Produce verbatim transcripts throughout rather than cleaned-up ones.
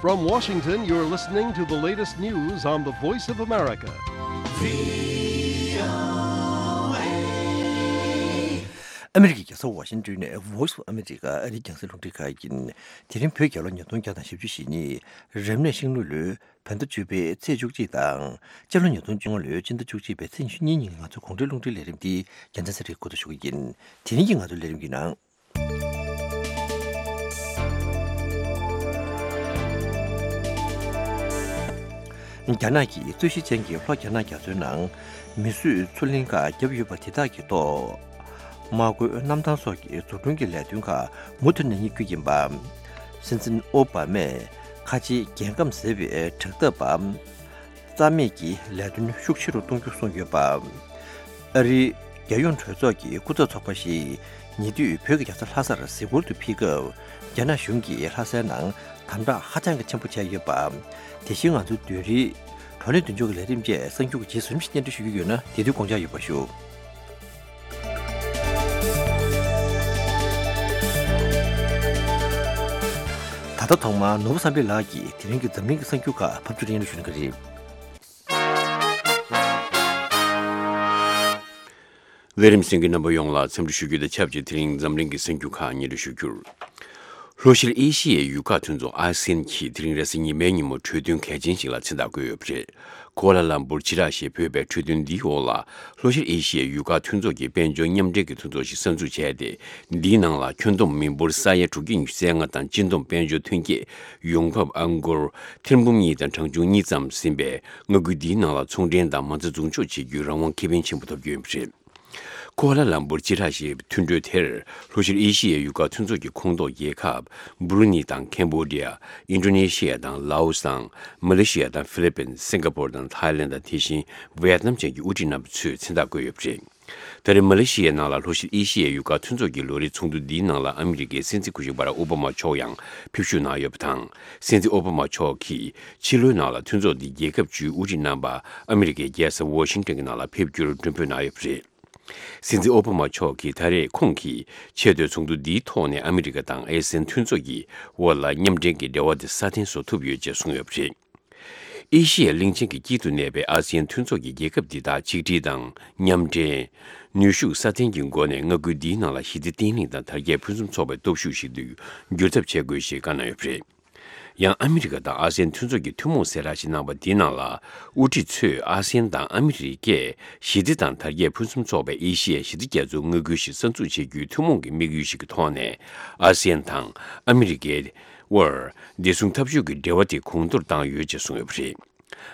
From Washington, you're listening to the latest news on the Voice of America. ཨ་མི་རི་ཀའི་རྒྱལ་ས་ཝ་ཤིང་ཏོན་ནས་Voice of America ཨ་རིའི་རྒྱང་སྲིང་རླུང་འཕྲིན་ཁང་ཡིན། དེ་རིང་བོད་རྒྱལ་ལོ་ཉིས་སྟོང་བརྒྱ་དང་བཞི་བཅུ་ཞེ་གཉིས། རབ་གནས་ཤིང་ལུག་ལོའི་བོད་ཟླ་བཅུ་པའི་ཚེས་བཅུ་གཅིག་དང་། སྤྱི་ལོ་ཉིས་སྟོང་བཅོ་ལྔ་ལོའི་སྤྱི་ཟླ་བཅུ་གཅིག་པའི་ཚེས་ཉི་ཤུ་གཉིས་ཉིན་ང་ཚོའི་གུང་ཁྲན་རླུང་འཕྲིན་ལས་རིམ་འདི་རྒྱལ་མཚན་ཚེ་རིང་འགོ་འཛུགས་ཞུ་གི་ཡིན། དེ་རིང་གི་ང་ཚོའི་ལས་རིམ་གྱི་ནང་། རྒྱ་ནག་གིས་རྩོད་གཞི་ཅན་གྱི་ལྷོ་རྒྱ་ནག་རྒྱ་མཚོའི་ནང་མི་གསོད་མཚོ་གླིང་ཁག་བརྒྱབ་ཡོད་པ་དེ་དག་གི་ཐོག་དམག་རྒོལ་གནམ་ཐང་སོགས་ཀྱི་འཛུགས་སྐྲུན་གྱི་ལས་དོན་ཁག་མུ་མཐུད་གནང་རྒྱུ་ཡིན་པ། སྲིད་འཛིན་ཨོ་བྷ་མས་ཁ་ཆེའི་རྒྱལ་ཁམས་ཟེར་བའི་དྲེག་ཐག་པ་རྩ་མེད་ཀྱི་ལས་དོན་ཤུགས་ཆེ་རུ་གཏོང་རྒྱུ་གསུངས་ཡོད་པ། ཨ་རིའི་རྒྱལ་ཡོངས་གྲོས་ཚོགས་ཀྱི་སྐུ་ཚབ་ཚོགས་པ་ཞིག་ཉེ་དུས་བོད་ཀྱི་རྒྱལ་ས་ལྷ་སར་གཟིགས་སྐོར་དུ་ཕེབས་སྐབས། རྒྱ་ནག་གཞུང་གིས་ལྷ་སའི་ནང་དམ་དྲག་ཧ་ཅང་གི་ཆེན་པོ་བྱས་ཡོད་པ། དེ་བཞིན་ང་ཚོའི་བདུན་རེའི་བགྲོ་གླེང་མདུན་ལྕོག་གི་ལས་རིམ་བཅས་གསར་འགྱུར་གྱི་རྗེས་སུ་རིམ་བཞིན་སྙན་སྒྲོན་ཞུ་རྒྱུ་ཡོད་ན། དེ་དུས་དགོངས་འཇགས་ཡོད་པ་ཞུ། ད་ལྟ་ཐོག་མར་ནོར་བུ་བསམ་འཕེལ་ལགས་ཀྱིས་དེ་རིང་གི་འཛམ་གླིང་གི་གསར་འགྱུར་ཁག་ཕབ་སྒྱུར་སྙན་སྒྲོན་ཞུ་གནང་གི་རེད། ལས་རིམ་གསན་མཁན་རྣམ་པ་ཡོངས་ལ་འཚམས་འདྲི་ཞུ་རྒྱུ་དང་ཆབས་ཅིག་དེ་རིང་འཛམ་གླིང་གི་གསར་འགྱུར་ཁག་སྙན་སྒྲོན་ཞུ་རྒྱུར། ལྷོ་ཤར་ཨེ་ཤི་ཡའི་ཡུལ་ཁག་མཐུན་ཚོགས་ཨ་སི་ཡན་གྱིས་དེ་རིང་རེས་གཟའ་ཉི་མའི་ཉིན་མོ་གྲོས་མཐུན་གལ་ཆེན་ཞིག་ལ་མཚན་རྟགས་བཀོད་ཡོད་པ་རེད། ཀོ་ལ་ལམ་པུར་སྤྱི་བསྒྲགས་ཞེས་འབོད་པའི་གྲོས་མཐུན་འདིའི་འོག་ལ། ལྷོ་ཤར་ཨེ་ཤི་ཡའི་ཡུལ་ཁག་མཐུན་ཚོགས་ཀྱི་དཔལ་འབྱོར་མཉམ་འབྲེལ་གྱི་མཐུན་ཚོགས་ཤིག་གསར་འཛུགས་བྱས་ཏེ། འདིའི་ནང་ལ་ཁྱོན་བསྡོམས་མི་འབོར་ས་ཡ་དྲུག་བརྒྱ་ཉི་ཤུ་རྩ་ལྔ་དང་སྤྱི་བསྡོམས་དཔལ་འབྱོར་ཐོན་སྐྱེད་ཡོང་འབབ་ཨང་སྒོར་ཐེར་འབུམ་གཉིས་དང་གྲངས་ཆུང་གཉིས་ཙམ་ཟིན་པས། མངའ་ཁུལ་འདིའི་ནང་ལ་ཚོང་འབྲེལ་དང་མ་རྩ་འཛུགས་འཇོག་བྱེད་རྒྱུའི་རང་དབང་ཁེ་ཕན་ཆེན་པོ་ཐོབ་རྒྱུ་ཡིན་པ་རེད། ཀོ་ལ་ལམ་པུར་སྤྱི་བསྒྲགས་ཞེས་པའི་མཐུན་གྲོས་དེར། ལྷོ་ཤར་ཨེ་ཤི་ཡའི་ཡུལ་ཁག་མཐུན་ཚོགས་ཀྱི་ཁོངས་གཏོགས་རྒྱལ་ཁབ་སྦུ་རུ་ནི་དང་ཁེམ་བྷོ་ཌི་ཡ། ཨིན་ཌོ་ནེ་ཤི་ཡ་དང་ལའོ་སི་དང་། མ་ལེ་ཤི་ཡ་དང་ཧྥི་ལི་པིན། སིང་ག་པོར་དང་ཐའི་ལེན་དང་། དེ་བཞིན་ཝེ་ཡེད་ནམ་བཅས་ཀྱི་དབུ་ཁྲིད་རྣམ་པ་ཚོས་མཚན་རྟགས་བཀོད་ཡོད་པ་རེད། ད་རེས་མ་ལེ་ཤི་ཡའི་ནང་ལ་ལྷོ་ཤར་ཨེ་ཤི་ཡའི་ཡུལ་ཁག་མཐུན་ཚོགས་ཀྱི་ལོ་རེའི་ཚོགས་འདུ་འདིའི་ནང་ལ་ཨ་མི་རི་ཀའི་སྲིད་འཛིན་སྐུ་ཞབས་བྷ་རག་ཨོ་བྷ་མ་མཆོག་ཡང་ཕེབས་ཞུགས་གནང་ཡོད་པ་དང་། སྲིད་འཛིན་ཨོ་བྷ་མ་མཆོག་གིས་ཕྱི་ལོའི་ནང་ལ་མཐུན་ཚོགས་འདིའི་རྒྱལ་ཁབ་བཅུའི་དབུ་ཁྲིད་རྣམ་པ་ཨ་མི་རི་ཀའི་རྒྱལ་ས་ཝོ་ཤིང་ཏོན་གྱི་ནང་ལ་ཕེབས་རྒྱུར་མགྲོན་འབོད་གནང་ཡོད་པ་རེད། སྲིད་འཛིན་ཨོ་བྷ་མ་མཆོག་གིས་ད་རེས་ཁོང་གིས་ཆེས་མཐོའི་ཚོགས་འདུ་འདིའི་ཐོག་ནས་ཨ་མི་རི་ཀ་དང་ཨེ་སི་ཡན་མཐུན་ཚོགས་ཀྱི་དབར་ལ་མཉམ་འབྲེལ་གྱི་འབྲེལ་བ་དེ་སྲ་བརྟན་བཟོ་ཐུབ་ཡོད་ཅེས་གསུངས་ཡོད་པ་རེད། ཨེ་ཤི་ཡའི་གླིང་ཆེན་གྱི་དཀྱིལ་དུ་གནས་པའི་ཨ་སི་ཡན་མཐུན་ཚོགས་ཀྱི་རྒྱལ་ཁབ་འདི་དག་ཆིག་སྒྲིལ་དང་མཉམ་འབྲེལ། ནུས་ཤུགས་སྲ་བརྟན་གྱི་སྒོ་ནས་མངའ་ཁུལ་འདིའི་ནང་ལ་ཞི་བདེ་བརྟན་ལྷིང་དང་དར་རྒྱས་ཕུན་སུམ་ཚོགས་པའི་སྟོབས་ཤུགས་ཤིག་ཏུ་འགྱུར་ཐབས་བྱེད་དགོས་ཞེས་བཀའ་གནང་ཡོད་པ་རེད། ཡང་ཨ་མི་རི་ཀ་དང་ཨ་སི་ཡན་མཐུན་ཚོགས་ཀྱི་ཐུན་མོང་གསལ་བསྒྲགས་ཤིག་གནང་བ་འདིའི་ནང་ལ། དབུ་ཁྲིད་ཚོས་ཨ་སི་ཡན་དང་ཨ་མི་རི་ཀས་ཞི་བདེ་དང་དར་རྒྱས་ཕུན་སུམ་ཚོགས་པའི་ཨེ་ཤི་ཡའི་ཞི་བདེ་རྒྱ་མཚོའི་མངའ་ཁུལ་ཞིག་གསར་འཛུགས་བྱེད་རྒྱུའི་ཐུན་མོང་གི་དམིགས་ཡུལ་ཞིག་གི་ཐོག་ནས། ཨ་སི་ཡན་དང་ཨ་མི་རི་ཀའི་དབར་བདེ་སྲུང་འཐབ་ཕྱོགས་ཀྱི་འབྲེལ་བ་དེ་གོང་མཐོར་བཏང་ཡོད་ཅེས་གསུངས་ཡོད་པ་རེད།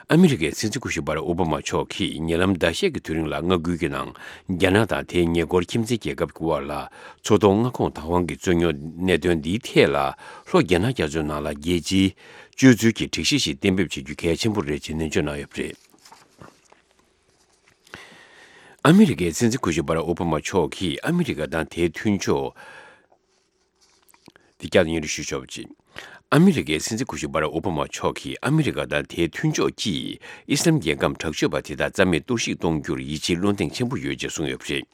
ཨ་མི་རི་ཀའི་སྲིད་འཛིན་སྐུ་ཞབས་བྷ་རག་ཨོ་བྷ་མ་མཆོག་གིས་ཉེ་ལམ་ཟླ་ཤས་ཀྱི་དུས་རིང་ལ་མངའ་ཁུལ་གྱི་ནང་རྒྱ་ནག་དང་དེའི་ཉེ་འཁོར་ཁྱིམ་མཚེས་རྒྱལ་ཁབ་ཀྱི་དབར་ལ་མཚོ་ཐོག་མངའ་ཁོངས་བདག་དབང་གི་རྩོད་རྙོག་གནད་དོན་འདིའི་ཐད་ལ། ལྷོ་རྒྱ་ནག་རྒྱ་མཚོའི་ནང་ལ་རྒྱལ་སྤྱིའི་སྤྱོད་ཚུལ་གྱི་སྒྲིག་གཞི་ཞིག་གཏན་འབེབས་བྱེད་རྒྱུ་གལ་ཆེན་པོ་རེད་ཅེས་ནན་བརྗོད་གནང་ཡོད་པ་རེད། ཨ་མི་རི་ཀའི་སྲིད་འཛིན་སྐུ་ཞབས་བྷ་རག་ཨོ་བྷ་མ་མཆོག་གིས་ཨ་མི་རི་ཀ་དང་དེའི་མཐུན་ཕྱོགས། འདི་བསྐྱར་དུ་སྙན་སྒྲོན་ཞུ་ཆོག་པ་ཅིག་ཨ་མི་རི་ཀའི་སྲིད་འཛིན་སྐུ་ཞབས་བྷ་རག་ཨོ་བྷ་མ་མཆོག་གིས་ཨ་མི་རི་ཀ་དང་དེའི་མཐུན་ཕྱོགས་ཀྱིས་ཨི་སི་ལམ་རྒྱལ་ཁམས་དྲག་སྤྱོད་པ་དེ་དག་རྩ་མེད་གཏོར་བཤིག་གཏོང་རྒྱུར་ཡིད་ཆེས་བློ་གདེང་ཆེན་པོ་ཡོད་ཅེས་གསུངས་ཡོད་པ་རེད།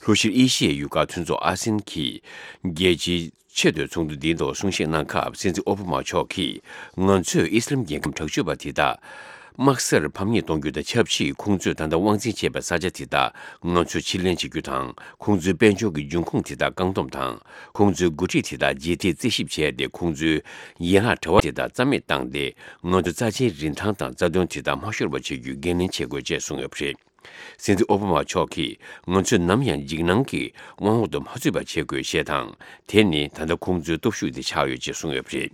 ལྷོ་ཤར་ཨེ་ཤི་ཡའི་ཡུལ་ཁག་མཐུན་ཚོགས་ཨ་སི་ཡན་གྱི་རྒྱལ་སྤྱིའི་ཆེས་མཐོའི་ཚོགས་འདུ་འདིའི་ཐོག་གསུང་བཤད་གནང་སྐབས། སྲིད་འཛིན་ཨོ་བྷ་མ་མཆོག་གིས། ང་ཚོས་ཨི་སི་ལམ་རྒྱལ་ཁམས་དྲག་སྤྱོད་པ་དེ་དག་དམག་སར་ཕམ་ཉེས་གཏོང་རྒྱུ་དང་ཆབས་ཅིག་ཁོང་ཚོས་ད་ལྟ་དབང་འཛིན་བྱེད་པའི་ས་ཆ་དེ་དག་ང་ཚོས་ཕྱིར་ལེན་བྱེད་རྒྱུ་དང་། ཁོང་ཚོའི་དཔལ་འབྱོར་གྱི་འབྱུང་ཁུངས་དེ་དག་བཀག་སྡོམ་དང་། ཁོང་ཚོའི་འགོ་ཁྲིད་དེ་དག་རྗེས་འདེད་རྩད་ཞིབ་བྱས་ཏེ། ཁོང་ཚོའི་ཡན་ལག་བྲལ་བ་དེ་དག་རྩ་མེད་བཏང་སྟེ། ང་ཚོའི་རྩ་ཆེའི་རིན་ཐང་དང་རྩ་དོན་དེ་དག་མ་ཤོར་བ་བྱེད་རྒྱུའི་འགན་ལེན་བྱེད་དགོས་ཅེས་གསུངས་ཡོད་པ་རེད། སྲིད་འཛིན་ཨོ་བྷ་མ་མཆོག་གིས། ང་ཚོས་ནམ་ཡང་འཇིགས་སྣང་གི་དབང་འོག་ཏུ་མ་ཚུད་པ་བྱེད་དགོས་ཞེས་དང་། དེ་ནི་ད་ལྟ་ཁོང་ཚོའི་སྟོབས་ཤུགས་དེ་ཆགས་ཡོད་ཅེས་གསུངས་ཡོད་པ་རེད།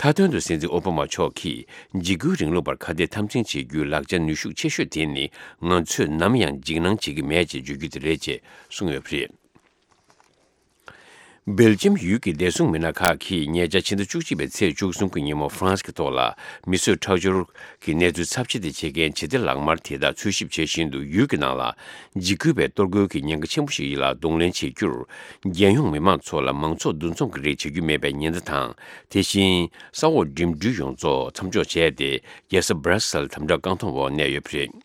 མཐའ་དོན་དུ་སྲིད་འཛིན་ཨོ་བྷ་མ་མཆོག་གིས། འཇིགས་སྐུལ་རིང་ལུགས་པར་ཁ་གཏད་འཐབ་འཛིང་བྱེད་རྒྱུའི་ལག་ཆ་ནུས་ཤུགས་ཆེ་ཤོས་དེ་ནི། ང་ཚོས་ནམ་ཡང་འཇིགས་སྣང་བྱེད་ཀྱི་མེད་ཅེས་བརྗོད་རྒྱུ་དེ་རེད་ཅེས་གསུངས་ཡོད་པ་རེད། སྦེལ་ཇམ་ཡུལ་གྱི་བདེ་སྲུང་མི་སྣ་ཁག་གིས་ཉེ་ཆར་ཕྱི་ཟླ་བཅུ་གཅིག་པའི་ཚེས་བཅུ་གསུམ་གྱི་ཉིན་མོ་ཧྥ་རན་སི་གི་ཐོག་ལ་མི་གསོད་ཁྲག་སྦྱོར་གྱི་གནས་ཚུལ་ཚབས་ཆེ་དེ་བྱེད་མཁན་བྱེད་གཏེ་ལག་དམར་དེ་དག་འཚོལ་ཞིབ་བྱེད་བཞིན་དུ། ཡུལ་གྱི་ནང་ལ་འཇིགས་སྐུལ་བའི་གཏོར་རྒོལ་གྱི་ཉེན་ཁ་ཆེན་པོ་ཞིག་ལ་གདོང་ལེན་བྱེད་རྒྱུར། རྒྱལ་ཡོངས་མི་མང་ཚོ་ལ་མང་ཚོགས་འདུ་འཛོམས་ཀྱི་རིགས་བྱེད་རྒྱུ་མེད་པའི་ཉེན་བརྡ་དང་། དེ་བཞིན་ས་འོག་འགྲིམ་འགྲུལ་ཡོངས་རྫོགས་མཚམས་འཇོག་བྱས་ཏེ། རྒྱལ་ས་སྦྲ་སེལ་དམ་དྲག་བཀག་སྡོམ་འོག་གནས་ཡོད་པ་རེད།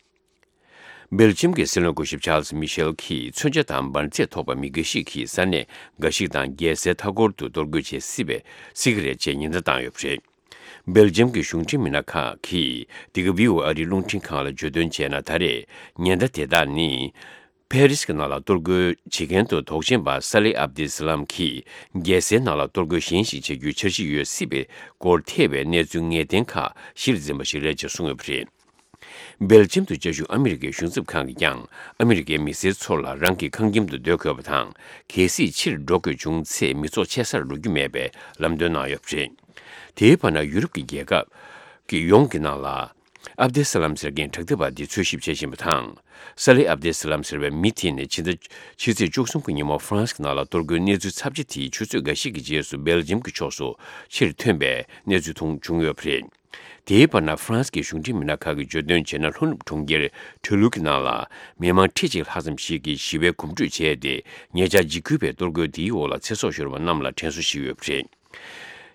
སྦེལ་ཇམ་གྱི་སྲིད་བློན་སྐུ་ཞབས་ཆཱལ་སི་མི་ཤེལ་གྱིས། མཚོན་ཆ་དང་འབར་རྫས་ཐོགས་པ་མི་འགའ་ཞིག་གིས་ས་གནས་འགའ་ཞིག་དང་རྒྱལ་སའི་མཐའ་འཁོར་དུ་གཏོར་རྒོལ་བྱེད་སྲིད་པའི། སྲིད་ཀྱི་རེད་ཅེས་ཉེན་བརྡ་བཏང་ཡོད་པ་རེད། སྦེལ་ཇམ་གྱི་གཞུང་འབྲེལ་མི་སྣ་ཁག་གིས་འདི་ག་བྷི་ཨོ་ཨེ་ཨ་རིའི་རླུང་འཕྲིན་ཁང་ལ་བརྗོད་དོན་བྱས་ན། ད་རེས་ཉེན་བརྡ་དེ་དག་ནི་ཕ་རིས་ཀྱི་ནང་ལ་གཏོར་རྒོལ་བྱེད་མཁན་དུ་དོགས་ཅན་པ་ས་ལེ་ཨབ་དེ་སི་ལམ་གྱིས་རྒྱལ་སའི་ནང་ལ་གཏོར་རྒོལ་གཞན་ཞིག་བྱ་རྒྱུའི་འཆར་གཞི་ཡོད་སྲིད་པའི་སྐོར་ཐེ་བའི་གནས་ཚུལ་ངེས་གཏན་ཁག་གཞིར་འཛིན་པ་ཞིག་རེད་ཅེས་གསུངས་ཡོད་པ་རེད། སྦེལ་ཇམ་དུ་བཅའ་བཞུགས་ཨ་མི་རི་ཀའི་གཞུང་ཚབ་ཁང་གིས་ཀྱང་ཨ་མི་རི་ཀའི་མི་སེར་ཚོ་ལ་རང་གི་ཁང་ཁྱིམ་དུ་སྡོད་དགོས་པ་དང་། གལ་སྲིད་ཕྱིར་འགྲོ་དགོས་བྱུང་ཚེ་མི་ཚོགས་ཆེ་སར་འགྲོ་རྒྱུ་མེད་པའི་ལམ་སྟོན་གནང་ཡོད་པ་རེད། དེའི་བར་ན་ཡུ་རོབ་ཀྱི་རྒྱལ་ཁབ་ཀྱི་ཡོངས་ཀྱི་ནང་ལ་ཨབ་དེ་སི་ལམ་ཟེར་མཁན་དྲག་འཐབ་པ་འདི་འཚོལ་ཞིབ་བྱེད་བཞིན་པ་དང་། ས་ལེ་ཨབ་དེ་སི་ལམ་ཟེར་བའི་མི་དེ་ནི་ཕྱི་ཟླ་ཕྱི་ཚེས་བཅུ་གསུམ་གྱི་ཉིན་མོ་ཧྥ་རན་སི་གི་ནང་ལ་གཏོར་རྒོལ་གནས་ཚུལ་ཚབས་ཆེ་དེའི་ཆུ་ཚོད་འགའ་ཤས་ཀྱི་རྗེས་སུ་སྦེལ་ཇམ་གྱི་ཕྱོགས་སུ་ཕྱིར་ཐོན་པའི་གནས་ཚུལ་མཐོང་བྱུང་ཡོད་པ་རེད། དེའི་བར་ན་ཧྥ་རན་སི་གི་གཞུང་འབྲེལ་མི་སྣ་ཁག་གིས་བརྗོད་དོན་བྱས་ན། ལྷོ་ནུབ་གྲོང་ཁྱེར་ཊུ་ལུ་གི་ནང་ལ་མི་མང་ཁྲི་གཅིག་ལྷག་ཙམ་ཞིག་གིས་ཞི་བའི་གོམ་བགྲོད་བྱས་ཏེ། ཉེ་ཆར་འཇིགས་སྐུལ་བའི་གཏོར་རྒོལ་དེའི་འོག་ལ་ཚེ་སྲོག་ཤོར་བ་རྣམས་ལ་དྲན་གསོ་ཞུས་ཡོད་པ་རེད།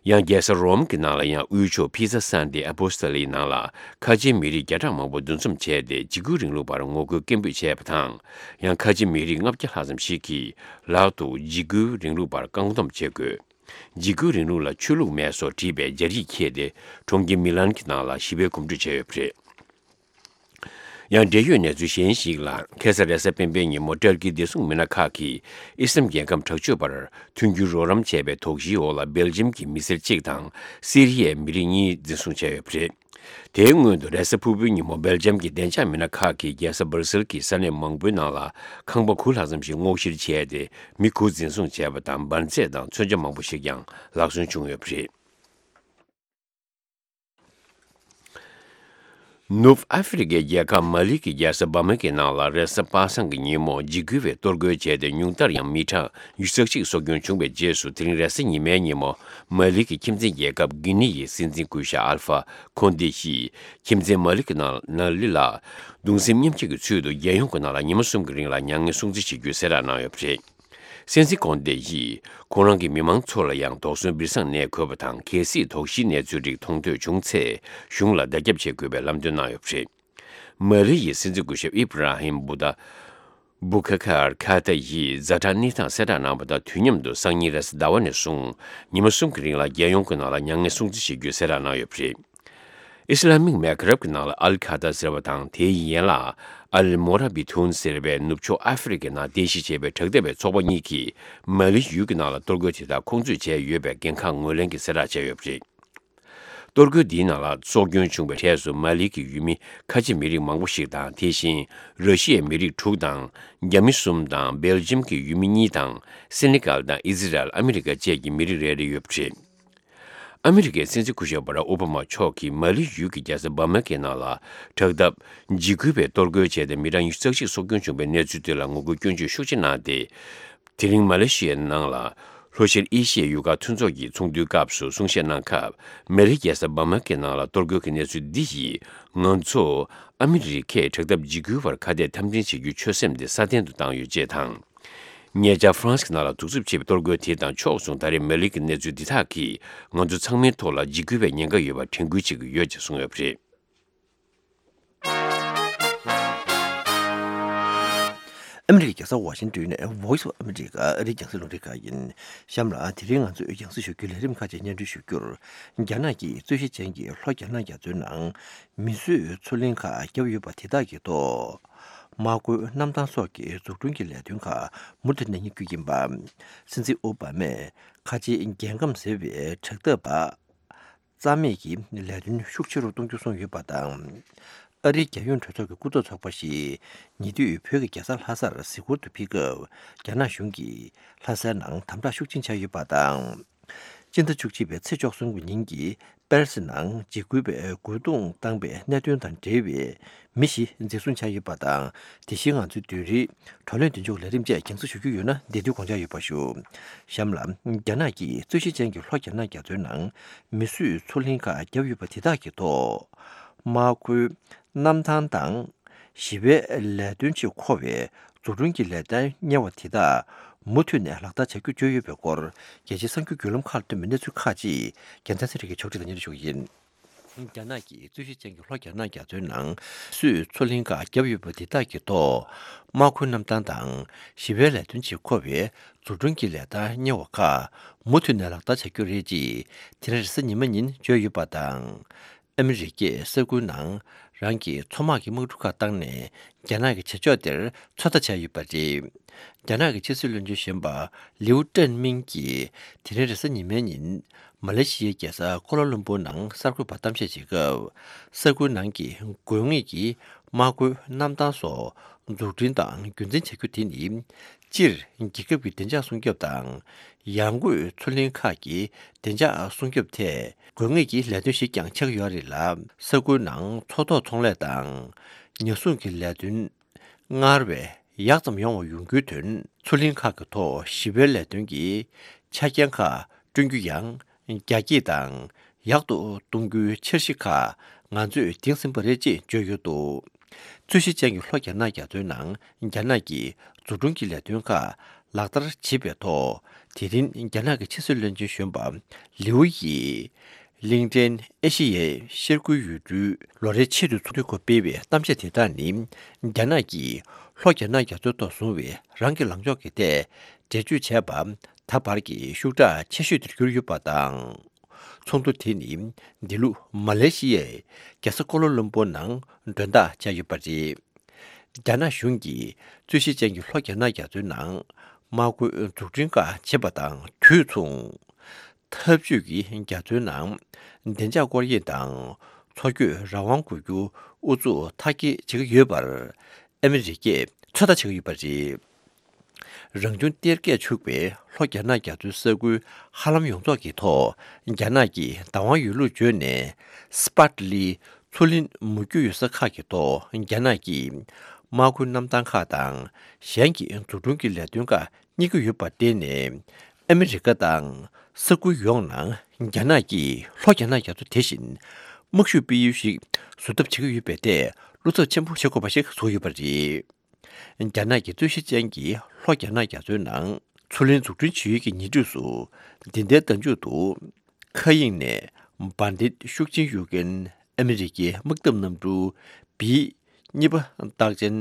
ཡང་རྒྱལ་ས་རོམ་གྱི་ནང་ལ་ཡང་དབུས་ཕྱོགས་ཕི་ཛ་སན་ཏེ་ཨ་པོ་སི་ཏ་ལིའི་ནང་ལ་ཁ་ཆེའི་མི་རིགས་བརྒྱ་ཕྲག་མང་པོ་འདུ་འཛོམས་བྱས་ཏེ། འཇིགས་སྐུལ་རིང་ལུགས་པར་ངོ་རྒོལ་སྐད་འབོད་བྱས་པ་དང་། ཡང་ཁ་ཆེའི་མི་རིགས་ལྔ་བརྒྱ་ལྷག་ཙམ་ཞིག་གིས་ལག་ཏུ་འཇིགས་སྐུལ་རིང་ལུགས་པར་བཀག་སྡོམ་བྱེད་དགོས། འཇིགས་སྐུལ་རིང་ལུགས་ལ་ཆོས་ལུགས་མེད་སོགས་བྲིས་པའི་སྦྱར་ཡིག་འཁྱེར་ཏེ། གྲོང་ཁྱེར་མི་ལན་གྱི་ནང་ལ་ཞི་བའི་གོམ་བགྲོད་བྱས་ཡོད་པ་རེད། ཡང་འབྲེལ་ཡོད་གནས་ཚུལ་གཞན་ཞིག་ལ། ཁ་སང་རེས་གཟའ་སྤེན་པའི་ཉིན་མོ་ཏུར་ཀིའི་བདེ་སྲུང་མི་སྣ་ཁག་གིས་ཨི་སི་ལམ་རྒྱལ་ཁབ་དྲག་སྤྱོད་པར་མཐུན་འགྱུར་རོགས་རམ་བྱས་པའི་དོགས་གཞིའི་འོག་ལ་སྦེལ་ཇམ་གྱི་མི་སེར་གཅིག་དང་སི་རི་ཡའི་མི་རིགས་གཉིས་འཛིན་བཟུང་བྱས་ཡོད་པ་རེད། དེའི་སྔོན་དུ་རེས་གཟའ་ཕུར་བུའི་ཉིན་མོ་སྦེལ་ཇམ་གྱི་བདེ་འཇགས་མི་སྣ་ཁག་གིས་རྒྱལ་ས་སྦར་སིལ་གྱི་ས་གནས་མང་པོའི་ནང་ལ་ཁང་པ་དགུ་ལྷག་ཙམ་ཞིག་སྔོག་བཤེར་བྱས་ཏེ། མི་དགུ་འཛིན་བཟུང་བྱས་པ་དང་། འབར་རྫས་དང་མཚོན་ཆ་མང་པོ་ཞིག་ཀྱང་ལག་སོན་བྱུང་ཡོད་པ་རེད། ནུབ་ཨ་ཧྥེ་རི་ཁའི་རྒྱལ་ཁབ་མ་ལི་གི་རྒྱལ་ས་བ་མ་གི་ནང་ལ་རེས་གཟའ་པ་སངས་ཀྱི་ཉིན་མོ་འཇིགས་སྐུལ་བས་གཏོར་རྒོལ་བྱས་ཏེ། ཉུང་མཐར་ཡང་མི་གྲངས་ཉི་ཤུ་རྩ་གཅིག་སྲོག་སྐྱོན་བྱུང་བའི་རྗེས་སུ། དེ་རིང་རེས་གཟའ་ཉི་མའི་ཉིན་མོ་མ་ལི་གི་ཁྱིམ་མཚེས་རྒྱལ་ཁབ་གྷི་ནི་ཡི་སྲིད་འཛིན་སྐུ་ཞབས་ཨལ་ཧྥ་ཁོན་ཏེ་ཡིས་ཁྱིམ་མཚེས་མ་ལི་གི་ནང་ན་ལི་ལ་གདུང་སེམས་མཉམ་སྐྱེད་ཀྱི་ཚུལ་དུ་རྒྱལ་ཡོངས་ཀྱི་ནང་ལ་ཉི་མ་གསུམ་གྱི་རིང་ལ་མྱ་ངན་སྲུང་བརྩི་བྱེད་རྒྱུའི་གསལ་བསྒྲགས་གནང་ཡོད་པ་རེད། སྲིད་འཛིན་ཁོན་ཏེ་ཡིས་ཁོང་རང་གི་མི་མང་ཚོ་ལ་ཡང་དོགས་ཟོན་སྦིར་སང་གནས་དགོས་པ་དང་། གལ་སྲིད་དོགས་གཞིའི་གནས་ཚུལ་རིགས་མཐོང་ཐོས་བྱུང་ཚེ་གཞུང་ལ་བརྡ་ཁྱབ་བྱེད་དགོས་པའི་ལམ་སྟོན་གནང་ཡོད་པ་རེད། མ་ལི་ཡི་སྲིད་འཛིན་སྐུ་ཞབས་ཨི་བྷ་ར་ཧིམ་བུ་ཏ་བུ་ཁ་ཁར་ཁ་ཏ་ཡིས་ཛ་དྲག་གནས་སྟངས་གསལ་བསྒྲགས་གནང་བ་དང་། དུས་མཉམ་དུ་སང་ཉིན་རེས་གཟའ་ཟླ་བ་ནས་བཟུང་ཉི་མ་གསུམ་གྱི་རིང་ལ་རྒྱལ་ཡོངས་ཀྱི་ནང་ལ་མྱ་ངན་སྲུང་བརྩི་བྱེད་རྒྱུའི་གསལ་བསྒྲགས་གནང་ཡོད་པ་རེད། ཨི་སི་ལ་མིག་མེ་གྷ་རབ་ཀྱི་ནང་ལ་ཨལ་ཁ་ད་ཟེར་བ་དང་། དེའི་ཡན་ལག་ཨལ་མོ་ར་བི་ཐུན་ཟེར་བའི་ནུབ་ཕྱོགས་ཨ་ཧྥེ་རི་ཁའི་ནང་རྟེན་གཞི་བྱས་པའི་དྲག་འཐབ་པའི་ཚོགས་པ་གཉིས་ཀྱིས་མ་ལི་ཡུལ་གྱི་ནང་ལ་གཏོར་རྒོལ་དེ་དག་ཁོང་ཚོས་བྱས་ཡོད་པའི་འགན་ཁག་ངོས་ལེན་གྱི་གསལ་བསྒྲགས་བྱས་ཡོད་པ་རེད། གཏོར་རྒོལ་འདིའི་ནང་ལ་སྲོག་སྐྱོན་བྱུང་བའི་གྲས་སུ་མ་ལི་གི་ཡུལ་མི་ཁ་ཆེ་མི་རིགས་མང་པོ་ཞིག་དང་། དེ་བཞིན་ར་ཤི་ཡའི་མི་རིགས་དྲུག་དང་། རྒྱ་མི་གསུམ་དང་། སྦེལ་ཇམ་གྱི་ཡུལ་མི་གཉིས་དང་། སེ་ནི་གལ་དང་། ཨི་ཟི་རལ། ཨ་མི་རི་ཀ་བཅས་ཀྱི་མི་རིགས་རེ་རེ་ཡོད་པ་རེད། ཨ་མི་རི་ཀའི་སྲིད་འཛིན་སྐུ་ཞབས་བྷ་རག་ཨོ་བྷ་མ་མཆོག་གིས་མ་ལི་ཡུལ་གྱི་རྒྱལ་ས་བྷ་མ་ཀའི་ནང་ལ་དྲག་འཐབ་འཇིགས་སྐུལ་བས་གཏོར་རྒོལ་བྱས་ཏེ། མི་གྲངས་ཉི་ཤུ་རྩ་གཅིག་སྲོག་སྐྱོན་བྱུང་བའི་གནས་ཚུལ་དེ་ལ་ངོ་རྒོལ་སྐྱོན་བརྗོད་ཤུགས་ཆེ་གནང་སྟེ། དེ་རིང་མ་ལེ་ཤི་ཡའི་ནང་ལ་ལྷོ་ཤར་ཨེ་ཤི་ཡའི་ཡུལ་ཁག་མཐུན་ཚོགས་ཀྱི་ཚོགས་འདུའི་སྐབས་སུ་གསུང་བཤད་གནང་སྐབས། མ་ལི་རྒྱལ་ས་བྷ་མ་ཀའི་ནང་ལ་གཏོར་རྒོལ་གྱི་གནས་ཚུལ་འདི་ཡིས་ང་ཚོ་ཨ་མི་རི་ཁས་དྲག་འཐབ་འཇིགས་སྐུལ་བར་ཁ་གཏད་འཐབ་འཛིང་བྱེད་རྒྱུའི་ཆོད་སེམས་དེ་སྲ་བརྟན་དུ་བཏང་ཡོད་ཅེས་དང་། ཉེ་ཆར་ཧྥ་རན་སི་ནང་ལ་གདུག་རྩུབ་ཆེ་བའི་གཏོར་རྒོལ་དེ་དང་ཕྱོགས་མཚུངས། ད་རེས་མ་ལི་གི་གནས་ཚུལ་འདི་དག་གིས་ང་ཚོ་ཚང་མའི་ཐོག་ལ་འཇིགས་སྐུལ་བའི་ཉེན་ཁ་ཡོད་པར་དྲན་སྐུལ་བྱེད་ཀྱི་ཡོད་ཅེས་གསུངས་ཡོད་པ་རེད། ཨ་མི་རི་ཀའི་རྒྱལ་ས་ཝ་ཤིང་ཏོན་ནས་Voice of America ཨ་རིའི་རྒྱང་སྲིང་རླུང་འཕྲིན་ཁང་ཡིན། གཤམ་ལ་དེ་རིང་ང་ཚོས་རྒྱང་སྲིང་ཞུ་རྒྱུའི་ལས་རིམ་ཁག་ཅིག་སྙན་སྒྲོན་ཞུ་རྒྱུར། རྒྱ་ནག་གིས་རྩོད་གཞི་ཅན་གྱི་ལྷོ་རྒྱ་ནག་རྒྱ་མཚོའི་ནང་མིས་བཟོས་མཚོ་གླིང་ཁག་བརྒྱབ་ཡོད་པ་དེ་དག་གི་ཐོག་དམག་ཁུལ་གནམ་ཐང་སོགས་ཀྱི་འཛུགས་སྐྲུན་གྱི་ལས་དོན་ཁག་མུ་མཐུད་གནས་རྒྱུ་ཡིན་པ། སྲིད་འཛིན་ཨོ་བྷ་མས་ཁ་ཆེའི་རྒྱལ་ཁམས་ཟེར་བའི་དྲག་འཐབ་པ་རྩ་མེད་ཀྱི་ལས་དོན་ཤུགས་ཆེ་རུ་གཏོང་རྒྱུ་གསུངས་ཡོད་པ་དང་། ཨ་རིའི་རྒྱལ་ཡོངས་གྲོས་ཚོགས་ཀྱི་སྐུ་ཚབ་ཚོགས་པ་ཞིག་ཉེ་དུས་བོད་ཀྱི་རྒྱལ་ས་ལྷ་སར་གཟིགས་སྐོར་དུ་ཕེབས་སྐབས། རྒྱ་ནག་གཞུང་གིས་ལྷ་སའི་ནང་དམ་དྲག་ཤུགས་ཆེན་བྱས་ཡོད་པ་དང་། སྤྱི་ཟླ་བཅུ་གཅིག་པའི་ཚེས་བཅུ་གསུམ་གྱི་ཉིན་གྱི་པེ་རི་སི་ནང་འཇིགས་སྐུལ་བས་རྒོལ་རྡུང་བཏང་པའི་གནད་དོན་དང་འབྲེལ་བའི་མི་བཞི་འཛིན་བཟུང་བྱས་ཡོད་པ་དང་། དེ་བཞིན་ང་ཚོའི་བདུན་རེའི་བགྲོ་གླེང་མདུན་ལྕོག་ལས་རིམ་བཅས་རྒྱང་སྲིང་ཞུ་རྒྱུ་ཡོད་ན། འདི་དུས་དགོངས་འཇགས་ཡོད་པ་ཞུ། གཤམ་ལ། རྒྱ་ནག་གིས་རྩོད་གཞི་ཅན་གྱི་ལྷོ་རྒྱ་ནག་རྒྱ་མཚོའི་ནང་མིས་བཟོས་མཚོ་གླིང་ཁག་བརྒྱབ་ཡོད་པ་དེ་དག་གི་ཐོག་དམག་ཁུལ་གནམ་ཐང་དང་། ཞི་བའི་ལས་དོན་ཆེད་མཁོ་བའི་འཛུགས་སྐྲུན་གྱི་ལས་དོན་གཉེར་བ་དེ་དག་མུ་མཐུད་ནས་ལག་བསྟར་བྱ་རྒྱུ་བརྗོད་ཡོད་པའི་སྐོར། རྒྱལ་སྤྱིའི་གསར་འགྱུར་བརྒྱུད་ལམ་ཁག་ལ་ཐོན་པའི་གནས་ཚུལ་ཁག་ཅིག་རྒྱལ་མཚན་ཚེ་རིང་གིས་ཕྱོགས་སྒྲིག་དང་སྙན་སྒྲོན་ཞུ་གི་ཡིན། རྒྱ་ནག་གི་རྩོད་གཞི་ཅན་གྱི་ལྷོ་རྒྱ་ནག་རྒྱ་མཚོའི་ནང་སུས་མཚོ་གླིང་ཁག་བརྒྱབ་ཡོད་པ་འདི་དག་གི་ཐོག་དམག་ཁུལ་གནམ་ཐང་དང་ཞི་བའི་ལས་དོན་ཆེད་མཁོ་བའི་འཛུགས་སྐྲུན་གྱི་ལས་སྟངས་གཉེར་བ་ཁག་མུ་མཐུད་ནས་ལག་བསྟར་བྱ་རྒྱུ་རེད་ཅེས་དེ་རིང་རེས་གཟའ་ཉི་མ་ཉིན་བརྗོད་ཡོད་པ་དང་། ཨ་མི་རི་ཀས་ས་ཁུལ་ནང་རང་གི་མཚོ་དམག་གི་དམག་གྲུ་ཁག་བཏང་ནས་རྒྱ་ནག་གི་བྱེད་ཕྱོགས་དེར་ཚོད་ལྟ་བྱས་ཡོད་པ་རེད། རྒྱ་ནག་གི་ཕྱི་སྲིད་བློན་ཆེན་གཞོན་པ་ལིའུ་ཀྲེན་མིང་གིས་དེ་རིང་རེས་གཟའ་ཉི་མའི་ཉིན་མ་ལེ་ཤི་ཡའི་རྒྱལ་ས་ཀོ་ལ་ལུམ་པུར་ནང་གསར་འགོད་པར་གཏམ་བཤད་བྱེད་སྐབས། ས་ཁུལ་ནང་གི་དགོས་ངེས་ཀྱི་དམག་ཁུལ་གནམ་ཐང་སོགས་འཛུགས་སྐྲུན་དང་རྒྱུན་འཛིན་བྱ་རྒྱུ་དེ་ནི། སྤྱིར་རྒྱལ་ཁབ་ཀྱི་བདེ་འཇགས་སྲུང་སྐྱོབ་དང་། ཡང་སྒོས་མཚོ་གླིང་ཁག་གི་བདེ་འཇགས་སྲུང་སྐྱོབ་ཐད་དགོས་ངེས་ཀྱི་ལས་དོན་ཞིག་ཀྱང་ཆགས་ཡོད་རེད་ལ། ས་ཁུལ་ནང་མཚོ་ཐོག་ཚོང་ལས་དང་ཉ་སྲུང་གི་ལས་དོན་སྔར་བས་ཡག་ཙམ་ཡོང་བ་ཡོང་རྒྱུའི་དོན། མཚོ་གླིང་ཁག་གི་ཐོག་ཞི་བའི་ལས་དོན་གྱི་ཆ་རྐྱེན་ཁག་བསྐྲུན་རྒྱུ་ཡང་རྒྱ་སྐྱེད་དང་ཡག་ཏུ་གཏོང་རྒྱུའི་འཆར་གཞི་ཁག་ང་ཚོས་འདིང་ཟིན་པ་རེད་ཅེས་བརྗོད་ཡོད་འདུག་རྩོད་གཞི་ཅན་གྱི་ལྷོ་རྒྱ་ནག་རྒྱ་མཚོའི་ནང་རྒྱ་ནག་གིས་འཛུགས་སྐྲུན་གྱི་ལས་དོན་ཁག་ལག་བསྟར་བྱེད་པའི་ཐོག་དེ་རིང་རྒྱ་ནག་གི་ཕྱི་སྲིད་བློན་ཆེན་གཞོན་པ་ལིའུ་ཡིས་གླིང་ཕྲན་ཨེ་ཤེ་ཡའི་ཤར་ཁུལ་ཡུལ་གྲུའི་ལོ་རེའི་ཆེས་མཐོའི་ཚོགས་འདུའི་སྐོར་སྤེལ་བའི་གཏམ་བཤད་དེ་དག་ནི། རྒྱ་ནག་གིས་ལྷོ་རྒྱ་ནག་རྒྱ་མཚོའི་ཐོག་བཟུང་བའི་རང་གི་ལངས་ཕྱོགས་ཀྱི་ཐད་འགྲེལ་བརྗོད་བྱས་པ་ད་བར་གྱི་ཤུགས་དྲག་ཆེ་ཤོས་དེར་གྱུར་ཡོད་པ་དང་། ཚོགས་འདུ་དེ་ནི་འདི་ལོ་མ་ལེ་ཤི་ཡའི་རྒྱལ་ས་ཀོ་ལ་ལུམ་པུར་ནང་མགྲོན་བདག་བཅར་ཡོད་པ་རེད། རྒྱ་ནག་གཞུང་གིས་རྩོད་གཞི་ཅན་གྱི་ལྷོ་རྒྱ་ནག་རྒྱ་མཚོའི་ནང་དམག་ཁུལ་འཛུགས་སྐྲུན་ཁག་བྱེད་པ་དང་དུས་མཚུངས། འཐབ་ཇུས་ཀྱི་རྒྱ་མཚོའི་ནང་བདེ་འཇགས་སྐོར་གཡེང་དང་མཚོ་སྐྱོད་རང་དབང་དགོས་རྒྱུ་ཨུ་ཚུགས་མཐའ་སྐྱེལ་བྱེད་ཀྱི་ཡོད་པར་ཨ་མི་རི་ཀས་ཚོད་ལྟ་བྱེད་ཀྱི་ཡོད་པ་རེད། རང་བྱུང་གཏེར་ཁས་ཕྱུག་པའི་ལྷོ་རྒྱ་ནག་རྒྱ་མཚོའི་ས་ཁུལ་ཧ་ལམ་ཡོངས་རྫོགས་ཀྱི་ཐོག་རྒྱ་ནག་གིས་བདག་དབང་ཡོད་ལུགས་བརྗོད་ནས་སྤ་ལི་མཚོ་གླིང་མུ་རྒྱུད་ཡོད་ས་ཁག་གི་ཐོག་རྒྱ་ནག་གིས་དམག་ཁུལ་གནམ་ཐང་ཁག་དང་གཞན་གྱི་འཛུགས་སྐྲུན་གྱི་ལས་དོན་ཁག་གཉེར་གྱི་ཡོད་པར་བརྟེན་ནས། ཨ་མི་རི་ཀ་དང་ས་ཁུལ་ཡོངས་ནང་རྒྱ་ནག་གིས་ལྷོ་རྒྱ་ནག་རྒྱ་མཚོ་དེ་བཞིན་དམག་ཤུགས་སྤེལ་ཡུལ་ཞིག་བཟོ་ཐབས་བྱེད་ཀྱི་ཡོད་པའི་ཐད་བློ་འཚབ་ཆེན་པོ་བྱེད་དགོས་པ་ཞིག་བཟོ་ཡོད་པ་རེད། རྒྱ་ནག་གི་རྩོད་གཞི་ཅན་གྱི་ལྷོ་རྒྱ་ནག་རྒྱ་མཚོའི་ནང་མཚོ་གླིང་འཛུགས་སྐྲུན་བྱེད་ཡུལ་གྱི་ཉེ་འཁྲིས་སུ། འདི་ཟླའི་ཟླ་མཇུག་ཏུ། མཁའ་དབྱིངས་ནས་བྷ་ཌིད་ཤུག་ཆེན་གཡུག་མཁན་ཨ་མི་རི་ཀའི་དམག་འཐབ་གནམ་གྲུ་བི་གཉིས་པ་རྟགས་ཅན་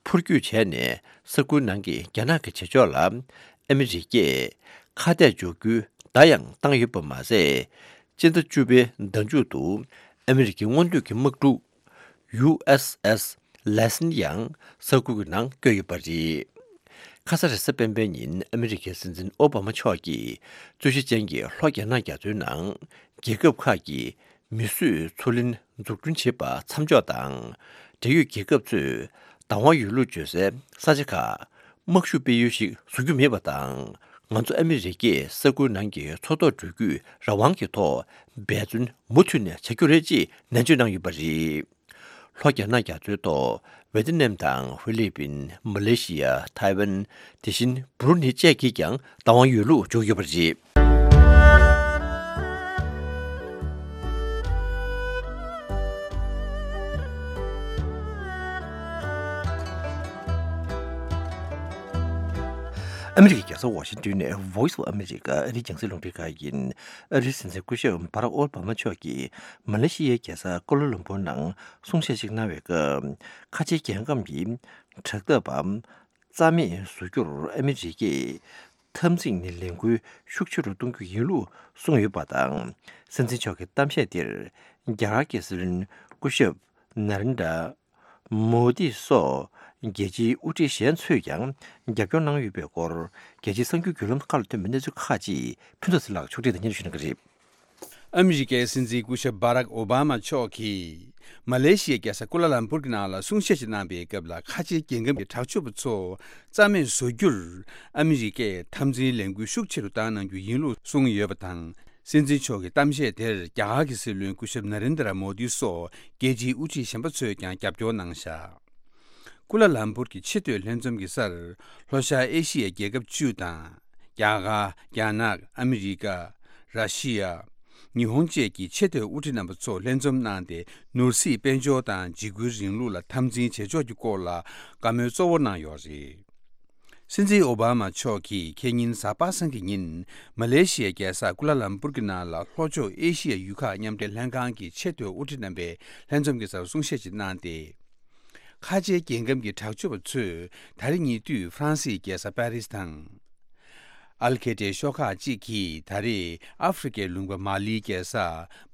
འཕུར་སྐྱོད་བྱས་ནས་ས་ཁུལ་ནང་གི་རྒྱ་ནག་གི་བྱེད་ཕྱོགས་ལ་ཨ་མི་རི་ཀས་ཁ་གཏད་གཅོག་རྒྱུའི་བརྡ་ཡང་བཏང་ཡོད་པ་མ་ཟད། སྤྱི་ཟླ་བཅུ་པའི་ཟླ་མཇུག་ཏུ་ཨ་མི་རི་ཀའི་སྔོན་ཐོན་གྱི་དམག་གྲུ། ཡུ་ཨེས་ཨེས་ལེ་སན་ཡང་ས་ཁུལ་གྱི་ནང་བསྐྱོད་ཡོད་པ་རེད། ཁ་ས་རེས་གཟའ་སྤེན་པའི་ཉིན་ཨ་མི་རི་ཀའི་སྲིད་འཛིན་ཨོ་བྷ་མ་མཆོག་གིས་རྩོད་གཞི་ཅན་གྱི་ལྷོ་རྒྱ་ནག་རྒྱ་མཚོའི་ནང་རྒྱལ་ཁབ་ཁག་གི་མིས་བཟོས་མཚོ་གླིང་འཛུགས་སྐྲུན་བྱེད་པ་མཚམས་འཇོག་དང་། འབྲེལ་ཡོད་རྒྱལ་ཁབ་ཚོས་བདག་དབང་ཡོད་ལུགས་བརྗོད་སའི་ས་ཆ་ཁག་དམག་ཤུགས་སྤེལ་ཡུལ་ཞིག་བཟོ་རྒྱུ་མེད་པ་དང་། ང་ཚོ་ཨ་མི་རི་ཀས་ས་ཁུལ་ནང་གི་མཚོ་ཐོག་འགྲུལ་སྐྱོད་རང་དབང་གི་ཐོག་འབད་བརྩོན་མུ་མཐུད་ནས་བྱ་རྒྱུ་རེད་ཅེས་ནན་བརྗོད་གནང་ཡོད་པ་རེད། ལྷོ་རྒྱ་ནག་རྒྱ་མཚོའི་ཐོག་ཝེ་ཏི་ནམ་དང་ཧྥི་ལི་པིན། མ་ལེ་ཤི་ཡ། ཐའེ་ཝན། དེ་བཞིན་བྷུ་རུ་ནེ་བཅས་ཀྱིས་ཀྱང་བདག་དབང་ཡོད་ལུགས་བརྗོད་ཡོད་པ་རེད། ཨ་མི་རི་ཀའི་རྒྱལ་ས་ཝ་ཤིང་ཏོན་ནས་Voice of America ཨ་རིའི་རྒྱང་སྲིང་རླུང་འཕྲིན་ཁང་ཡིན། ཨ་རིའི་སྲིད་འཛིན་སྐུ་ཞབས་བྷ་རག་ཨོ་བྷ་མ་མཆོག་གིས་མ་ལེ་ཤི་ཡའི་རྒྱལ་ས་ཀོ་ལ་ལུམ་པུར་ནང་གསུང་བཤད་ཅིག་གནང་བའི་སྐབས། ཁ་ཆེའི་རྒྱལ་ཁམས་ཀྱི་དྲག་འཐབ་པ་རྩ་མེད་བཟོ་རྒྱུར་ཨ་མི་རི་ཀས་འཐབ་འཛིང་ནས་ལས་འགུལ་ཤུགས་ཆེ་རུ་གཏོང་རྒྱུ་ཡིན་ལུགས་གསུངས་ཡོད་པ་དང་། སྲིད་འཛིན་མཆོག་གི་གཏམ་བཤད་དེར་རྒྱ་གར་གྱི་སྲིད་བློན་སྐུ་ཞབས་ན་རེན་དྲ་མོ་དི་སོགས་རྒྱལ་སྤྱིའི་དབུ་ཁྲིད་གཞན་ཚོས་ཀྱང་རྒྱབ་སྐྱོར་གནང་ཡོད་པའི་སྐོར། རྒྱལ་སྤྱིའི་གསར་འགྱུར་བརྒྱུད་ལམ་ཁག་ལ་ཐོན་པའི་གནས་ཚུལ་ཁག་ཅིག་ཕུན་ཚོགས་ཚེ་ལགས་ཕྱོགས་སྒྲིག་དང་སྙན་སྒྲོན་ཞུ་གནང་གི་རེད། ཨ་མི་རི་ཀའི་སྲིད་འཛིན་སྐུ་ཞབས་བྷ་རག་ཨོ་བྷ་མ་མཆོག་གིས་མ་ལེ་ཤི་ཡའི་རྒྱལ་ས་ཀུ་ལ་ལམ་པུར་གྱི་ནང་ལ་གསུང་བཤད་ཅིག་གནང་པའི་སྐབས་ལ། ཁ་ཆེའི་རྒྱལ་ཁམས་ཀྱི་དྲག་སྤྱོད་པ་ཚོ་རྩ་མེད་བཟོ་རྒྱུར་ཨ་མི་རི་ཀས་འཐབ་འཛིང་ལས་འགུལ་ཤུགས་ཆེ་རུ་བཏང་གནང་རྒྱུ་ཡིན་ལུགས་གསུངས་ཡོད་པ་དང་། སྲིད་འཛིན་མཆོག་གི་གཏམ་བཤད་དེར་རྒྱ་གར་གྱི་སྲིད་བློན་སྐུ་ཞབས་ན་རེན་དྲ་མོ་དི་སོགས་རྒྱལ་སྤྱིའི་དབུ་ཁྲིད་གཞན་པ་ཚོས་ཀྱང་རྒྱབ་སྐྱོར་གནང་བཞག་ཀུ་ལ་ལམ་པུར་གྱི་ཆེས་མཐོའི་ལྷན་འཛོམས་ཀྱི་སར་ལྷོ་ཤར་ཨེ་ཤི་ཡའི་རྒྱལ་ཁབ་བཅུ་དང་། རྒྱ་གར། རྒྱ་ནག་ཨ་མི་རི་ཀ་ར་ཤི་ཡ། ཉི་ཧོང་བཅས་ཀྱི་ཆེས་མཐོའི་དབུ་ཁྲིད་རྣམ་པ་ཚོ་ལྷན་འཛོམས་གནང་སྟེ། ནོར་སྲིད་དཔལ་འབྱོར་དང་འཇིགས་སྐུལ་རིང་ལུགས་ལ་འཐབ་འཛིང་བྱེད་ཕྱོགས་ཀྱི་སྐོར་ལ་བཀའ་མོལ་གཙོ་བོ་གནང་ཡོད་རེད། སྲིད་འཛིན་ཨོ་བྷ་མ་མཆོག་གིས་ཁེ་ཉིན་གཟའ་པ་སངས་ཀྱི་ཉིན་མ་ལེ་ཤི་ཡའི་རྒྱལ་ས་ཀུ་ལ་ལམ་པུར་གྱི་ནང་ལ་ལྷོ་ཕྱོགས་ཨེ་ཤི་ཡའི་ཡུལ་ཁག་མཉམ་འབྲེལ་ལྷན་ཁང་གི་ཆེས་མཐོའི་དབུ་ཁྲིད་རྣམ་པའི་ལྷན་འཛོམས་ཀྱི་སར་གསུང་བཤད་ཅིག་གནང་སྟེ། ཁ་ཆེའི་རྒྱལ་ཁམས་ཀྱི་དྲག་སྤྱོད་པ་ཚོས་ད་རེས་ཉེ་དུས་ཧྥ་རན་སིའི་རྒྱལ་ས་པེ་རིས་དང་། ཨལ་ཁེ་ཏའི་ཤོག་ཁག་ཅིག་གིས་ད་རེས་ཨ་ཧྥེ་རི་ཁའི་ལུང་པ་མ་ལིའི་རྒྱལ་ས་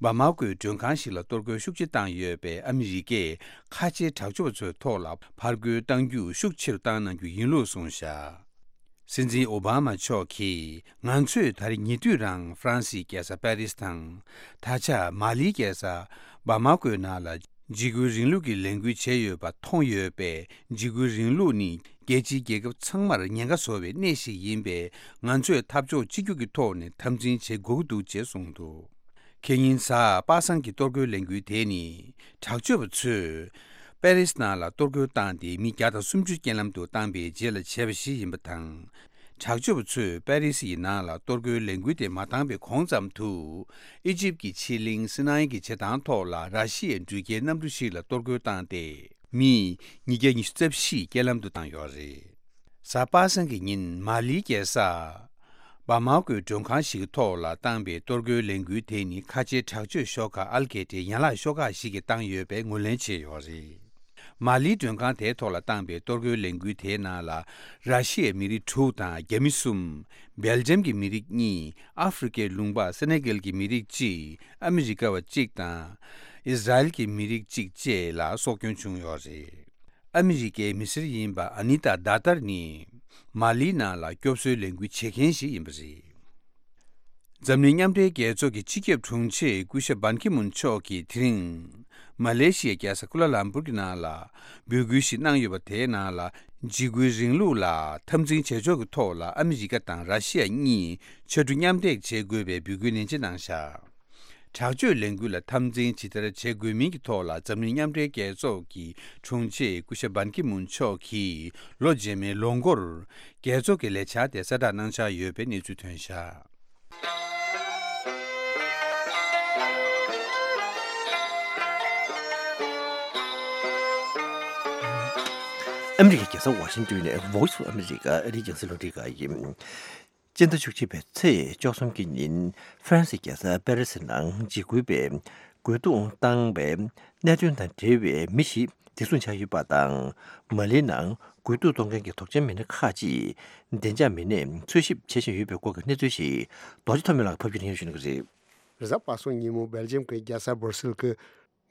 བ་མ་ཀོའི་མགྲོན་ཁང་ཞིག་ལ་གཏོར་རྒོལ་ཤུགས་ཆེ་བཏང་ཡོད་པས་ཨ་མི་རི་ཀས་ཁ་ཆེའི་དྲག་སྤྱོད་པ་ཚོའི་ཐོག་ལ་ཕར་རྒོལ་གཏང་རྒྱུ་ཤུགས་ཆེ་རུ་བཏང་གནང་རྒྱུ་ཡིན་ལུགས་གསུངས་བཞག་སྲིད་འཛིན་ཨོ་བྷ་མ་མཆོག་གིས་ང་ཚོས་ད་རེས་ཉེ་དུས་རང་ཧྥ་རན་སིའི་རྒྱལ་ས་པེ་རིས་དང་། ད་ཆ་མ་ལིའི་རྒྱལ་ས་བ་མ་ཀོའི་ནང་ལ་འཇིགས་སྐུལ་རིང་ལུགས་ཀྱི་ལས་འགུལ་བྱས་ཡོད་པ་མཐོང་ཡོད་པས། འཇིགས་སྐུལ་རིང་ལུགས་ནི་རྒྱལ་སྤྱིའི་རྒྱལ་ཁབ་ཚང་མར་ཉེན་ཁ་བཟོ་བའི་གནས་ཤིག་ཡིན་པས། ང་ཚོས་འཐབ་ཕྱོགས་གཅིག་གྱུར་གྱི་ཐོག་ནས་འཐབ་འཛིང་བྱེད་དགོས་ཀྱི་འདུག་ཅེས་གསུངས་འདུག་ཁེ་ཉིན་གཟའ་པ་སངས་ཀྱི་གཏོར་རྒོལ་ལས་འགུལ་དེ་ནི་དྲག་སྤྱོད་པ་ཚོས་པེ་རིས་ནང་ལ་གཏོར་རྒོལ་བཏང་སྟེ་མི་བརྒྱ་དང་སུམ་ཅུ་རྐྱེན་ལམ་དུ་བཏང་པའི་རྗེས་ལ་བྱས་པ་ཞིག་ཡིན་པ་དང་། དྲག་སྤྱོད་པ་ཚོས་པེ་རི་སི་ཡི་ནང་ལ་གཏོར་རྒོལ་ལས་འགུལ་དེ་མ་བཏང་བའི་གོང་ཙམ་དུ། ཨི་ཇིབ་ཀྱི་ཕྱེད་གླིང་སི་ནའི་གི་བྱེ་ཐང་ཐོག་ལ་ར་ཤི་ཡའི་འགྲུལ་སྐྱེལ་གནམ་གྲུ་ཞིག་ལ་གཏོར་རྒོལ་བཏང་སྟེ། མི་ཉིས་བརྒྱ་ཉི་ཤུ་རྩ་བཞི་རྐྱེན་ལམ་དུ་བཏང་ཡོད་རེད། གཟའ་པ་སངས་ཀྱི་ཉིན་མ་ལིའི་རྒྱལ་ས་བ་མ་ཀོའི་མགྲོན་ཁང་ཞིག་གི་ཐོག་ལ་བཏང་པའི་གཏོར་རྒོལ་ལས་འགུལ་དེ་ནི་ཁ་ཆེའི་དྲག་སྤྱོད་ཤོག་ཁག་ཨལ་ཁེ་ཏའི་ཡན་ལག་ཤོག་ཁག་ཞིག་གིས་བཏང་ཡོད་པའི་ངོས་ལེན་བྱས་ཡོད་རེད། མ་ལིའི་མགྲོན་ཁང་དེའི་ཐོག་ལ་བཏང་པའི་གཏོར་རྒོལ་ལས་འགུལ་དེའི་ནང་ལ། ར་ཤི་ཡའི་མི་རིགས་དྲུག་དང་རྒྱ་མི་གསུམ། སྦེལ་ཇམ་གྱི་མི་རིགས་གཉིས། ཨ་ཧྥེ་རི་ཁའི་ལུང་པ་སེ་ནེ་གལ་གྱི་མི་རིགས་གཅིག་ཨ་མི་རི་ཀ་བ་གཅིག་དང་། ཨིས་ར་ཨེལ་གྱི་མི་རིགས་གཅིག་བཅས་ལ་སྲོག་སྐྱོན་བྱུང་ཡོད་རེད། ཨ་མི་རི་ཀའི་མི་སེར་ཡིན་པ་ཨ་ནི་ཏཱ་དཱ་ཏར་ནི། མ་ལིའི་ནང་ལ་སྐྱོབ་གསོའི་ལས་འགུལ་བྱེད་མཁན་ཞིག་ཡིན་པ་རེད། འཛམ་གླིང་མཉམ་འབྲེལ་རྒྱལ་ཚོགས་ཀྱི་སྤྱི་ཁྱབ་དྲུང་ཆེ་སྐུ་ཞབས་བན་ཁི་མུན་མཆོག་གིས་དེ་རིང་། མ་ལེ་ཤི་ཡའི་རྒྱལ་ས་ཀུ་ལ་ལམ་པུར་གྱི་ནང་ལ་འབོད་སྐུལ་ཞིག་གནང་ཡོད་པ། དེའི་ནང་ལ་འཇིགས་སྐུལ་རིང་ལུགས་ལ་འཐབ་འཛིང་བྱེད་ཕྱོགས་ཀྱི་ཐོག་ལ་ཨ་མི་རི་ཀ་དང་ར་ཤི་ཡ་གཉིས་ཕྱར་གྲུ་མཉམ་འདེགས་བྱེད་དགོས་པའི་འབོད་སྐུལ་ནན་ཆེ་གནང་བཞག་དྲག་སྤྱོད་ལས་འགུལ་ལ་འཐབ་འཛིང་ཇི་ལྟར་བྱེད་དགོས་མིན་གྱི་ཐོག་ལ་འཛམ་གླིང་མཉམ་འབྲེལ་རྒྱལ་ཚོགས་ཀྱི་དྲུང་ཆེ་སྐུ་ཞབས་བན་ཁི་མུན་མཆོག་གིས་ལོ་རྗེས་མའི་ལོ་འགོར་རྒྱལ་ཚོགས་ཀྱི་ལས་འཆར་དེ་གསལ་བསྒྲགས་གནང་འཆར་ཡོད་པའི་གནས་ཚུལ་ཐོན་བཞག་ཨ་མི་རི་ཀའི་རྒྱལ་ས་ཝ་ཤིང་ཏོན་ནས་Voice of America ཨ་རིའི་རྒྱང་སྲིང་རླུང་འཕྲིན་ཁང་ཡིན། སྤྱི་ཟླ་བཅུ་གཅིག་པའི་ཚེས་བཅུ་གསུམ་གྱི་ཉིན་ཧྥ་རན་སིའི་རྒྱལ་ས་པེ་རི་སི་ནང་འཇིགས་སྐུལ་པས་རྒོལ་རྡུང་བཏང་བའི་གནད་དོན་དང་འབྲེལ་བའི་མི་ཞིག་བདེ་སྲུང་ཆགས་ཡོད་པ་དང་། མ་ལིའི་ནང་རྒོལ་རྡུང་གཏོང་མཁན་གྱི་དོགས་ཅན་མི་སྣ་ཁག་ཅིག་བདེ་འཇགས་མི་སྣས་འཚོལ་ཞིབ་བྱེད་བཞིན་ཡོད་པའི་སྐོར་གྱི་གནས་ཚུལ་ཞིག་རྡོ་རྗེ་ཐོགས་མེད་ལགས་ཕབ་སྒྱུར་སྙན་ཞུ་གནང་གི་རེད། རེས་གཟའ་པ་སངས་ཉིན་མོ་སྦེལ་ཇམ་གྱི་རྒྱལ་ས་སྦར་སིལ་གྱི་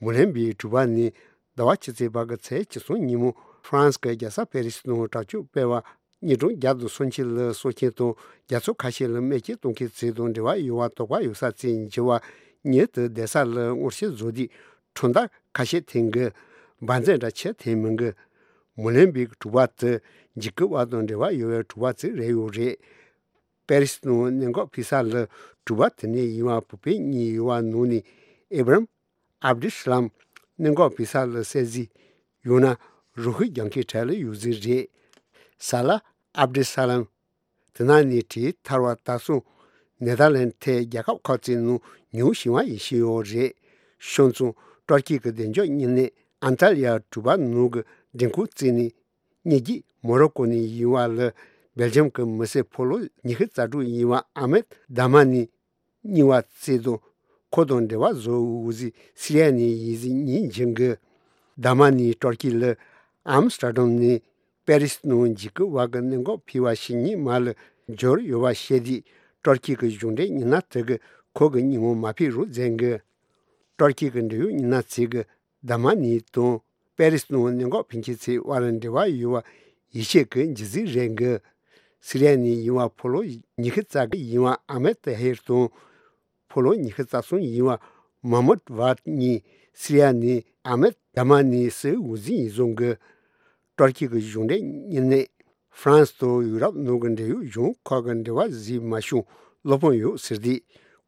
མུ་ལན་བིའི་གྲུ་པ་ནས་ཟླ་བ་ཕྱི་ཚེས་པ་གི་ཚེས་བཅུ་གསུམ་ཉིན་མོ་ཧྥ་རན་སི་གི་རྒྱལ་ས་པེ་རི་སི་ནང་དྲག་སྤྱོད་སྤེལ་བ་ཉིན་གྲངས་བརྒྱ་དང་སུམ་ཅུ་ལ་གསོད་མཁན་དང་རྒྱལ་ཚོགས་ཁ་ཤས་ལ་རྨས་སྐྱོན་གཏོང་མཁན་ཚོ་དང་འབྲེལ་བ་ཡོད་པ་དོགས་པ་ཡོད་ས་ཚོས་འགྱུར་བ་ཉིད་དུ་བསྡད་ས་ལ་སྔོན་བཤེར་བཟོ་དུས་ཁྲོམ་བདག་ཁ་ཤས་ཐོན་གི་འབར་རྫས་འདྲ་ཆེ་ཐོན་མི་འགི་མུ་ལན་བིའི་གྲུ་པ་དེ་འཇིགས་སྐུལ་བ་དང་འབྲེལ་བ་ཡོད་པའི་གྲུ་པ་ཚོ་རེད་ཡོད་རེད། པེ་རི་སི་ནང་གནད་འགག་ཕུད་ས་ལ་གྲུ་པ་དེ་ནས་ཡིན་པ་བོད་པའི་གཉིས་ཡོད་པ་ནང་ནས་ཨེ་བྷ་རམ་ཨབ་དུལ་སླམ་གནད་འགག་ཕུད་ས་ལ་གསལ་གཟིགས་ཡང་ན་རང་ཤུགས་རྒྱག་མཁན་གྲས་ལ་ཡོད་རྩིས་རེད། ས་ལ་ཨབ་དུལ་སླམ་དེ་ནང་ནས་བྲོས་ཐར་བ་ད་སོང་ནེ་དར་ལན་ཐའི་རྒྱལ་ཁབ་ཁག་ཅིག་ནང་ཉུང་ཤོས་ཡིན་ཤེས་ཡོད་རེད། ཤོང་ཙང་ཏུར་ཀི་གི་བདེ་འཇགས་བརྙན་གནས་ཨན་ཏཱ་ལི་ཡ་གྲུ་པ་ནང་གི་མགྲོན་ཁང་བརྩིས་ནས། གཉིས་ཀྱིས་མོ་རོ་ཀོ་ནས་ཡིན་པ་ལ་སྦེལ་ཇམ་གྱི་མི་སེར་ཕོ་ལོ་ཉི་ཤུ་རྩ་དྲུག་ཡིན་པ་ཨ་མེད་དཱ་མ་ནི་གཉིས་པ་བཙལ་དུས་ཁོ་དང་འབྲེལ་བ་བཟོ་འོས་ཟིག་སི་རི་ཡ་ནས་ཡིན་ཟིག་ཉིན་བྱིན་གི། དཱ་མ་ནི་ཏུར་ཀི་ལ་ཨམ་སི་ཏྲ་དམ་ནས་པེ་རི་སི་ནང་འཇིགས་སྐུལ་བ་གི་གནད་འགག་ཕུད་པ་ཞིག་ཉིན་མ་ལ་འབྱོར་ཡོད་པ་བཤད་དུས་ཏུར་ཀི་གི་གཞུང་འབྲེལ་མི་སྣ་དེ་གི་ཁོ་གི་ཉིན་མོ་མ་ཕེབས་རོགས་མཛད་གི། ཏུར་ཀི་གི་འབྲེལ་ཡོད་མི་སྣ་ཚོས་གི། དཱ་མ་ནི་དང་པེ་རི་སི་ནང་གནད་འགག་ཕུད་མཁན་ཚོའི་དབར་འབྲེལ་བ་ཡོད་པ་ཡིད་ཆེས་ཀྱི་འཇིགས་ཚིག་རེད་གི། སི་རི་ཡ་ནས་ཡིན་པ་ཕོ་ལོ་ཉི་ཤུ་རྩ་གི་ཡིན་པ་ཨ་མེད་ཏཱ་ཧེར་དང་། ཕོ་ལོ་ཉི་ཤུ་རྩ་གསུམ་ཡིན་པ་མ་མུད་ཝཱད་གཉིས་སི་རི་ཡ་ནས་ཨ་མེད་དཱ་མ་ནི་སི་འོས་འཛིན་ཡིན་བཟུང་གི། ཏུར་ཀི་གི་གཞུང་འབྲེལ་མི་སྣས་ཧྥ་རན་སི་དང་ཡུ་རོབ་ནང་གི་འབྲེལ་ཡོད་གཞུང་ཁག་གི་འབྲེལ་བ་ཟིན་མ་བྱུང་བློ་ཕམ་ཡོད་ཟེར་དུས།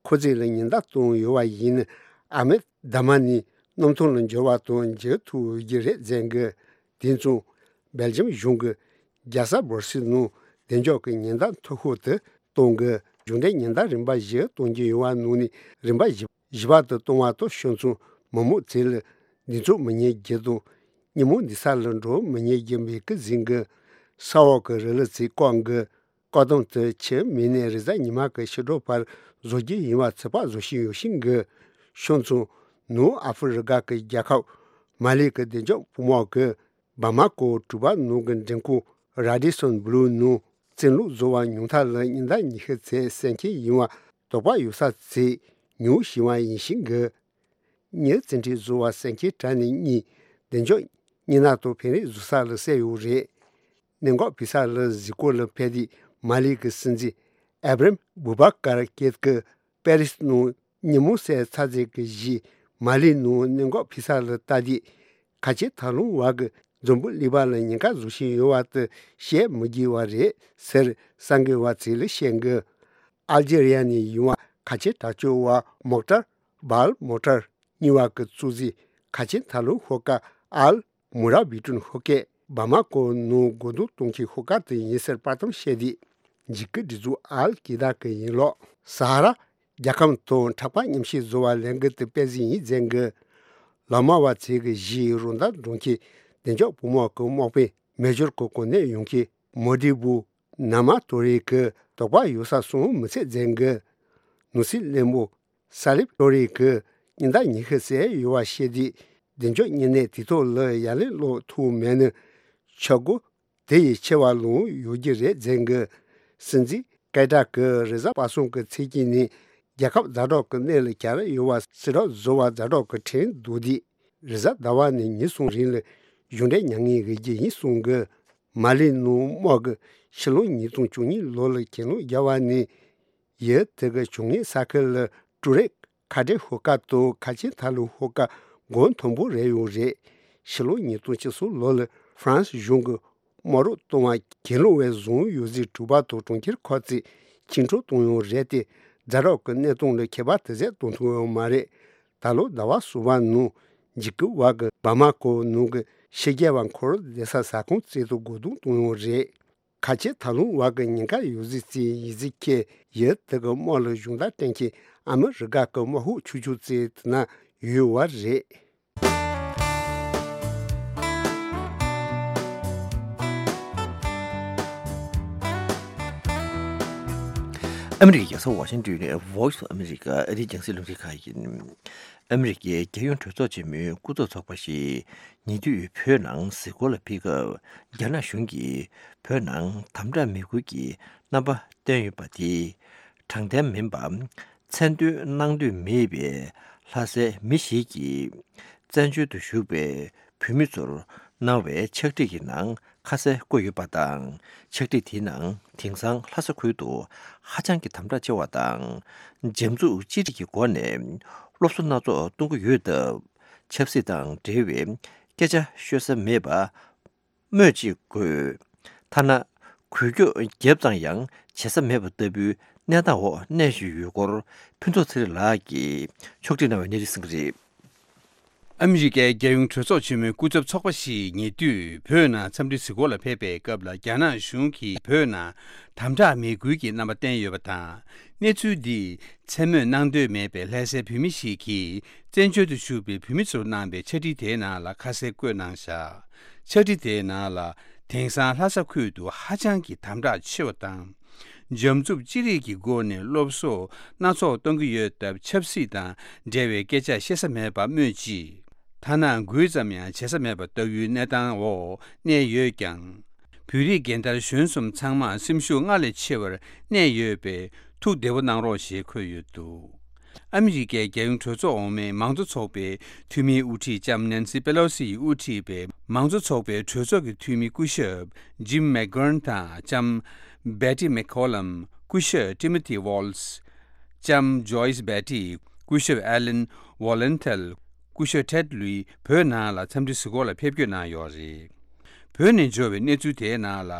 ཁོ་ཚོས་ལ་ཉེན་བརྡ་བཏང་ཡོད་པ་ཡིན་ན་ཨ་མེད་དཱ་མ་ནི་གནམ་ཐང་ལ་འབྱོར་བ་དང་འབྱོར་ཐུབ་ཀྱི་རེད་ཟེར་གི། དེ་མཚུངས་སྦེལ་ཇམ་གཞུང་གི་རྒྱལ་ས་སྦར་སིལ་ནང་བདེ་འཇགས་ཀྱི་ཉེན་བརྡ་མཐོ་ཤོས་དེ་གཏོང་གི། གཞུང་འབྲེལ་ཉེན་བརྡ་རིམ་པ་བཞི་གཏོང་རྒྱུ་ཡོད་པ་ནང་ནས་རིམ་པ་བཞི་བཞི་པ་དེ་གཏོང་བ་དང་ཤོང་ཚོང་མི་མང་ཚོ་ལ་འདི་ཚོ་མི་ཉན་རྒྱུ་དང་། ཉིན་མོ་འདི་ས་ལ་འགྲོ་མི་ཉན་རྒྱུ་མེད་ཀི་ཟིན་གི། ས་འོག་གི་རི་ལི་ཚིག་ཀོང་གི་བཀག་སྡོམ་དུ་ཆེད་མི་ནས་རེས་གཟའ་ཉི་མ་གི་ཕྱི་དྲོ་བར་བཟོ་རྒྱུ་ཡིན་པ་ཚོད་དཔག་བཟོ་བཞིན་ཡོད་ཤིང་གི་ཤོང་ཚུན་ནུབ་ཨ་ཧྥི་རི་ཀ་གི་རྒྱལ་ཁབ་མ་ལི་གི་བདེ་འཇགས་དཔུང་དམག་གི་བ་མ་ཀོ་གྲུ་པ་ནང་གི་མགྲོན་ཁང་Radisson Blu ནང་བཙན་ལུགས་བཟོ་བ་ཉུང་མཐའ་ལ་ཉིན་ལྟར་ཉི་ཤུ་ཚེ་གསན་མཁན་ཡིན་པ་དོགས་པ་ཡོད་ས་ཚེ་ཉུང་ཞིང་བ་ཡིན་ཤིང་གི། ཉིན་བཙན་ཁྲིད་བཟོ་བ་གསན་མཁན་གྲས་ནས་གཉིས་བདེ་འཇགས་སྙན་ནག་དང་ཕན་རེས་བཟོ་ས་ལ་བསད་ཡོད་རེད། གནད་འགག་ཕི་ས་ལ་གཟིགས་སྐོར་ལ་ཕེབས་དུས་མ་ལི་གི་སྲིད་འཛིན་ཨེབ་རམ་བུ་བ་ཀར་ཀེད་ཀྱིས་པེ་རིས་ནང་ཉིན་མོ་གསལ་ཚར་ཚད་ཀྱི་གཞི་མ་ལི་ནང་གནད་འགག་ཕི་ས་ལ་ལྟ་དུས་ཁ་ཆེ་ཐབས་ལམ་བ་གི་འཛམ་བུ་གླིང་པ་ལ་ཉེན་ཁ་བཟོ་བཞིན་ཡོད་པ་དེ་བཤད་མི་དགོས་པ་རེད་ཟེར་གསར་འགོད་པ་ཚོ་ལ་བཤད་འགོད། ཨལ་ཇེ་རི་ཡ་ནས་ཡོང་བ་ཁ་ཆེ་དྲག་སྤྱོད་པ་མོག་ཏར་བཱལ་མོ་ཏར་གཉིས་པ་གི་གཙོ་འཛིན་ཁ་ཆེ་ཐབས་ལམ་ཤོག་ཁག་ཨལ་མུ་ར་བི་ཏུན་ཤོག་ཁག་བ་མ་ཀོ་ནང་སྒོ་འདོན་གཏོང་མཁན་ཤོག་ཁག་དེ་ཡིན་ཟེར་པར་སྟོན་བཤད་དུས། འཇིགས་སྐུལ་སྒྲིག་འཛུགས་ཨལ་ཀི་ད་གི་ཡིན་ལོག་ས་ཧ་ར་རྒྱལ་ཁམས་དང་འཁྲུག་པ་མཉམ་བཞག་བཟོ་བ་ལས་འགུལ་དེ་སྤེལ་གཟིགས་ཡིན་མཛད་འགོད། ལག་དམར་བ་ཚོས་གི་གཞིས་རོང་ད་འགྲོ་མཁན་བདེ་འཇགས་དཔུང་དམག་གི་དམག་དཔོན་མེ་ཇོར་གི་གོ་གནས་ཡོང་མཁན་མོ་དི་བུ། ན་མ་ཏོ་རེ་གི་དོགས་པ་ཡོད་ས་སོང་མི་ཚད་མཛད་འགོད། ནོར་སྲིད་བློན་པོ་ས་ལིབ་ཏོ་རེ་གི་ཉིན་ལྟར་ཉི་ཤུ་ཟས་ཡོད་པ་བཤད་དུས་བདེ་འཇགས་བརྙན་གནས་དེ་ཐོག་ལ་ཡ་ལན་སློག་ཐུབ་མེད་ན་ཆག་སྒོ་དེ་ཡི་ཆེ་བ་ལོང་ཡོད་རྒྱུ་རེད་མཛད་འགོད། སྲིད་འཛིན་སྐད་གྲགས་ཀྱི་རེས་གཟའ་པ་སངས་ཀྱི་ཚེས་གཅིག་ནས་རྒྱལ་ཁབ་ཛ་དྲག་གི་གནས་ལ་གྱར་ཡོད་པ་སྲིད་དྲག་བཟོ་བ་ཛ་དྲག་གི་ཁྲིམས་བསྡུར་དུས། རེས་གཟའ་ཟླ་བ་ནས་ཉིན་གསུམ་རིང་ལ་གཞུང་འབྲེལ་མྱ་ངན་ཡོད་རྒྱུ་ཡིན་གསུང་གི། མ་ལི་ནང་དམག་གི་ཕྱི་ལོ་ཉིས་སྟོང་བཅུ་གཉིས་ལོ་ལ་གྱེན་ལོག་རྒྱག་པ་ནས་ཡུལ་དེ་གི་བྱུང་ངན་ས་ཁུལ་ལ་ཀྲུ་རེག་ཁ་བྲལ་ཤོག་ཁག་དང་ཁ་ཆེ་ཐབས་ལམ་ཤོག་ཁག་འགོ་མཐོན་པོ་རེད་ཡོད་རེད། ཕྱི་ལོ་ཉིས་སྟོང་བཅུ་གསུམ་ལོ་ལ་ཧྥ་རན་སི་གཞུང་གི་དམག་རོགས་གཏོང་བ་གྱེན་ལོག་པས་བཟུང་ཡོད་ཟེར་གྲུ་པ་དང་གྲོང་ཁྱེར་ཁག་ཅིག་འཆིང་གྲོགས་གཏོང་ཡོད་རེད་དེ། ཛ་དྲག་གི་གནས་སྟངས་ལ་ཁྱད་པར་དེ་ཟད་གཏོང་ཐུབ་ཡོད་མ་རེད། ད་ལོ་ཟླ་བ་གསུམ་པ་ནང་འཇིགས་སྐུལ་བ་གི་བ་མ་ཀོ་ནང་གི་ཕྱི་རྒྱལ་བ་འཁོར་བསྡད་ས་ས་ཁོངས་རྩལ་དུ་སྒོ་རྡུང་གཏོང་ཡོད་རེད། ཁ་ཆེ་ཐབས་ལམ་བ་གི་ཉེན་ཁ་ཡོད་ཟེར་རྩིས་ཡིག་གཟིགས་ཁྱེད་ཡུལ་དེ་གི་དམག་ལ་གཞུང་བརྡ་སྤྲད་མཁན་ཨ་མི་རི་ཀ་གི་དམག་ཤོག་ཆུང་ཆུང་རྩིས་དེ་ན་ཡོད་བ་རེད། ཨ་མི་རི་ཀའི་རྒྱལ་ས་ཝ་ཤིང་ཏོན་ནས་Voice of America ཨ་རིའི་རྒྱང་སྲིང་རླུང་འཕྲིན་ཁང་ཡིན། ཨ་མི་རི་ཀའི་རྒྱལ་ཡོངས་གྲོས་ཚོགས་ཆེན་མོའི་སྐུ་ཚབ་ཚོགས་པ་ཞིག་ཉེ་དུས་བོད་ནང་གཟིགས་སྐོར་ལ་ཕེབས་སྐབས། རྒྱ་ནག་གཞུང་གིས་བོད་ནང་དམ་དྲག་མི་དགོས་ཀྱི་རྣམ་པ་བསྟན་ཡོད་པ་དེ་དྲང་བདེན་མིན་པ། མཚན་འདོན་གནང་འདོད་མེད་པའི་ལྷ་སའི་མི་ཞིག་གིས་བཙན་བྱོལ་དུ་བཞུགས་པའི་བོད་མི་ཚོར་གནང་བའི་ཕྱག་བྲིས་ཀྱི་ནང་ཁ་གསལ་བཀོད་ཡོད་པ་དང་། ཕྱག་བྲིས་དེའི་ནང་དེང་སང་ལྷ་ས་ཁུལ་དུ་ཧ་ཅང་གི་དམ་དྲག་ཆེ་བ་དང་། འཇམ་རྩུབ་ཅི་རིགས་ཀྱི་སྒོ་ནས་སློབ་གསོ་སྣ་ཚོགས་གཏོང་གི་ཡོད་སྟབས། ཆབ་སྲིད་དང་འབྲེལ་བའི་སྐད་ཆ་ཤོད་ས་མེད་པ། སྨོས་ཅི་དགོས། ཐ་ན་འགུལ་སྐྱོད་བརྒྱབ་ཙང་ཡང་བྱེད་ས་མེད་པ་ལྟ་བུའི་གནས་སྟངས་འོག་གནས་བཞིན་ཡོད་སྐོར་ཕུན་ཚོགས་ཚེ་རིང་ལགས་ཀྱིས་ཕྱོགས་སྒྲིག་གནང་བའི་གནས་ཚུལ་གསན་གྱི་རེད། ཨ་མི་རི་ཀའི་རྒྱལ་ཡོངས་གྲོས་ཚོགས་ཆེན་མོའི་སྐུ་ཚབ་ཚོགས་པ་ཞིག་ཉེ་དུས་བོད་ནང་འཚམས་འདྲི་གཟིགས་སྐོར་ལ་ཕེབས་པའི་སྐབས་ལ། རྒྱ་ནག་གཞུང་གིས་བོད་ནང་དམ་དྲག་མི་དགོས་ཀྱི་རྣམ་པ་བསྟན་ཡོད་པ་དང་། གནས་ཚུལ་འདིས་མཚན་སྨོས་གནང་འདོད་མེད་པའི་ལྷ་སའི་བོད་མི་ཞིག་གིས་བཙན་བྱོལ་དུ་བཞུགས་པའི་བོད་མི་ཚོར་གནང་པའི་ཕྱག་བྲིས་དེའི་ནང་ལ་ཁ་གསལ་བཀོད་གནང་བཞག་ཕྱག་བྲིས་དེའི་ནང་ལ། དེང་སང་ལྷ་ས་ཁུལ་དུ་ཧ་ཅང་གི་དམ་དྲག་ཆེ་བ་དང་། འཇམ་རྩུབ་ཅི་རིགས་ཀྱི་སྒོ་ནས་སློབ་གསོ་སྣ་ཚོགས་གཏོང་གི་ཡོད་སྟབས། ཆབ་སྲིད་དང་འབྲེལ་བའི་སྐད་ཆ་བཤད་ས་མེད་པ་སྨོས་ཅི། ཐ་ན་འགུལ་ཙམ་ཡང་བྱེད་ས་མེད་པ་ལྟ་བུའི་གནས་སྟངས་འོག་གནས་ཡོད་ཀྱང་། བོད་རིགས་རྒན་དར་གཞོན་གསུམ་ཚང་མ་སེམས་ཤུགས་སྔར་ལས་ཆེ་བར་གནས་ཡོད་པས། ཐུགས་བདེ་པོ་གནང་རོགས་ཞེས་འཁོད་ཡོད་འདུག་ཨ་མི་རི་ཀའི་རྒྱལ་ཡོངས་གྲོས་ཚོགས་འོག་མའི་མང་གཙོ་ཚོགས་པའི་འཐུས་མིའི་དབུ་ཁྲིད་ལྕམ་ནན་སི་པེ་ལོ་སི་ཡིས་དབུ་ཁྲིད་པའི་མང་གཙོ་ཚོགས་པའི་གྲོས་ཚོགས་ཀྱི་འཐུས་མི་སྐུ་ཞབས་ཇིམ་མེག་གྷརན་དང་ལྕམ་བེ་ཏི་མེག་ཁོ་ལམ། སྐུ་ཞབས་ཏི་མོ་ཐི་ཝོལ་སི། ལྕམ་ཇོ་ཡིས་བེ་ཏི། སྐུ་ཞབས་ཨེ་ལན་ཝོ་ལན་ཐལ། སྐུ་ཞབས་ཐེད་ལུའི་བོད་ནང་ལ་འཚམས་འདྲི་གཟིགས་སྐོར་ལ་ཕེབས་སྐྱོད་གནང་ཡོད་རེད། བོད་ནས་འབྱོར་བའི་གནས་ཚུལ་དེའི་ནང་ལ།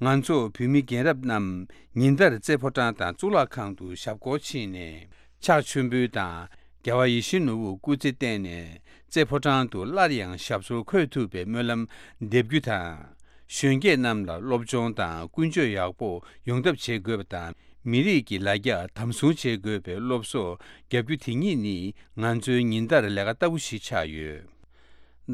ང་ཚོ་བོད་མི་རྒན་རབས་རྣམས་ཉིན་ལྟར་རྩེ་ཕོ་བྲང་དང་གཙུག་ལག་ཁང་དུ་ཞབས་སྐོར་ཕྱིན་ནས། ཕྱག་མཆོད་འབུལ་དང་རྒྱལ་བ་ཡིད་བཞིན་ནོར་བུར་སྐུ་རྩེད་བསྟན་ནས། རྩེ་ཕོ་བྲང་དུ་སླར་ཡང་ཞབས་སོར་འཁོད་ཐུབ་པའི་སྨོན་ལམ་འདེབས་རྒྱུ་དང་། གཞོན་སྐྱེས་རྣམས་ལ་སློབ་སྦྱོང་དང་ཀུན་སྤྱོད་ཡག་པོ་ཡོང་ཐབས་བྱེད་དགོས་པ་དང་། མི་རིགས་ཀྱི་ལ་རྒྱ་དམ་སྲུང་བྱེད་དགོས་པའི་སློབ་གསོ་བརྒྱབ་རྒྱུ་དེ་ཉིད་ནི་ང་ཚོའི་ཉིན་ལྟར་ལས་ཀ་ལྟ་བུ་ཞིག་ཆགས་ཡོད།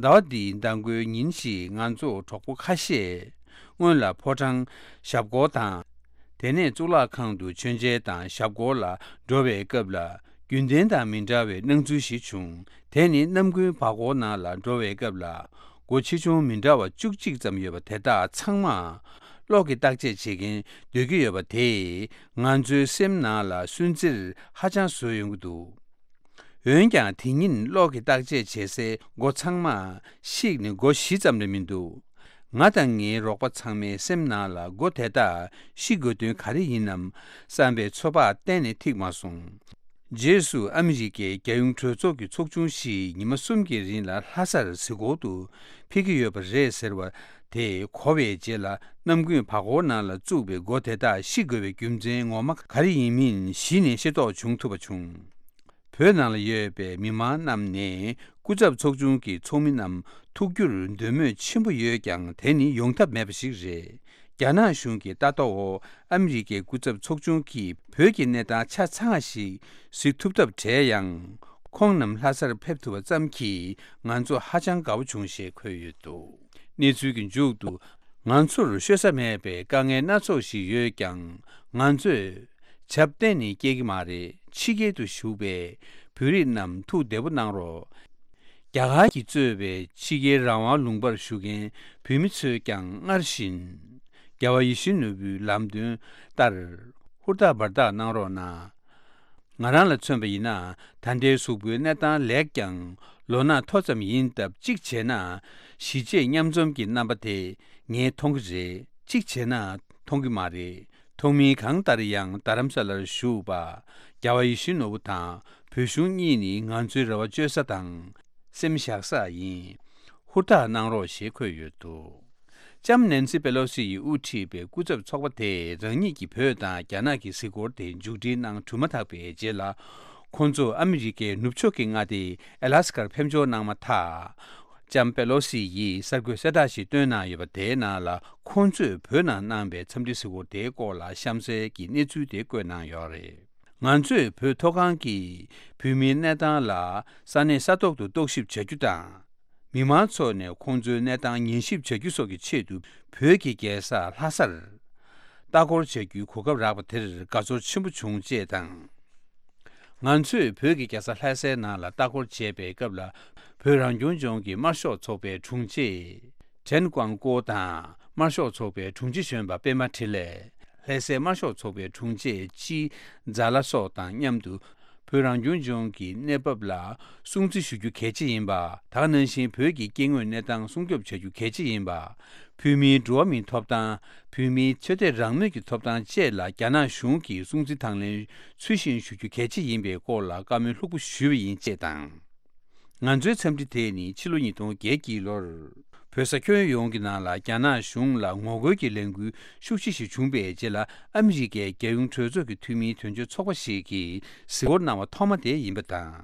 ཟླ་བ་འདིའི་མདང་དགོང་ཉིན་ཞིག་ང་ཚོ་གྲོགས་པོ་ཁ་ཤས་ སྔོན་ལ་ཕོ་བྲང་ཞབས་སྐོར་དང་། དེ་ནས་གཙུག་ལག་ཁང་དུ་མཆོད་མཇལ་དང་ཞབས་སྐོར་ལ་འགྲོ་བའི་སྐབས་ལ། རྒྱུན་ལྡན་དང་མི་འདྲ་བའི་སྣང་ཚུལ་ཞིག་བྱུང་། དེ་ནི་གནམ་དགུན་བར་སྐོར་ནང་ལ་འགྲོ་བའི་སྐབས་ལ། སྒོ་ཆེ་ཆུང་མི་འདྲ་བ་བཅུ་གཅིག་ཙམ་ཡོད་པ་དེ་དག་ཚང་མ། གློག་གིས་བརྟག་དཔྱད་བྱེད་མཁན་སྡོད་ཀྱི་ཡོད་པ་དེས། ང་ཚོའི་སེམས་ནང་ལ་སུན་གཙེར་ཧ་ཅང་བཟོས་ཡོང་གི་འདུག་འོན་ཀྱང་དེ་ཉིན་གློག་གིས་བརྟག་དཔྱད་བྱེད་སའི་སྒོ་ཚང་མ་བཤིག་ནས་སྒོ་བཞི་ཙམ་ལས་མི་འདུག་ང་དང་ངའི་རོགས་པ་ཚང་མའི་སེམས་ནང་ལ་སྒོ་དེ་དག་བཤིག་དགོས་དོན་ག་རེ་ཡིན་ནམ་བསམ་པའི་ཚོད་དཔག་གཏན་ནས་ཐིག་མ་སོང་། རྗེས་སུ་ཨ་མི་རི་ཀའི་རྒྱལ་ཡོངས་གྲོས་ཚོགས་ཀྱི་ཚོགས་ཆུང་ཞིག་ཉི་མ་གསུམ་གྱི་རིང་ལ་ལྷ་སར་གཟིགས་སྐོར་དུ་ཕེབས་ཀྱི་ཡོད་པ་རེད་ཟེར་བ་དེ་གོ་བའི་རྗེས་ལ། གནམ་དགུན་བར་སྐོར་ནང་ལ་བཙུགས་པའི་སྒོ་དེ་དག་བཤིག་དགོས་པའི་རྒྱུ་མཚན་ངོ་མ་ག་རེ་ཡིན་མིན་གཞི་ནས་ཤེས་རྟོགས་བྱུང་ཐུབ་པ་བྱུང་། བོད་ནང་ལ་ཡོད་པའི་མི་མང་རྣམས་ནས་སྐུ་ཚབ་ཚོགས་ཆུང་གི་ཚོགས་མི་རྣམས་ཐུག་རྒྱུར་འདོད་མོས་ཆེན་པོ་ཡོད་ཀྱང་། དེ་ནི་ཡོང་ཐབས་མེད་པ་ཞིག་རེད། རྒྱ་ནག་གཞུང་གི་ལྟ་རྟོག་འོག་ཨ་མི་རི་ཀའི་སྐུ་ཚབ་ཚོགས་ཆུང་གིས་བོད་ཀྱི་གནས་སྟངས་ཆ་ཚང་བ་ཞིག་གཟིགས་ཐུབ་ཐབས་བྲལ་ཡང་། ཁོང་རྣམས་ལྷ་སར་ཕེབས་ཐུབ་པ་ཙམ་གྱིས་ང་ཚོ་ཧ་ཅང་དགའ་བོ་བྱུང་ཞེས་འཁོད་ཡོད་འདུག་གནས་ཚུལ་གྱི་མཇུག་ཏུ། ང་ཚོར་ཤོད་ས་མེད་པའི་དཀའ་ངལ་སྣ་ཚོགས་ཤིག་ཡོད་ཀྱང་། ང་ཚོས་ཆབ་གཏན་ནས་སྐྱེལ་གྱི་མ་རེད། ཕྱི་རྒྱལ་དུ་བཞུགས་པའི་བོད་རིགས་རྣམས་ཐུགས་བདེ་པོ་གནང་རོགས། རྒྱ་གར་གྱིས་གཙོས་པའི་ཕྱི་རྒྱལ་རང་དབང་ལུང་པར་བཞུགས་མཁན་བོད་མི་ཚོས་ཀྱང་སྔར་བཞིན་རྒྱལ་བ་ཡིད་བཞིན་ནོར་བུའི་ལམ་སྟོན་ལྟར་ཧུར་ཐག་འབད་ཐག་གནང་རོགས་གནང་། ང་རང་ལ་མཚོན་པ་ཡིན་ན། ད་ལྟའི་གཟུགས་པོའི་གནས་སྟངས་ལེགས་ཀྱང་། ལོ་ན་མཐོ་ཙམ་ཡིན་སྟབས། གཅིག་བྱས་ན་གཞིས་བྱེས་མཉམ་འཛོམས་ཀྱི་རྣམ་པ་དེ་ངས་མཐོང་གི་རེད། གཅིག་བྱས་ན་མཐོང་གི་མ་རེད། མཐོང་མིན་གང་ལྟར་ཡང་རྡ་རམ་ས་ལར་བཞུགས་པ་རྒྱལ་བ་ཡིད་བཞིན་ནོར་བུ་དང་བོད་གཞུང་གཉིས་ནི་ང་ཚོའི་རེ་བ་བཅོལ་ས་དང་སེམས་བཞག་ས་ཡིན། ཧུར་ཐག་གནང་རོགས་ཞེས་འཁོད་ཡོད་འདུག་ལྕམ་ནན་སི་པེ་ལོ་སི་ཡིས་དབུ་ཁྲིད་པའི་སྐུ་ཚབ་ཚོགས་པ་དེས་རང་ཉིད་ཀྱིས་བོད་དང་རྒྱ་ནག་གི་གཟིགས་སྐོར་དེ་མཇུག་སྒྲིལ་གནང་གྲུབ་མ་ཐག་པའི་རྗེས་ལ། ཁོང་ཚོ་ཨ་མི་རི་ཀའི་ནུབ་ཕྱོགས་ཀྱི་མངའ་སྡེ་ཨ་ལ་སི་ཀར་ཕེབས་འབྱོར་གནང་མ་ཐག་ལྕམ་པེ་ལོ་སི་ཡིས་གསར་འགོད་གསལ་བསྒྲགས་ཤིག་བཏོན་གནང་ཡོད་པ་དེའི་ནང་ལ། ཁོང་ཚོས་བོད་ནང་གནང་པའི་འཚམས་འདྲི་གཟིགས་སྐོར་དེའི་སྐོར་ལ་གཤམ་གསལ་གྱི་གནས་ཚུལ་དེ་བཀོད་གནང་ཡོད་རེད། ང་ཚོས་བོད་མཐོ་སྒང་གི་བོད་མིའི་གནས་སྟངས་ལ་ས་གནས་ས་ཐོག་ཏུ་རྟོག་ཞིབ་བྱ་རྒྱུ་དང་། མི་མང་ཚོ་ནས་ཁོང་ཚོའི་གནས་སྟངས་ཉན་ཞིབ་བྱ་རྒྱུ་སོགས་ཀྱི་ཆེད་དུ། བོད་ཀྱི་རྒྱལ་ས་ལྷ་སར་ལྟ་སྐོར་བྱ་རྒྱུའི་གོ་སྐབས་རག་པ་དེར་དགའ་ཚོར་ཆེན་པོ་བྱུང་ཅེས་དང་། ང་ཚོས་བོད་ཀྱི་རྒྱལ་ས་ལྷ་སའི་ནང་ལ་ལྟ་སྐོར་བྱས་པའི་སྐབས་ལ། བོད་རང་སྐྱོང་ལྗོངས་ཀྱི་དམར་ཤོག་ཚོགས་པའི་དྲུང་ཆེ་ཁྲེན་ཀོང་ཀོ་དང་། དམར་ཤོག་ཚོགས་པའི་དྲུང་ཆེ་གཞོན་པ་པད་མ་འཕྲིན་ལས། ལྷ་སའི་དམར་ཤོག་ཚོགས་པའི་དྲུང་ཆེ་ཅི་ཛ་ལ་སོགས་དང་མཉམ་དུ། བོད་རང་སྐྱོང་ལྗོངས་ཀྱི་གནས་བབ་ལ་སྲུང་བརྩི་ཞུ་རྒྱུ་གལ་ཆེ་ཡིན་པ། ད་ག་ནང་བཞིན་བོད་ཀྱི་སྐྱེ་དངོས་གནས་སྟངས་སྲུང་སྐྱོབ་བྱ་རྒྱུ་གལ་ཆེ་ཡིན་པ། བོད་མིའི་འགྲོ་བ་མིའི་ཐོབ་ཐང་། བོད་མིའི་ཆོས་དད་རང་མོས་ཀྱི་ཐོབ་ཐང་བཅས་ལ་རྒྱ་ནག་གཞུང་གིས་སྲུང་བརྩི་དང་ལེན་ཚུལ་བཞིན་ཞུ་རྒྱུ་གལ་ཆེ་ཡིན་པའི་སྐོར་ལ་བཀའ་མོལ་ལྷུག་པོ་ཞུས་པ་ཡིན་ཅེས་དང་། ང་ཚོའི་འཚམས་འདྲི་དེ་ནི་ཕྱི་ལོ་ཉིས་སྟོང་བརྒྱད་ཀྱི་ལོར། བོད་ས་ཁྱོན་ཡོངས་ཀྱི་ནང་ལ་རྒྱ་ནག་གཞུང་ལ་ངོ་རྒོལ་གྱི་ལས་འགུལ་ཤུགས་ཆེ་ཞིག་བྱུང་པའི་རྗེས་ལ། ཨ་མི་རི་ཀའི་རྒྱལ་ཡོངས་གྲོས་ཚོགས་ཀྱི་འཐུས་མིའི་དོན་གཅོད་ཚོགས་པ་ཞིག་གིས་གཟིགས་སྐོར་གནང་བ་ཐོག་མ་དེ་ཡིན་པ་དང་།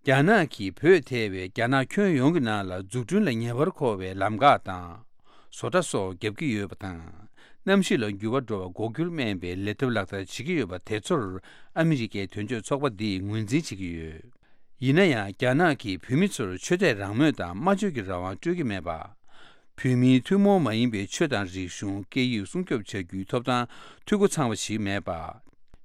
རྒྱ་ནག་གིས་བོད་ཐེ་བའི་རྒྱ་ནག་ཁྱོན་ཡོངས་ཀྱི་ནང་ལ་འཛུགས་སྐྲུན་ལ་ཉེ་བར་མཁོ་བའི་ལམ་འགག་དང་། བཟོ་གྲྭ་སོགས་བརྒྱབ་ཀྱི་ཡོད་པ་དང་། གནམ་གཤིས་ལ་འགྱུར་བ་འགྲོ་བར་འགོག་རྒྱུར་སྨན་པའི་ལས་ཐབས་ལག་བསྟར་བྱེད་ཀྱི་ཡོད་པ་དེ་ཚོར། ཨ་མི་རི་ཀའི་དོན་གཅོད་ཚོགས་པ་འདིས་ངོས་འཛིན་བྱེད་ཀྱི་ཡོད། ཡིན་ན་ཡང་། རྒྱ་ནག་གིས་བོད་མི་ཚོར་ཆོས་དད་རང་མོས་དང་སྨྲ་བརྗོད་ཀྱི་རང་དབང་སྤྲོད་ཀྱི་མེད་པ། བོད་མིའི་ཐུན་མོང་མ་ཡིན་པའི་ཆོས་དང་རིག་གཞུང་། སྐད་ཡིག་སྲུང་སྐྱོབ་བྱ་རྒྱུའི་ཐོབ་ཐང་འཐུས་སྒོ་ཚང་བ་ཞིག་མེད་པ།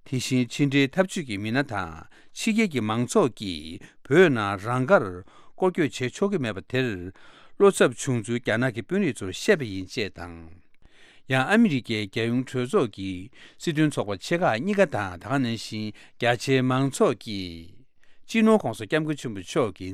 དེ་བཞིན་ཕྱི་འབྲེལ་འཐབ་ཇུས་ཀྱི་མི་སྣ་དང་ཕྱི་རྒྱལ་གྱི་མང་ཚོགས་ཀྱིས་བོད་ནང་རང་དགར་སྐོར་སྐྱོད་བྱེད་ཆོག་གི་མེད་པ་དེར། བློ་འཚབ་བྱུང་ཚུལ་རྒྱ་ནག་གི་དཔོན་རིགས་ཚོར་བཤད་པ་ཡིན་ཅེས་དང་། ཡང་ཨ་མི་རི་ཀའི་རྒྱལ་ཡོངས་གྲོས་ཚོགས་ཀྱི་སྲིད་དོན་ཚོགས་པ་ཆེ་ཁག་གཉིས་ཀ་དང་། ད་ག་ནང་བཞིན་རྒྱ་ཆེའི་མང་ཚོགས་ཀྱིས་སྤྱི་ནོར་ྋགོང་ས་ྋསྐྱབས་མགོན་ཆེན་པོ་མཆོག་གི་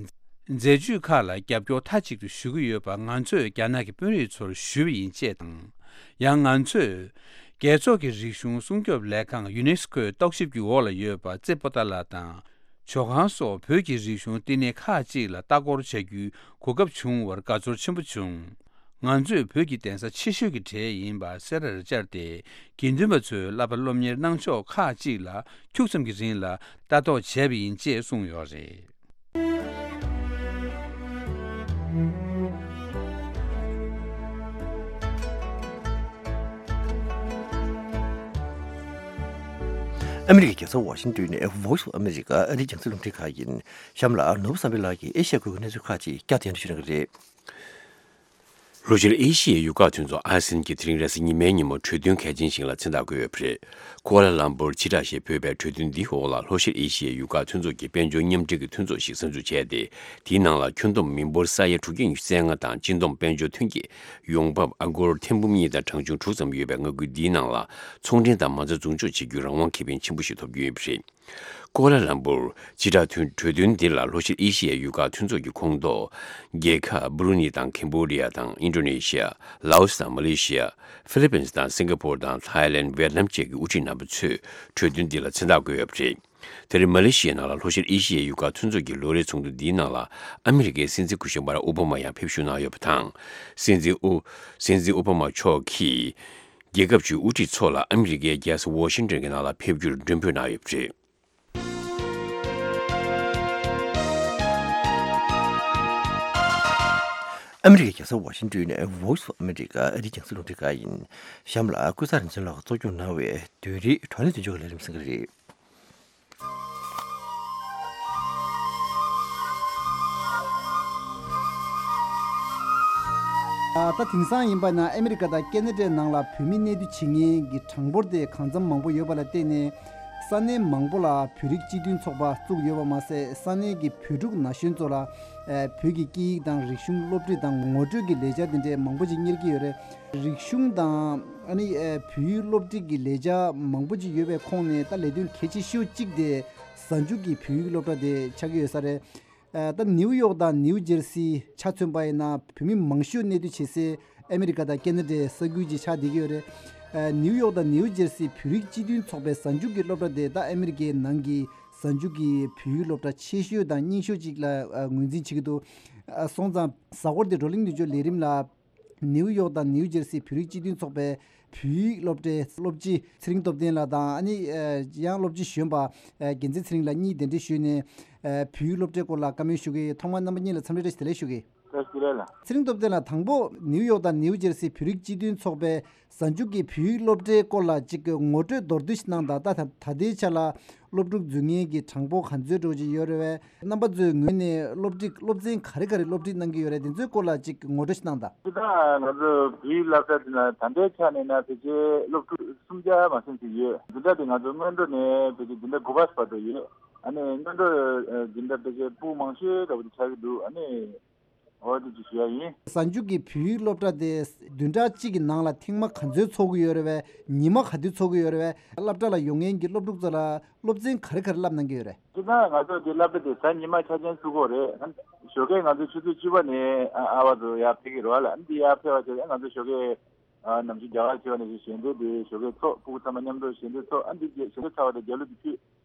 མཛད་ཇུས་ཁག་ལ་རྒྱབ་སྐྱོར་མཐའ་གཅིག་ཏུ་ཞུ་གི་ཡོད་པ། ང་ཚོས་རྒྱ་ནག་གི་དཔོན་རིགས་ཚོར་ཞུས་པ་ཡིན་ཅེས་དང་། ཡང་ང་ཚོས་རྒྱལ་ཚོགས་ཀྱི་རིག་གཞུང་སྲུང་སྐྱོབ་ལས་ཁང་ཡུ་ནེ་སི་ཀོའི་རྟོག་ཞིབ་ཀྱི་འོག་ལ་ཡོད་པ་རྩེ་པོ་ཏཱ་ལ་དང་། ཇོ་ཁང་སོགས་བོད་ཀྱི་རིག་གཞུང་བསྟི་གནས་ཁག་ཅིག་ལ་ལྟ་སྐོར་བྱ་རྒྱུའི་གོ་སྐབས་བྱུང་བར་དགའ་ཚོར་ཆེན་པོ་བྱུང་། ང་ཚོས་བོད་ཀྱི་གདན་ས་ཆེ་ཤོས་ཀྱི་གྲས་ཡིན་པ་སེ་རར་བཅར་ཏེ། དགེ་འདུན་པ་ཚོའི་བསླབ་པ་སློབ་གཉེར་གནང་ཕྱོགས་ཁག་ཅིག་ལ་འཁྱུག་ཙམ་གྱི་རིང་ལ་ལྟ་རྟོག་བྱས་པ་ཡིན་ཅེས་གསུངས་ཡོད་རེད། ཨ་མི་རི་ཀའི་རྒྱལ་ས་ཝ་ཤིང་ཏོན་ནས་Voice of America ཨ་རིའི་རྒྱང་སྲིང་རླུང་འཕྲིན་ཁང་ཡིན། གཤམ་ལ་ནོར་བུ་བསམ་འཕེལ་ལགས་ཀྱིས་ཨེ་ཤ་ཡ་ཁུལ་གྱི་གནས་ཚུལ་ཁག་ཅིག་བསྐྱར་ཟློས་ཞུ་གནང་གི་རེད། ལྷོ་ཤར་ཨེ་ཤི་ཡའི་ཡུལ་ཁག་མཐུན་ཚོགས་ཨ་སི་ཡན་གྱིས་དེ་རིང་རེས་གཟའ་ཉི་མའི་ཉིན་མོ་གྲོས་མཐུན་གལ་ཆེན་ཞིག་ལ་མཚན་རྟགས་བཀོད་ཡོད་པ་རེད། ཀོ་ལ་ལམ་པུར་སྤྱི་བསྒྲགས་ཞེས་འབོད་པའི་གྲོས་མཐུན་འདིའི་འོག་ལ་ལྷོ་ཤར་ཨེ་ཤི་ཡའི་ཡུལ་ཁག་མཐུན་ཚོགས་ཀྱི་དཔལ་འབྱོར་མཉམ་འབྲེལ་གྱི་མཐུན་ཚོགས་ཤིག་གསར་འཛུགས་བྱས་ཏེ། དེའི་ནང་ལ་ཁྱོན་བསྡོམས་མི་འབོར་ས་ཡ་དྲུག་བརྒྱ་ཉི་ཤུ་རྩ་ལྔ་དང་སྤྱི་བསྡོམས་དཔལ་འབྱོར་ཐོན་སྐྱེད་ཡོང་འབབ་ཨ་སྒོར་ཐེར་འབུམ་གཉིས་དང་གྲངས་ཆུང་དྲུག་ཙམ་ཡོད་པའི་མངའ་ཁུལ་འདིའི་ནང་ལ་ཚོང་འབྲེལ་དང་མ་རྩ་འཛུགས་འཇོག་བྱེད་རྒྱུའི་རང་དབང་ཁེ་ཕན་ཆེན་པོ་ཞིག་ཐོབ་རྒྱུ་ཡོད་པ་རེད། ཀོ་ལ་ལམ་པུར་སྤྱི་བསྒྲགས་མཐུན་གྲོས་མཐུན་འདི་ལ་ལྷོ་ཤར་ཨེ་ཤི་ཡའི་ཡུལ་ཁག་མཐུན་ཚོགས་ཀྱི་ཁོངས་གཏོགས་རྒྱལ་ཁབ་བུ་རུ་ནི་དང་ཁེམ་བྷོ་ཌི་ཡ་དང་ཨིན་ཌོ་ནེ་ཤི་ཡ། ལའོ་སི་དང་མ་ལེ་ཤི་ཡ། ཧྥི་ལི་པིན་སི་དང་སིང་ག་པོར་དང་ཐའི་ལེན། ཝེ་ཏི་ནམ་བཅས་ཀྱི་དབུ་ཁྲིད་རྣམ་པ་ཚོས་གྲོས་མཐུན་འདི་ལ་མཚན་རྟགས་བཀོད་ཡོད་པ་རེད། དེར་མ་ལེ་ཤི་ཡའི་ནང་ལ་ལྷོ་ཤར་ཨེ་ཤི་ཡའི་ཡུལ་ཁག་མཐུན་ཚོགས་ཀྱི་ལོ་རེའི་ཚོགས་འདུ་འདིའི་ནང་ལ་ཨ་མི་རི་ཀའི་སྲིད་འཛིན་སྐུ་ཞབས་བྷ་རག་ཨོ་བྷ་མ་ཡང་ཕེབས་ཞུགས་གནང་ཡོད་པ་དང་། སྲིད་འཛིན་ཨོ། སྲིད་འཛིན་ཨོ་བྷ་མ་མཆོག་གིས་རྒྱལ་ཁབ་ཀྱི་དབུ་ཁྲིད་ཚོ་ལ་ཨ་མི་རི་ཀའི་རྒྱལ་ས་ཝ་ཤིང་ཏོན་གྱི་ནང་ལ་ཕེབས་རྒྱུར་མགྲོན་འབོད་གནང་ཡོད་པ་རེད། ཨ་མི་རི་ཀའི་རྒྱལ་ས་ཝ་ཤིང་ཏོན་ནས་Voice of America ཨ་རིའི་རྒྱང་སྲིང་རླུང་འཕྲིན་ཁང་ཡིན། གཤམ་ལ་ཀུན་བཟང་རིག་འཛིན་ལགས་གཙོ་སྐྱོང་གནང་བའི་བོད་རིགས་བགྲོ་གླེང་མདུན་ལྗོངས་ཀྱི་ལས་རིམ་གསན་གྱི་རེད། ད་དེང་སང་ཡིན་པ་ན་ཨ་མི་རི་ཀ་དང་ཁེ་ན་ཌའི་ནང་ལ་བོད་མི་གནས་སྡོད་བྱེད་མཁན་གྱི་གྲངས་འབོར་དེ་གང་འཚམ་མང་པོ་ཡོད་པ་ལ་བརྟེན་ནས། ས་གནས་མང་པོ་ལ་བོད་རིགས་སྤྱི་མཐུན་ཚོགས་པ་བཙུགས་ཡོད་པ་མ་ཟད། ས་གནས་ཀྱི་བོད་ཕྲུག་ན་གཞོན་ཚོ་ལ་ཨ་བོད་ཀྱི་སྐད་ཡིག་དང་རིག་གཞུང་སློབ་ཁྲིད་དང་ངོ་སྤྲོད་ཀྱི་ལས་འཆར་དེ་འདྲའི་མང་པོ་ཅིག་གཉེར་གྱི་ཡོད་རེད། རིག་གཞུང་དང་ཨ་ནི་ཨ་བོད་ཡིག་སློབ་ཁྲིད་ཀྱི་ལས་འཆར་མང་པོ་ཅིག་ཡོད་པའི་ཁོངས་ནས། ད་ལས་དོན་གལ་ཆེ་ཤོས་གཅིག་དེ་གཟའ་མཇུག་གི་བོད་ཡིག་སློབ་གྲྭ་དེ་ཆགས་ཀྱི་ཡོད་ས་རེད། ཨ་ད་ནིའུ་ཡོག་དང་ནིའུ་ཇེར་སི་ཆ་མཚོན་པ་ཡིན་ན། བོད་མི་མང་ཤོས་གནས་སྡོད་བྱེད་སའི་ཨ་མི་རི་ཀ་དང་ཁེ་ན་ཌའི་ས་ཁུལ་གྱི་ཆགས་བསྡད་ཀྱི་ཡོད་རེད། ཨ་ནིའུ་ཡོག་དང་ནིའུ་ཇེར་སི་བོད་རིགས་སྤྱི་མཐུན་ཚོགས་པའི་གཟའ་མཇུག་གི་སློབ་གྲྭ་དེ་ད་ཨ་མི་རི་ཀའི་ནང་གི་གཟའ་མཇུག་གི་བོད་ཡིག་སློབ་གྲྭ་ཆེ་ཤོས་དང་རྙིང་ཤོས་ཅིག་ལ་ཨ་ངོས་འཛིན་བྱེད་ཀྱི་འདུག་ཨ་སོང་ཙང་། གཟའ་འཁོར་འདི་བགྲོ་གླེང་མདུན་ལྗོངས་ལས་རིམ་ལ། ནིའུ་ཡོག་དང་ནིའུ་ཇེར་སི་བོད་རིགས་སྤྱི་མཐུན་ཚོགས་པའི་བོད་ཡིག་སློབ་གྲྭའི་སློབ་སྤྱི་ཚེ་རིང་སྟོབས་ལྡན་ལགས་དང་། ཨ་ནི་ཨ་ཡང་སློབ་སྤྱི་གཞོན་པ་ཨ་རྒྱལ་མཚན་ཚེ་རིང་ལགས་གཉིས་གདན་འདྲེན་ཞུས་ནས། ཨ་བོད་ཡིག་སློབ་གྲྭའི་སྐོར་ལ་བཀའ་མོལ་ཞུ་གི་ཡོད། ཐོག་མར་རྣམ་པ་གཉིས་ལ་འཚམས་འདྲི་བཀྲ་ཤིས་བདེ་ལེགས་ཞུ་གི་ཡོད། བཀྲ་ཤིས་བདེ་ལེགས་ལགས། ཚེ་རིང་སྟོབས་ལྡན་ལགས། དང་པོ་ནིའུ་ཡོག་དང་ནིའུ་ཇེར་སི་བོད་རིགས་སྤྱི་མཐུན་ཚོགས་པའི་གཟའ་མཇུག་གི་བོད་ཡིག་སློབ་གྲྭའི་སྐོར་ལ་ཅིག་ངོ་སྤྲོད་མདོར་བསྡུས་ཤིག་གནང་དང་། ད་ད་ད་ལྟའི་ཆ་ལ་སློབ་ཕྲུག་འཛུལ་མཁན་གྱི་གྲངས་འབོར་ག་ཚོད་འགྲོ་གི་ཡོད་རེད་པས། རྣམ་པ་ཚོའི་ངོས་ནས་སློབ་ཁྲིད་སློབ་ཚན་ག་རེ་ག་རེ་སློབ་ཁྲིད་གནང་གི་ཡོད་རེད། དེ་ཚོའི་སྐོར་ལ་ཅིག་ངོ་སྤྲོད་ཞིག་གནང་དང་། སྤྱིར་བཏང་ང་ཚོ་བོད་ཡིག་སློབ་གྲྭ་འདི་ན་ད་ལྟའི་ཆ་ནས་ན་ཕལ་ཆེར་སློབ་ཕྲུག་སུམ་བརྒྱ་མ་ཟིན་ཞིག་ཡོད། འཛིན་གྲྭ་དེ་ང་ཚོ་སྔོན་འགྲོ་ནས་ཕལ་ཆེར་འཛིན་གྲྭ་དགུ་པ་བར་དུ་ཡོད། ཨ་ནི་སྔོན་འགྲོ་འཛིན་གྲྭ་ཕལ་ཆེར་ཕྲུ་གུ་མང་ཤོས་འདྲ་བོ་དེ་ཆགས་ཀྱི་འདུག་ཨ་ནི། འོ་དེ་ཅིག་ཞུ་ཡ་ཡིན། གཟའ་མཇུག་གི་བོད་ཡིག་སློབ་གྲྭ་དེ་བདུན་ཕྲག་གཅིག་གི་ནང་ལ་ཐེངས་མ་ག་ཚོད་ཚོགས་ཀྱི་ཡོད་རེད་པས། ཉི་མ་ག་དུས་ཚོགས་ཀྱི་ཡོད་རེད་པས། སློབ་གྲྭ་ལ་ཡོང་མཁན་གྱི་སློབ་ཕྲུག་ཚོ་ལ་སློབ་ཚན་ག་རེ་ག་རེ་བསླབ་གནང་གི་ཡོད་རེད། སྤྱིར་བཏང་ང་ཚོ་འདི་སློབ་གྲྭ་དེ་གཟའ་ཉི་མ་ཆ་ཆེན་ཚུགས་ཀྱི་ཡོད་རེད། ཞོགས་ཀས་ང་ཚོ་ཆུ་ཚོད་བཅུ་པ་ནས་ཨ་ཨ་བར་དུ་ཡར་ཕེབས་ཀྱི་རེད་པ་ལ། ཨ་འདི་ཡར་ཕེབས་པ་བྱས་ང་ཚོ་ཞོགས་ཀས་ཨ་ནམ་ཞིག་རྒྱ་གར་ཆེ་བ་ནས་ཞིག་ཞལ་འདོན་དེ་ཞོགས་ཀས་ཚོགས། ཕྲུ་གུ་ཚང་མ་མཉམ་དུ་ཞལ་འདོན་ཚོགས། ཨ་འདི་ཞལ་འདོན་ཚར་བ་དང་རྒྱ་གླུ་དེ་ཕུལ།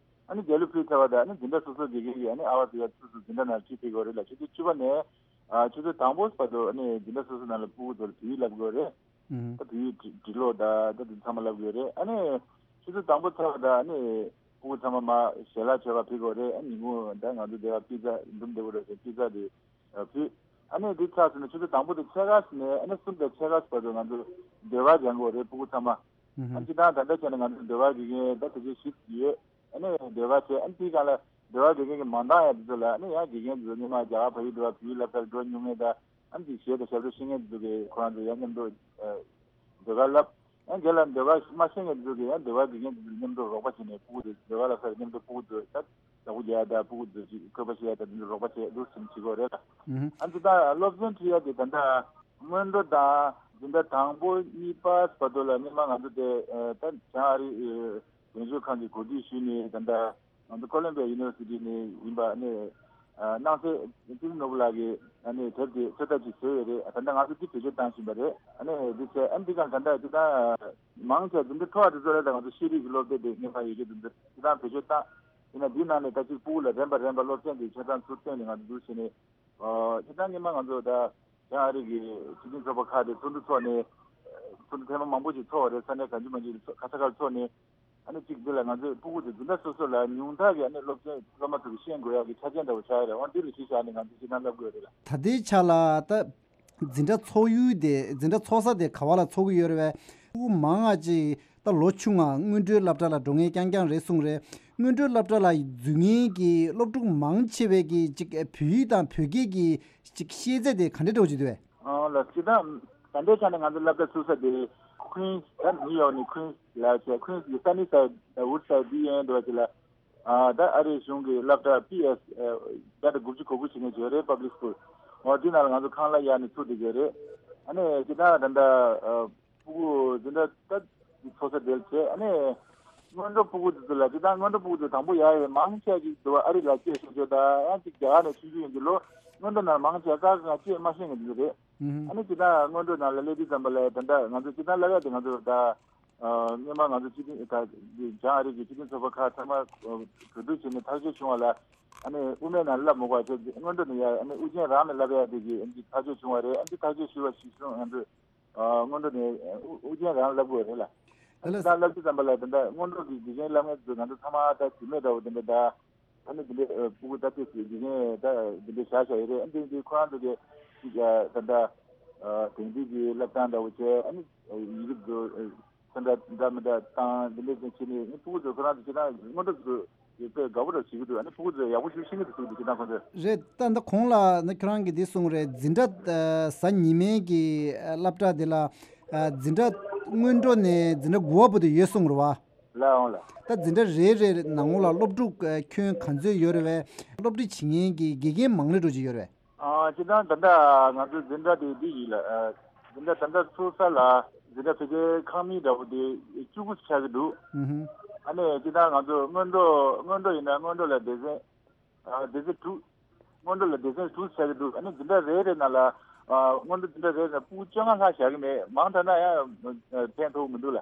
ཨ་ནི་རྒྱ་གླུ་ཕུལ་ཚར་བ་དང་ཨ་ནི་འཛིན་གྲྭ་སོ་སོ་དགེ་རྒན་གྱིས་ཨ་ནི་ཨ་བར་དུ་ཡར་ཚུར་ཚུར་འཛིན་གྲྭ་ནང་ཁྲིད་ཕེབས་ཀྱི་ཡོད་རེད་ལ། ཆུ་ཚོད་བཅུ་པ་ནས་ཨ་ཆུ་ཚོད་དང་པོ་བར་དུ་ཨ་ནི་འཛིན་གྲྭ་སོ་སོ་ནང་ལ་ཕྲུ་གུ་ཚོ་ལ་བོད་ཡིག་བསླབ་ཀྱི་ཡོད་རེད། ཨུ་ཧུམ། ད་བོད་ཡིག་འབྲི་འབྲི་ཀློག་དང་ད་དེ་ཚང་མ་བསླབ་ཀྱི་ཡོད་རེད། ཨ་ནི་ཆུ་ཚོད་དང་པོ་ཚར་བ་དང་ཨ་ནི་ཕྲུ་གུ་ཚང་མ་མར་ཞལ་ལག་མཆོད་པར་ཕེབས་ཀྱི་ཡོད་རེད། ཨ་ཉིན་གུང་ད་ང་ཚོ་འདི་ག་པི་ཛ་འདུམ་འདི་བོ་རེད་ཟེར། པི་ཛ་དེ་ཨ་ཕུལ། ཨ་ནི་འདི་ཚར་སོང་ནས་ཆུ་ཚོད་དང་པོ་དེ་ཕྱེད་ཀ་ནས་ཨ་ནི་གསུམ་དང་ཕྱེད་ཀ་བར་དུ་ང་ཚོ་ཟློས་གར་སྦྱང་དགོས་རེད་ཕྲུ་གུ་ཚང་མ། ཨ་ནི་སྤྱིར་བཏང་ད་ལྟ་བྱས་ན་ང་ཚོ་ཟློས་གར་དགེ་རྒན་ད་དེ་ཚོ་བཞི་ཡོད། ཨ་ནི་ཟློས་གར་བྱས། ཨ་ནི་དེའི་སྒང་ལ་ཟློས་གར་དགེ་རྒན་གྱི་མ་འདང་ཡ་དེ་ཚོ་ལ་ཨ་ནི་ཡང་དགེ་རྒན་དེ་ཚོ་སྔོན་མ་རྒྱ་གར་བལ་ཡུལ་འགྲོ་བ་བལ་ཡུལ་སློབ་གྲྭར་འགྲོ་མྱོང་མཁན་དང་། ཨ་ནི་དེ་གཞས་དང་ཞབས་བྲོ་ཤེས་མཁན་དེ་ཚོ་གིས་ཁོ་རང་ཚོ་ཡང་མཉམ་དུ་ཟློས་གར་བསླབ། ཡང་རྗེས་ལ་ཟློས་གར་མ་ཤེས་མཁན་དེ་ཚོ་གིས་ཡང་ཟློས་གར་དགེ་རྒན་དེ་ཚོ་མཉམ་དུ་རོགས་པ་བྱས་ནས་ཕྲུ་གུ་དེ་ཟློས་གར་བསླབ་སར་མཉམ་དུ་ཕྲུ་གུ་དེ་ད་བདག་པོ་རྒྱག་ཡ་དང་ཕྲུ་གུ་དེ་ཅིག་བཀོད་པ་བཤད་ཡ་དང་དེ་ཚོ་རོགས་པ་བྱས་འདུག་སེ་བྱེད་ཀྱི་ཡོད་རེད་ལ། ཨུ་ཧུམ། ཨ་ནི་ད་སློབ་ཚན་ཁྲིད་ཡ་དེ་ད་ལྟ་སྔོན་འགྲོ་དང་འཛིན་གྲྭ་དང་པོ་གཉིས་པ་བར་དུ་ལ་སྔོན་མ་ང་ཚོ་དེ་ད་བྱང་ཨ་རི་འགྲན་བཞུགས་ཁང་གིས་གོ་སྒྲིག་ཞུས་ནས་ད་ལྟ་ང་ཚོ་ཀོ་ལམ་བྷི་ཡ་ཡུ་ནི་ཝར་སི་ཊི་ནས་ཡིན་པ་ནས་སྣང་གསལ་ཏི་རི་ནོར་བུ་ལགས་ཀྱིས་ཨ་ནི་དེབ་དེ་ཚོད་ལྟ་ཅིག་བཟོས་ཡོད་རེད། ད་ལྟ་ང་ཚོ་འདི་བེད་སྤྱོད་བཏང་བཞིན་པ་རེད། ཨ་ནི་འདི་བྱས་ཨ་ནི་འདི་ག་ད་ལྟ་འདི་ད་མང་ཆེ་འཛིན་གྲྭ་མཐོ་བ་དེ་ཚོ་ལ་ད་ང་ཚོ་ཤེས་རིག་གི་སློབ་དེབ་དེ་སྔོན་མ་ཡོད་རྒྱུ་དེ་ཚོ་འདི་ད་བེད་སྤྱོད་བཏང་། ཡིན་ན་འདིའི་ནང་ནས་ད་ཅིག་ཕྲུ་གུ་ལ་རན་པ་རན་པ་སློབ་ཚན་དེ་ཆ་ཚང་ཚུར་བཏོན་ནས་ང་ཚོ་འདུག་བྱས་ནས། ཨོ། སྤྱིར་བཏང་སྔོན་མ་ང་ཚོ་ད་བྱང་ཨ་རི་གི་སྤྱི་མཐུན་ཚོགས་པ་ཁག་དེ་ཚོགས་འདུ་ཚོགས་ནས། ཚོགས་འདུ་ཐེངས་མ་མང་པོ་ཞིག་ཚོགས་པ་རེད། ས་གནས་གང་ཅི་མང་ཅི་ཚོགས་ག་ས་ག་ལ་ཚོགས་ནས། ཨ་ནི་གཅིག་འདི་ལ་ང་ཚོས་ཕྲུ་གུ་དེ་འཛིན་གྲྭ་སོ་སོ་ལ་ཉུང་མཐའ་གི་ཨ་ནི་སློབ་ཚན་སློབ་མ་ཚོ་གིས་ཤེས་དགོས་ཡག་གི་ཆ་རྐྱེན་འདྲ་བོ་ཆགས་ཡོད་རེད། འོ་འདི་ལ་གཞི་བཞག་ནས་ང་ཚོས་ཅི་གང་བསླབ་དགོས་རེད་ལ། ད་ལྟའི་ཆ་ལ་ད་འཛིན་གྲྭ་ཚོགས་ཡུལ་དེ་འཛིན་གྲྭ་ཚོགས་ས་དེ་ག་བ་ལ་ཚོགས་ཀྱི་ཡོད་རེད་པས། ཕྲུ་གུ་མང་ང་ཅིག་ད་ལོ་ཆུང་ང་སྔོན་འགྲོའི་སློབ་གྲྭ་ལ་འགྲོ་མཁན་རྐྱང་རྐྱང་རེད་གསུངས་རེད། སྔོན་འགྲོའི་སློབ་གྲྭ་ལ་འཛུལ་མཁན་གྱི་སློབ་ཕྲུག་མང་ཆེ་བས་ཀྱི་ཅིག་བོད་ཡིག་དང་བོད་སྐད་ཀྱི་ཅིག་ཤེས་ཚད་དེ་ག་འདྲ་འདྲ་བོ་ཅིག་འདུག་པས། ཨང་ལགས། སྤྱིར་བཏང་ད་ལྟའི་ཆ་ནས་ང་ཚོ་སློབ་གྲྭ་ཚུགས་ས་དེ་ཁུན་སི་ད་ནིའུ་ཡོག་ནས་ཁུན་སི་ལ་བྱས། ཁུན་སི་གི་སན་ནི་སའེ་ཌི་དང་ཝུཌ་སའེ་ཌི་འདི་ཡན་འདྲ་བ་ཅིག་ལ། ཨ་ད་ཨ་རིའི་གཞུང་གི་སློབ་གྲྭ་པི་ཨེ་སི་བརྒྱ་དང་དགུ་བཅུ་གོ་དགུ་བྱེད་མཁན་ཅིག་ཡོད་རེད། པབ་ལིག་སི་ཀུལ། འོ་དེ་ནང་ལ་ང་ཚོ་ཁང་གླ་གཡར་ནས་ཚུགས་བསྡད་ཀྱི་ཡོད་རེད། ཨ་ནི་སྤྱིར་བཏང་ད་ལྟ་ཕྲུ་གུ་འཛིན་གྲྭ་ད་ཚོགས་ས་དེར་བྱས། ཨ་ནི་སྔོན་འགྲོ་ཕྲུ་གུ་དེ་ཚོ་ལ་སྤྱིར་བཏང་སྔོན་འགྲོ་ཕྲུ་གུ་དེ་དང་པོ་ཡར་ཡོད་མང་ཆེ་ཅིག་འདུག་ཨ་རི་ལ་སྐྱེས་སོང་ཆོག་ད་ཡང་ཅིག་རྒྱ་གར་ནས་ཆུང་ཆུང་ཡིན་དུས་ལོ་སྔོན་འགྲོ་ནང་མང་ཆེ་ཀ་ཀ་སྐད་མ་ཤེས་མཁན་དེ་ཚོ་རེད། ཨ་ནི་སྤྱིར་བཏང་སྔོན་འགྲོ་ནང་ལ་སླེབས་དུས་ཙམ་པ་ལ་ད་ལྟ་ང་ཚོ་སྤྱིར་བཏང་སློབ་ཡག་དེ་ང་ཚོ་ད་སྔོན་མ་ང་ཚོ་སྤྱི་མཐུན་ད་བྱང་ཨ་རི་གི་སྤྱི་མཐུན་ཚོགས་པ་ཁག་ཚང་མ་གྲོས་བསྡུར་བྱས་ནས་ཐག་གཅོད་བྱུང་བ་ལ། ཨ་ནི་དབུ་མའི་ནང་སླེབས་མི་དགོས་པ་བྱས། སྔོན་འགྲོ་ནས་ཡ་ཨ་ནི་དབུ་ཅན་རང་ནས་སླེབས་ཡ་དེ་གི་ཨ་ནི་ཐག་གཅོད་བྱུང་བ་རེད། ཨ་ནི་ཐག་གཅོད་ཞུས་པ་གཞིར་བཟུང་ང་ཚོས་སྔོན་འགྲོ་ནས་དབུ་ཅན་རང་སླེབས་དགོས་རེད་ལ། ཨ་ནི་ད་སླེབས་དུས་ཙམ་པ་ལ་ད་ལྟ་སྔོན་འགྲོ་གི་དགེ་རྒན་སློབ་མཁན་ཚོ་ང་ཚོ་ཚང་མ་ད་དྲི་མེད་འདྲ་བོ་དེ་འདྲ་ད། ཨ་ནི་དེ་འདྲའི་ཕྲུ་གུ་ད་ལྟའི་དགེ་རྒན་ད་དེ་འདྲའི་བཞག་བཞག་ཡོད་རེད། ཨ་ནི་དེ་ཁོ་རང་ཚོ་གི་ཅིག་ད་ལྟ་དེང་དུས་ཀྱི་སློབ་སྟངས་འདྲ་བོ་བྱས། ཨ་ནི་ཡིག་གཟུགས་འདྲ་འདྲ་མི་འདྲ་བཏང་། དེ་འདྲའི་ཅིག་བྱས་ནས་ཨ་ནི་ཕྲུ་གུ་ཚོ་ཁོ་རང་ཚོ་ཁྱེད་རང་སྔོན་འགྲོ་ཚོ་དཔེ་དགའ་པོ་འདྲ་བྱེད་ཀྱི་འདུག་ཨ་ནི་ཕྲུ་གུ་ཚོ་ཡག་པོ་ཞིག་ཤེས་ཀྱི་འདུག་ཟེར་གྱི་འདུག་ཁྱེད་རང་ཁོང་ཚོས། རེད། ད་ད་གོང་ལ་ནི་ཁྱོད་རང་གིས་འདི་གསུངས་རེད། འཛིན་གྲྭ་ཨ་གཟའ་ཉི་མའི་གི་ཨ་སློབ་གྲྭ་དེ་ལ་ཨ་འཛིན་གྲྭ་སྔོན་འགྲོ་ནས་འཛིན་གྲྭ་དགུ་པ་བར་དུ་ཡོད་གསུངས་རེད་བ། ལགས་འོང་ལགས། ད་འཛིན་གྲྭ་རེ་རེ་ནང་ལོགས་ལ་སློབ་ཕྲུག་ཨ་ཁྱོན་ག་ཚོད་ཡོད་རེད་བས། སློབ་ཁྲིད་བྱེད་མཁན་གྱི་དགེ་རྒན་མང་ལོས་འགྲོ་གི་ཡོད་རེད་བས། ཨ་སྤྱིར་བཏང་ད་ལྟ་ང་ཚོའི་འཛིན་གྲྭ་དེ་འདི་ཡིན་ལ། ཨ་འཛིན་གྲྭ་ད་ལྟ་ཚུགས་ས་ལ་འཛིན་གྲྭ་ཕལ་ཆེར་ཁང་མིག་འདྲ་བོ་དེ་བཅུ་དགུ་ཆགས་ཀྱི་འདུག་ཨ་ནི་སྤྱིར་བཏང་ང་ཚོ་སྔོན་འགྲོ་སྔོན་འགྲོ་ཡིན་ན་སྔོན་འགྲོ་ལ་སྡེ་ཚན་ཨ་སྡེ་ཚན་དྲུག་སྔོན་འགྲོ་ལ་སྡེ་ཚན་དྲུག་ཆགས་ཀྱི་འདུག་ཨ་ནི་འཛིན་གྲྭ་རེ་རེ་ནང་ལ་ཨ་སྔོན་འགྲོ་འཛིན་གྲྭ་རེ་རེ་ནང་ཕྲུ་གུ་བཅོ་ལྔ་ལྷག་བཞག་གི་མེད། མང་དྲགས་ན་ཡང་ཕན་ཐོགས་མི་འདུག་ལ།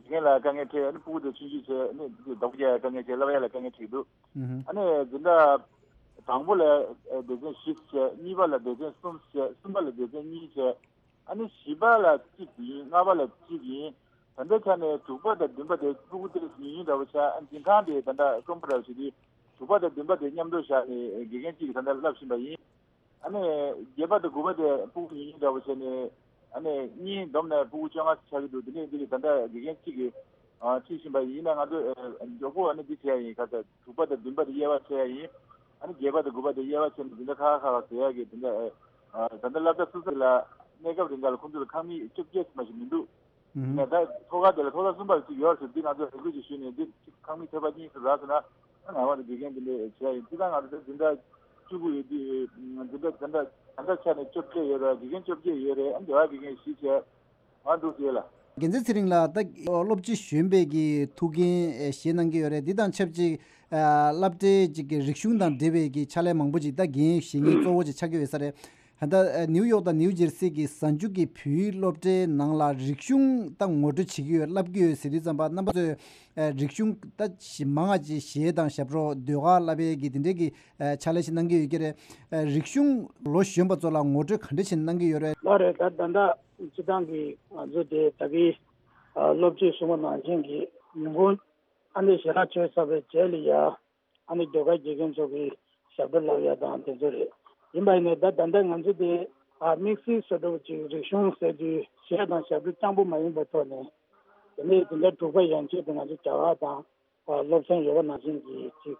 དགེ་རྒན་ལ་དཀའ་ངལ་འཕྲད། ཨ་ནི་ཕྲུ་གུ་དེ་ཆུང་ཆུང་བྱས། ཨ་ནི་བདག་པོ་རྒྱག་ཡ་དཀའ་ངལ་འཕྲད། བསླབ་ཡ་ལ་དཀའ་ངལ་འཕྲད་འདུག་ཨ་ནི་འཛིན་གྲྭ་དང་པོ་ལ་སྡེ་ཚན་བཞི་བྱས། གཉིས་པ་ལ་སྡེ་ཚན་གསུམ་བྱས། གསུམ་པ་ལ་སྡེ་ཚན་གཉིས་བྱས། ཨ་ནི་བཞི་པ་ལ་གཅིག་ཡིན། ལྔ་པ་ལ་གཅིག་ཡིན། ད་ལྟའི་ཆ་ནས་དྲུག་པ་དང་བདུན་པ་དེ་ཕྲུ་གུ་དེ་ཉུང་ཉུང་འདྲ་བོ་ཆགས། ཨ་འཛིན་ཁང་དེ་ད་ལྟ་རྩོམ་པ་འདྲ་བོ་བྱེད་དུས་དྲུག་པ་དང་བདུན་པ་དེ་མཉམ་དུ་བཞག་ནས་དགེ་རྒན་གཅིག་གིས་ད་ལྟ་བསླབ་བཞིན་པ་ཡིན། ཨ་ནི་བརྒྱད་པ་དང་དགུ་པ་དེ་ཕྲུ་གུ་ཉུང་ཉུང་འདྲ་བོ་བྱས་ནས། ཨ་ནི་གཉིས་བསྡོམས་ནས་ཕྲུ་གུ་བཅོ་ལྔ་ཆགས་ཀྱི་འདུག་དེ་ནས་འདི་གི་ད་ལྟ་དགེ་རྒན་གཅིག་གིས་ཁྲིད་བཞིན་པ་ཡིན། ཡིན་ན་ང་ཚོ་མགྱོགས་པོ་ཨ་ནི་འདི་བྱས་ཡིན། ཁ་ཚ་དྲུག་པ་དང་བདུན་པ་དེ་དབྱེ་བ་ཕྱེ་ཡ་ཡིན། ཨ་ནི་བརྒྱད་པ་དང་དགུ་པ་དེ་དབྱེ་བ་ཕྱེ་ནས་འཛིན་གྲྭ་ཁག་ཁག་ལ་བཟོ་ཡ་གི་དེ་འདྲ། ད་ལྟ་སློབ་གྲྭ་སོ་སོ་ལ་གནས་སྐབས་རིང་ག་ལ་ཁོང་ཚོ་ལ་ཁང་མིག་བཅོ་བརྒྱད་ཙམ་ཞིག་མི་འདུག་ཡིན་ན་ད་ཐོག་ཁ་དེ་ལ་ཐོག་ས་གསུམ་པ་ཅིག་ཡོད་ཟེར། འདི་ང་ཚོ་རེ་སྐུལ་ཅིག་ཞུས་ནས་འདི་ཁང་མིག་ཐེབས་པ་གཉིས་ཙམ་རག་སོང་ན། ང་རང་དགེ་རྒན་འདི་འདྲ་བྱས་ཡིན། སྤྱིར་བཏང་ང་ཚོ་འཛིན་གྲྭ་བཅུ་དགུ་ཡོད་དུས་འཛིན་གྲྭ་ད་ལྟ་ད་ལྟ་ཆ་ནས་བཅོ་བརྒྱད་ཡོད་རེད། དགེ་རྒན་བཅོ་བརྒྱད་ཡོད་རེད། ཨ་ནི་སྡེ་བ་དགེ་རྒན་བཞི་བྱས། ང་འདུག་ཟེར་ལ། རྒྱལ་མཚན་ཚེ་རིང་ལགས། ད་སློབ་སྤྱི་གཞོན་པའི་གི་ཐུགས་འགན་ཨེ་བཞེས་གནང་གི་ཡོད་རེད། འདི་དང་ཆབས་ཅིག་ཨ་སློབ་གྲྭའི་ཅིག་གི་རིག་གཞུང་དང་འབྲེལ་བའི་གི་ཕྱག་ལས་མང་པོ་ཅིག་ད་འགན་བཞེས་མཁན་གཙོ་བོ་ཅིག་ཆགས་ཀྱི་ཡོད་ས་རེད། ད་ལྟ་ཨ་ནིའུ་ཡོག་དང་ནིའུ་ཇེར་སི་གི་གཟའ་མཇུག་གི་བོད་ཡིག་སློབ་གྲྭའི་ནང་ལ་རིག་གཞུང་ད་ངོ་སྤྲོད་བྱེད་ཀྱི་ཡོད། བསླབ་ཀྱི་ཡོད་ཟེར་དུས་ཙམ་པ་རྣམ་པ་ཚོས་ཨ་རིག་གཞུང་ད་ཞིབ་མང་ང་ཅིག་གཞས་དང་ཞབས་བྲོ་ཟློས་གར་བསླབ་པའི་གི་དེ་འདྲའི་གི་ཨ་ཕྱག་ལས་ཤིག་གནང་གི་ཡོད་ཀྱི་རེད། ཨ་རིག་གཞུང་ལོ་གཞོན་པ་ཚོ་ལ་ངོ་སྤྲོད་ག་འདྲ་ཞིག་གནང་གི་ཡོད་རེད། ལགས་རེད། ད་ད་ལྟ་སྤྱི་བཏང་གི་ང་ཚོ་དེ་ད་གི་ཨ་སློབ་སྤྱིས་གསུངས་པ་ནང་བཞིན་གྱི་ཉིན་གུང་ཨ་ནི་ཞལ་ལག་མཆོད་ཚར་བའི་རྗེས་ལ་ཡ་ཨ་ནི་ཟློས་གར་དགེ་རྒན་ཚོ་གི་ཞབས་བྲོ་བསླབ་ཡ་དང་དེ་ཚོ་རེད། ཡིན་པ་ཡིན་ནའི་ད་ད་ལྟ་ང་ཚོ་དེ་ཨ་དམིགས་བསལ་བཟོ་འདྲ་བོ་ཅིག་རིག་གཞུང་ཟེར་དུས་གཞས་དང་ཞབས་བྲོ་རྐྱང་པོ་མ་ཡིན་པའི་ཐོག་ནས་དེ་ནས་དེ་འདྲ་དྲུག་པ་ཡན་ཆད་དུ་ང་ཚོ་རྒྱ་གར་དང་། སློབ་ཚན་ཡོད་པ་ནང་བཞིན་གྱི་ཅིག་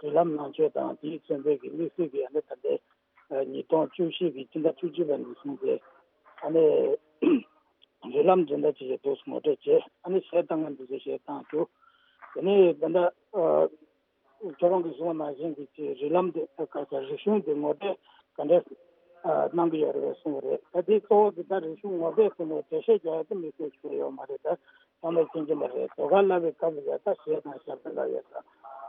རིགས་ལམ་ནང་ཆོས་དང་དེའི་མཚོན་དཔེ་གི་དམིགས་བསལ་གྱི་ཨ་ནི་ད་ལྟའི་ཉིས་སྟོང་བཅུ་བཞི་གི་སྤྱི་ཟླ་བཅུ་གཅིག་པ་ནས་བཟུང་སྟེ་ཨ་ནི་རིགས་ལམ་འཛིན་གྲྭ་ཅིག་ཡོད་འདུག་ངོ་སྤྲོད་བྱས། ཨ་ནི་གཞས་བཏང་མཁན་དེ་ཚོས་གཞས་བཏང་བཅུག་དེ་ནས་ད་ལྟ་ཁྱོད་རང་གིས་གསུངས་པ་ནང་བཞིན་གྱི་ཅིག་རིགས་ལམ་དེ་ག་ས་རིག་གཞུང་དེ་ངོ་སྤྲོད་ག་འདྲས་གནང་གི་ཡོད་རེད་པས་གསུངས་པ་རེད། ད་དེ་གཙོ་བོ་དེ་ད་རིག་གཞུང་ངོ་སྤྲོད་ཟེར་ནས་འགྲེལ་བཤད་རྒྱག་ཡ་དེ་དམིགས་བསལ་ཞིག་ཡོད་མ་རེད། ད། ཚང་མས་མཁྱེན་གྱི་མ་རེད། ཟློས་གར་བསླབ་པའི་སྐབས་ལ་ཡ་ད་གཞས་དང་ཞབས་བྲོ་བསླབ་ཡ་དང་།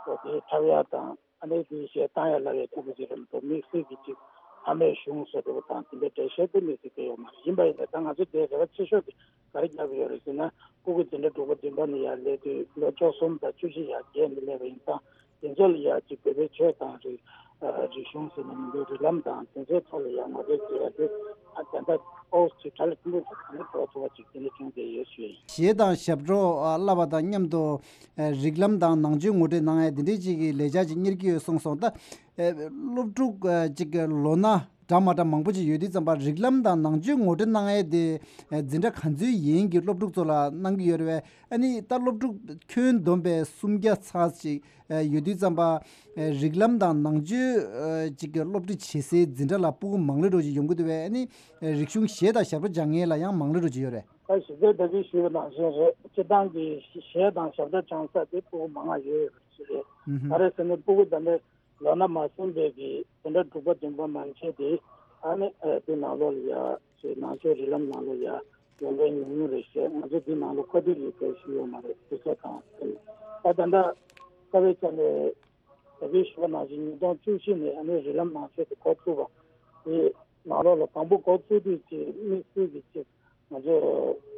འོ་དེ་འཁྲབ་ཡ་དང་ཨ་ནི་དེའི་གཞས་བཏང་ཡ་བསླབ་ཡ་ཐུབ་ཀྱི་ཅིག་རེད་མི་འདུག་དམིགས་བསལ་གྱི་ཅིག་ཕ་མའི་གཞུང་བཟོ་འདྲ་བོ་དང་དེ་འདྲའི་འགྲེལ་བཤད་དེ་དམིགས་བསལ་གྱི་ཡོད་མ་རེད། ཡིན་པ་ཡིན་ནའི་ད་ང་ཚོ་དེའི་རེ་བ་ཆེ་ཤོས་དེ་ག་རེ་རྒྱག་གི་ཡོད་རེད་ཟེར་ན། ཕྲུ་གུ་འཛིན་གྲྭ་དྲུག་པ་བདུན་པ་ནས་ཡར་སླེབས་དུས་ལོ་བཅུ་གསུམ་དང་བཅུ་བཞི་ཡར་རྒྱས་ནས་སླེབས་པ་ཡིན་ཙང་། དེ་ཚོ་ལ་ཡང་ཅིག་བོད་པའི་ཆོས་དང་རིག་ཨ་རིག་གཞུང་ཟེར་ན་མི་འདུག་རིགས་ལམ་དང་དེ་ཚོའི་ཐོག་ལ་ཡང་ངོ་སྤྲོད་བྱེད་ཡ་དེ་ཨ་ད་ལྟ་ཨོ་ཅིག་གྲ་ལ་ཐུན་མོང་དུ་ག་འདྲ་འགྲོ་ཐུབ་པ་ཅིག་དེ་འདྲ་བྱུང་བསྡད་ཡོད་ཞུ་ཡིན། གཞས་དང་ཞབས་བྲོ་ཨ་བསླབ་པ་དང་མཉམ་དུ་ཨ་རིགས་ལམ་དང་ནང་ཆོས་ངོ་སྤྲོད་གནང་ཡ་དེ་འདྲའི་ཅིག་གི་ལས་འཆར་ཅིག་གཉེར་གྱི་ཡོད་གསུངས་སོང་། ད་ཨ་སློབ་ཕྲུག་ཨ་ཅིག་ལོ་ན་ འདྲ་མ་འདྲ་མང་པོ་ཅིག་ཡོད་དུས་ཙམ་པ་རིགས་ལམ་དང་ནང་ཆོས་ངོ་སྤྲོད་གནང་ཡས་དེ་འཛིན་གྲྭ་ག་ཚོད་ཡན་གྱི་སློབ་ཕྲུག་ཚོ་ལ་གནང་གི་ཡོད་རེད་བས། ཨ་ནི་ད་སློབ་ཕྲུག་ཁྱོན་བསྡོམས་པས་སུམ་བརྒྱ་ཚར་ཅིག་ཡོད་དུས་ཙམ་པ་རིགས་ལམ་དང་ནང་ཆོས་ཅིག་གི་སློབ་ཁྲིད་བྱེད་སའི་འཛིན་གྲྭ་ལ་སྤུ་གུ་མང་ལོས་འགྲོ་ཅིག་ཡོང་གི་འདུག་བས། ཨ་ནི་རིག་གཞུང་གཞས་དང་ཞབས་བྲོ་སྦྱང་མཁན་ལ་ཡང་མང་ལོས་འགྲོ་ཅིག་ཡོད་རེད། ད་ཞིབ་ཕྲ་ལྟ་གི་ཞུས་པ་ནང་བཞིན་རེད། སྤྱི་བཏང་གི་གཞས་དང་ཞབས་བྲོ་སྦྱང་ས་དེ་སྤུ་གུ་མང་བ་ཡོད་ཡོད་པ་ཞིག་རེད། ཨུ་ཧུ། ག་རེ་ཟེར་ན་སྤུ་གུ་ད་ལྟ་ལོ་ན་མ་སོན་པའི་གི་དེ་འདྲ་དྲུག་པ་བདུན་པ་མན་ཆད་དེ་ཨ་ནི་ཨ་དེ་ནང་ལོགས་ལ་ཡ་ཞེས་ནང་ཆོས་རིགས་ལམ་ནང་ལོགས་ཡ་ཡོང་མཁན་ཉུང་ཉུང་རེད་ཤག་ང་ཚོ་དེ་ནང་ལོགས་བཀའ་དྲིན་ཡོད་མཁན་ཞིག་ཡོད་མ་རེད། དུས་ཚོད་དང་ཨ་ད་ལྟ་དཀའ་བའི་ཆ་ནས་ད་གིན་ཞུས་པ་ནང་བཞིན་ཉིས་སྟོང་བཅུ་བཞི་ནས་ཨ་ནི་རིགས་ལམ་ནང་ཆོས་དེ་འགོ་ཚུགས་པ་དེ་ནང་ལོགས་ལ་དང་པོ་འགོ་ཚུགས་དུས་ཀྱི་དམིགས་བསལ་གྱི་ཅིག་ང་ཚོ་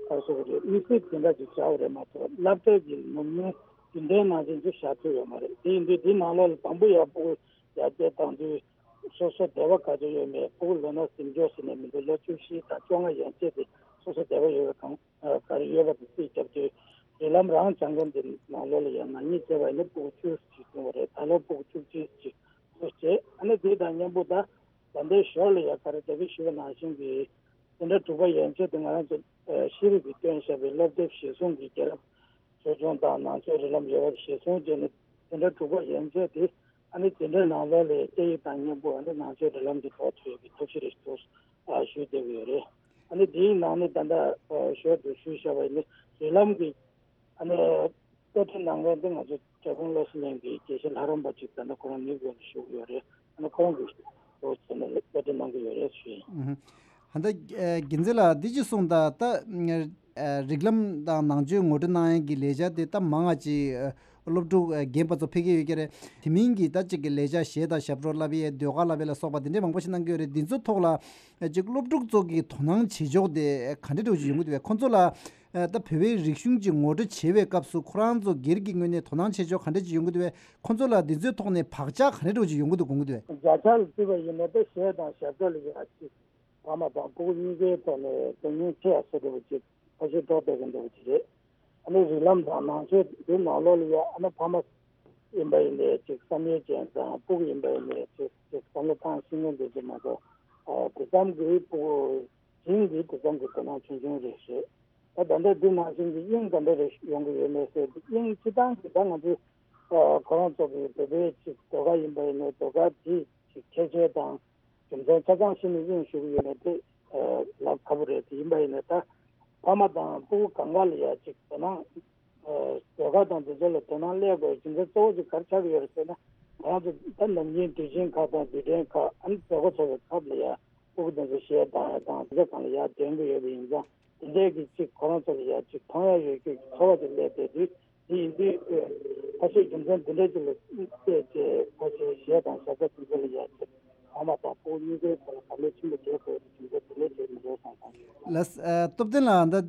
ག་རེ་ཟེར་དགོས་རེད། དམིགས་བསལ་དེ་འདྲ་ཅིག་བྱ་བ་རེད་མ་གཏོགས་སློབ་གྲྭའི་གི་ནོར་མིན་རྒྱུན་ལྡན་ནང་བཞིན་དུ་བཞག་ཐུབ་ཡོད་མ་རེད། དེ་ཡིན་དུས་དེའི་ནང་ལོགས་ལ་དང་པོ་ཡག་པོ་ཡར་རྒྱས་བཏང་དུས་སོ་སོ་འདོད་པ་ག་ཚོད་ཡོད་མེད། ཕྲུ་གུ་ལོ་ན་ཟིན་འཇོག་ཟེར་ནས་མི་འདུག་ལོ་བཅུ་བཞི་དང་བཅོ་ལྔ་ཡན་ཆད་དེ་སོ་སོ་འདོད་པ་ཡོད་པ་གང་ག་རེ་ཡོད་པ་དེ་རྩིས་བརྒྱབ་དུས་རིགས་ལམ་རང་སྦྱང་མཁན་དེ་ནང་ལོགས་ལ་ཡང་ནག་ཉེས་བྱས་པ་ཡིན་ན་ཕྲུ་གུ་བཅུ་ཞིག་བྱུང་བ་རེད། ད་ལོ་ཕྲུ་གུ་བཅུ་གཅིག་ཅིག་ཚུད་བྱས། ཨ་ནི་དེ་དང་མཉམ་པོ་ད་ད་ལྟའི་ཞོར་ལ་ཡང་ག་རེ་ད་གིན་ཞུས་པ་ནང་བཞིན་གྱི་དེ་འདྲ་དྲུག་པ་ཡན་ཆད་དུ་ང་རང་ཚོ་ཨ་ཤེས་རིག་གིས་བཏོན་བཞག་པའི་སློབ་དེབ་གཞིར་བཟུང་གི་རྒྱལ་རབས་ཆོས་འབྱུང་དང་ནང་ཆོས་རིགས་ལམ་ཡོད་པ་གཞིར་བཟུང་བྱས་ནས་དེ་འདྲ་དྲུག་པ་ཡན་ཆད་དེ་ཨ་ནི་དེ་འདྲའི་ནང་ལོགས་ལ་སྐད་ཡིག་དང་མཉམ་པོ་ཨ་ནི་ནང་ཆོས་རིགས་ལམ་གྱི་ཐོག་ཐོན་ཡོད་པའི་ཐབས་ཤེས་རེ་ཞུ་ཞུས་བསྡད་ཀྱི་ཡོད་རེད། ཨ་ནི་དེའི་ནང་ནས་ད་ལྟ་ཞོར་དུ་ཞུས་བཞག་པ་ཡིན་ན་རིགས་ལམ་གྱི་ཨ་ནི་བཀའ་ཁྲིད་གནང་མཁན་དེ་ང་ཚོ་བཀྲས་མཐོང་བློ་གསལ་གླིང་གི་དགེ་བཤེས་ལྷ་རམས་པ་ཅིག་ད་ལྟ་ཁོ་རང་ནིའུ་ཡོག་ལ་བཞུགས་ཡོད་རེད། ཨ་ནི་ཁོ་རང་གིས་འོ་བྱས་ནས་བཀའ་ཁྲིད་གནང་གི་ཡོད་རེད་ཞུ་ཡིན། ཧ་ད་རྒྱལ་མཚན་ལགས་འདི་ཅིག་གསུངས་དང་ད་རིགས་ལམ་དང་ནང་ཆོས་ངོ་སྤྲོད་གནང་ཡས་ཀྱི་ལས་འཆར་དེ་ད་མང་ང་ཅིག་སློབ་ཕྲུག་རྒན་པ་ཚོ་ཕེབས་ཀྱི་ཡོད་ཀྱི་རེད། དེ་མིན་གྱི་ད་ཅིག་གི་ལས་འཆར་གཞས་དང་ཞབས་བྲོ་བསླབ་ཡས་ཟློས་གར་བསླབ་ཡས་ལ་སོགས་པ་དེ་འདྲས་མང་པོ་ཞིག་གནང་གི་ཡོད་རེད། འདི་ཚོ་ཐོག་ལ་ཅིག་སློབ་ཕྲུག་ཚོ་གི་དོ་སྣང་བྱེད་ཕྱོགས་དེ་ག་འདྲས་འདྲ་བོ་ཅིག་ཡོང་གི་འདུག་བས། ཁོང་ཚོ་ལ་ཨ་ད་བོད་པའི་རིག་གཞུང་ཅིག་ངོ་སྤྲོད་བྱེད་པའི་སྐབས་སུ་ཁོ་རང་ཚོ་སྒེར་གྱི་ངོས་ནས་དོ་སྣང་བྱེད་ཕྱོགས་ག་འདྲ་ཅིག་ཡོང་གི་འདུག་བས། ཁོང་ཚོ་ལ་འདི་ཚོའི་ཐོག་ནས་བག་ཆགས་ག་འདྲ་འདྲ་བོ་ཅིག་ཡོང་གི་འདུག་དགོངས་ཀྱི་འདུག་བས། བརྒྱ་ཆ་ལ་བརྩིས་པ་ཡིན་ན་ད་གཞས་དང་ཞབས་བྲོ་ལ་ཡ་ཅིག་ཕ་མ་དང་ཕྲུ་གུ་གཉིས་ཀའི་ཐོག་ནས་དོ་སྣང་ཆེ་ཡ་སོ་འདྲ་བོ་ཅིག་ཁ་ཤས་འགྲོ་བསྡད་ཀྱི་འདྲ་བོ་ཅིག་རེད། ཨ་ནི་རིགས་ལམ་དང་ནང་ཆོས་འདི་ནང་ལོགས་ལ་ཡ་ཨ་ནི་ཕ་མ་ཡིན་པ་ཡིན་ནའི་ཅིག་བསམ་ཡས་ཅན་དང་ཕྲུ་གུ་ཡིན་པ་ཡིན་ནའི་ཅིག་ཅིག་བསམ་བློ་བཏང་ཤེས་མཁན་འདི་ཚོ་མ་གཏོགས་ཨ་དེ་ཙམ་གྱི་ཕྲུ་གུ་བྱིངས་ཀྱི་དེ་ཙམ་གྱི་དོ་སྣང་ཆུང་ཆུང་རེད་ཤག་ད་ད་ལྟ་འདི་ནང་བཞིན་གྱི་དབྱིངས་ག་འདྲ་རེ་ཡོང་གི་ཡོད་མེད་ཟེར་དུས་དབྱིངས་སྤྱི་བཏང་གི་ད་ང་ཚོའི་ཨ་ཁོ་རང་ཚོ་གི་བོད་པའི་ཅིག་ཟློས་གར་ཡིན་པ་ཡིན་ནའི་ཟློས་གར་དེའི་ཅིག་ཁྱད་ཆོས་དང་རྒྱུ་མཚན་ཆ་ཚང་ཤེས་ནས་དབྱིངས་ཞུགས་ཀྱི་ཡོད་མེད་དེ་ཨ་ལབ་ཁག་པོ་རེད། དེ་ཡིན་པ་ཡིན་ནའི་ད་ཕ་མ་དང་ཕྲུ་གུ་གང་ག་ལ་ཡ་ཅིག་དོ་སྣང་ཨ་ཟློས་གར་དང་དེ་ཚོ་ལ་དོ་སྣང་སླེབས་དགོས་རྒྱུ་མཚན་གཙོ་བོ་ཅིག་ག་རེ་ཆགས་ཀྱི་ཡོད་རེད་ཟེར་ན། ང་རང་ཚོ་ད་ནམ་རྒྱུན་དུས་ཆེན་ཁག་དང་དུས་དྲན་ཁག་ཨ་ནི་གྲོས་འགོ་ཚོགས་པའི་སྐབས་ལ་ཡ་ཕྲུ་གུ་དེ་ཚོ་གཞས་བཏང་ཡ་དང་དེ་ཚོ་སྒང་ལ་ཡར་འདོན་གྱི་ཡོད་པ་ཡིན་ཙང་དེ་འདྲའི་གི་ཅིག་ཁོ་རང་ཚོ་ལ་ཡ་ཅིག་མཐོང་ཡ་ཡོད་རྒྱུ་གི་ཚོར་བ་ཅིག་སླེབས་བསྡད་དུས་དེ་ཡིན་དུས་ཨེ་ཁ་ཤས་རྒྱུ་མཚན་དེ་འདྲའི་ཅིག་ལ་བལྟས་ཏེ་ཁ་ཤས་གཞས་དང་ཞབས་བྲོ་དེ་ཚོ་ལ་ཡ་ཅིག་ཕ་མ་དང་ཕྲུ་གུ་གཉིས་ཀའི་བར་ལ་བག་ལེབ་ཆེན་པོ་རྒྱག་དགོས་རྒྱུ་མཚན་དེ་འདྲའི་ཅིག་མི་འདུག་བསམ་སོང་། ལགས་སོ། ཨ་སྟོབས་ལྡན་ལགས་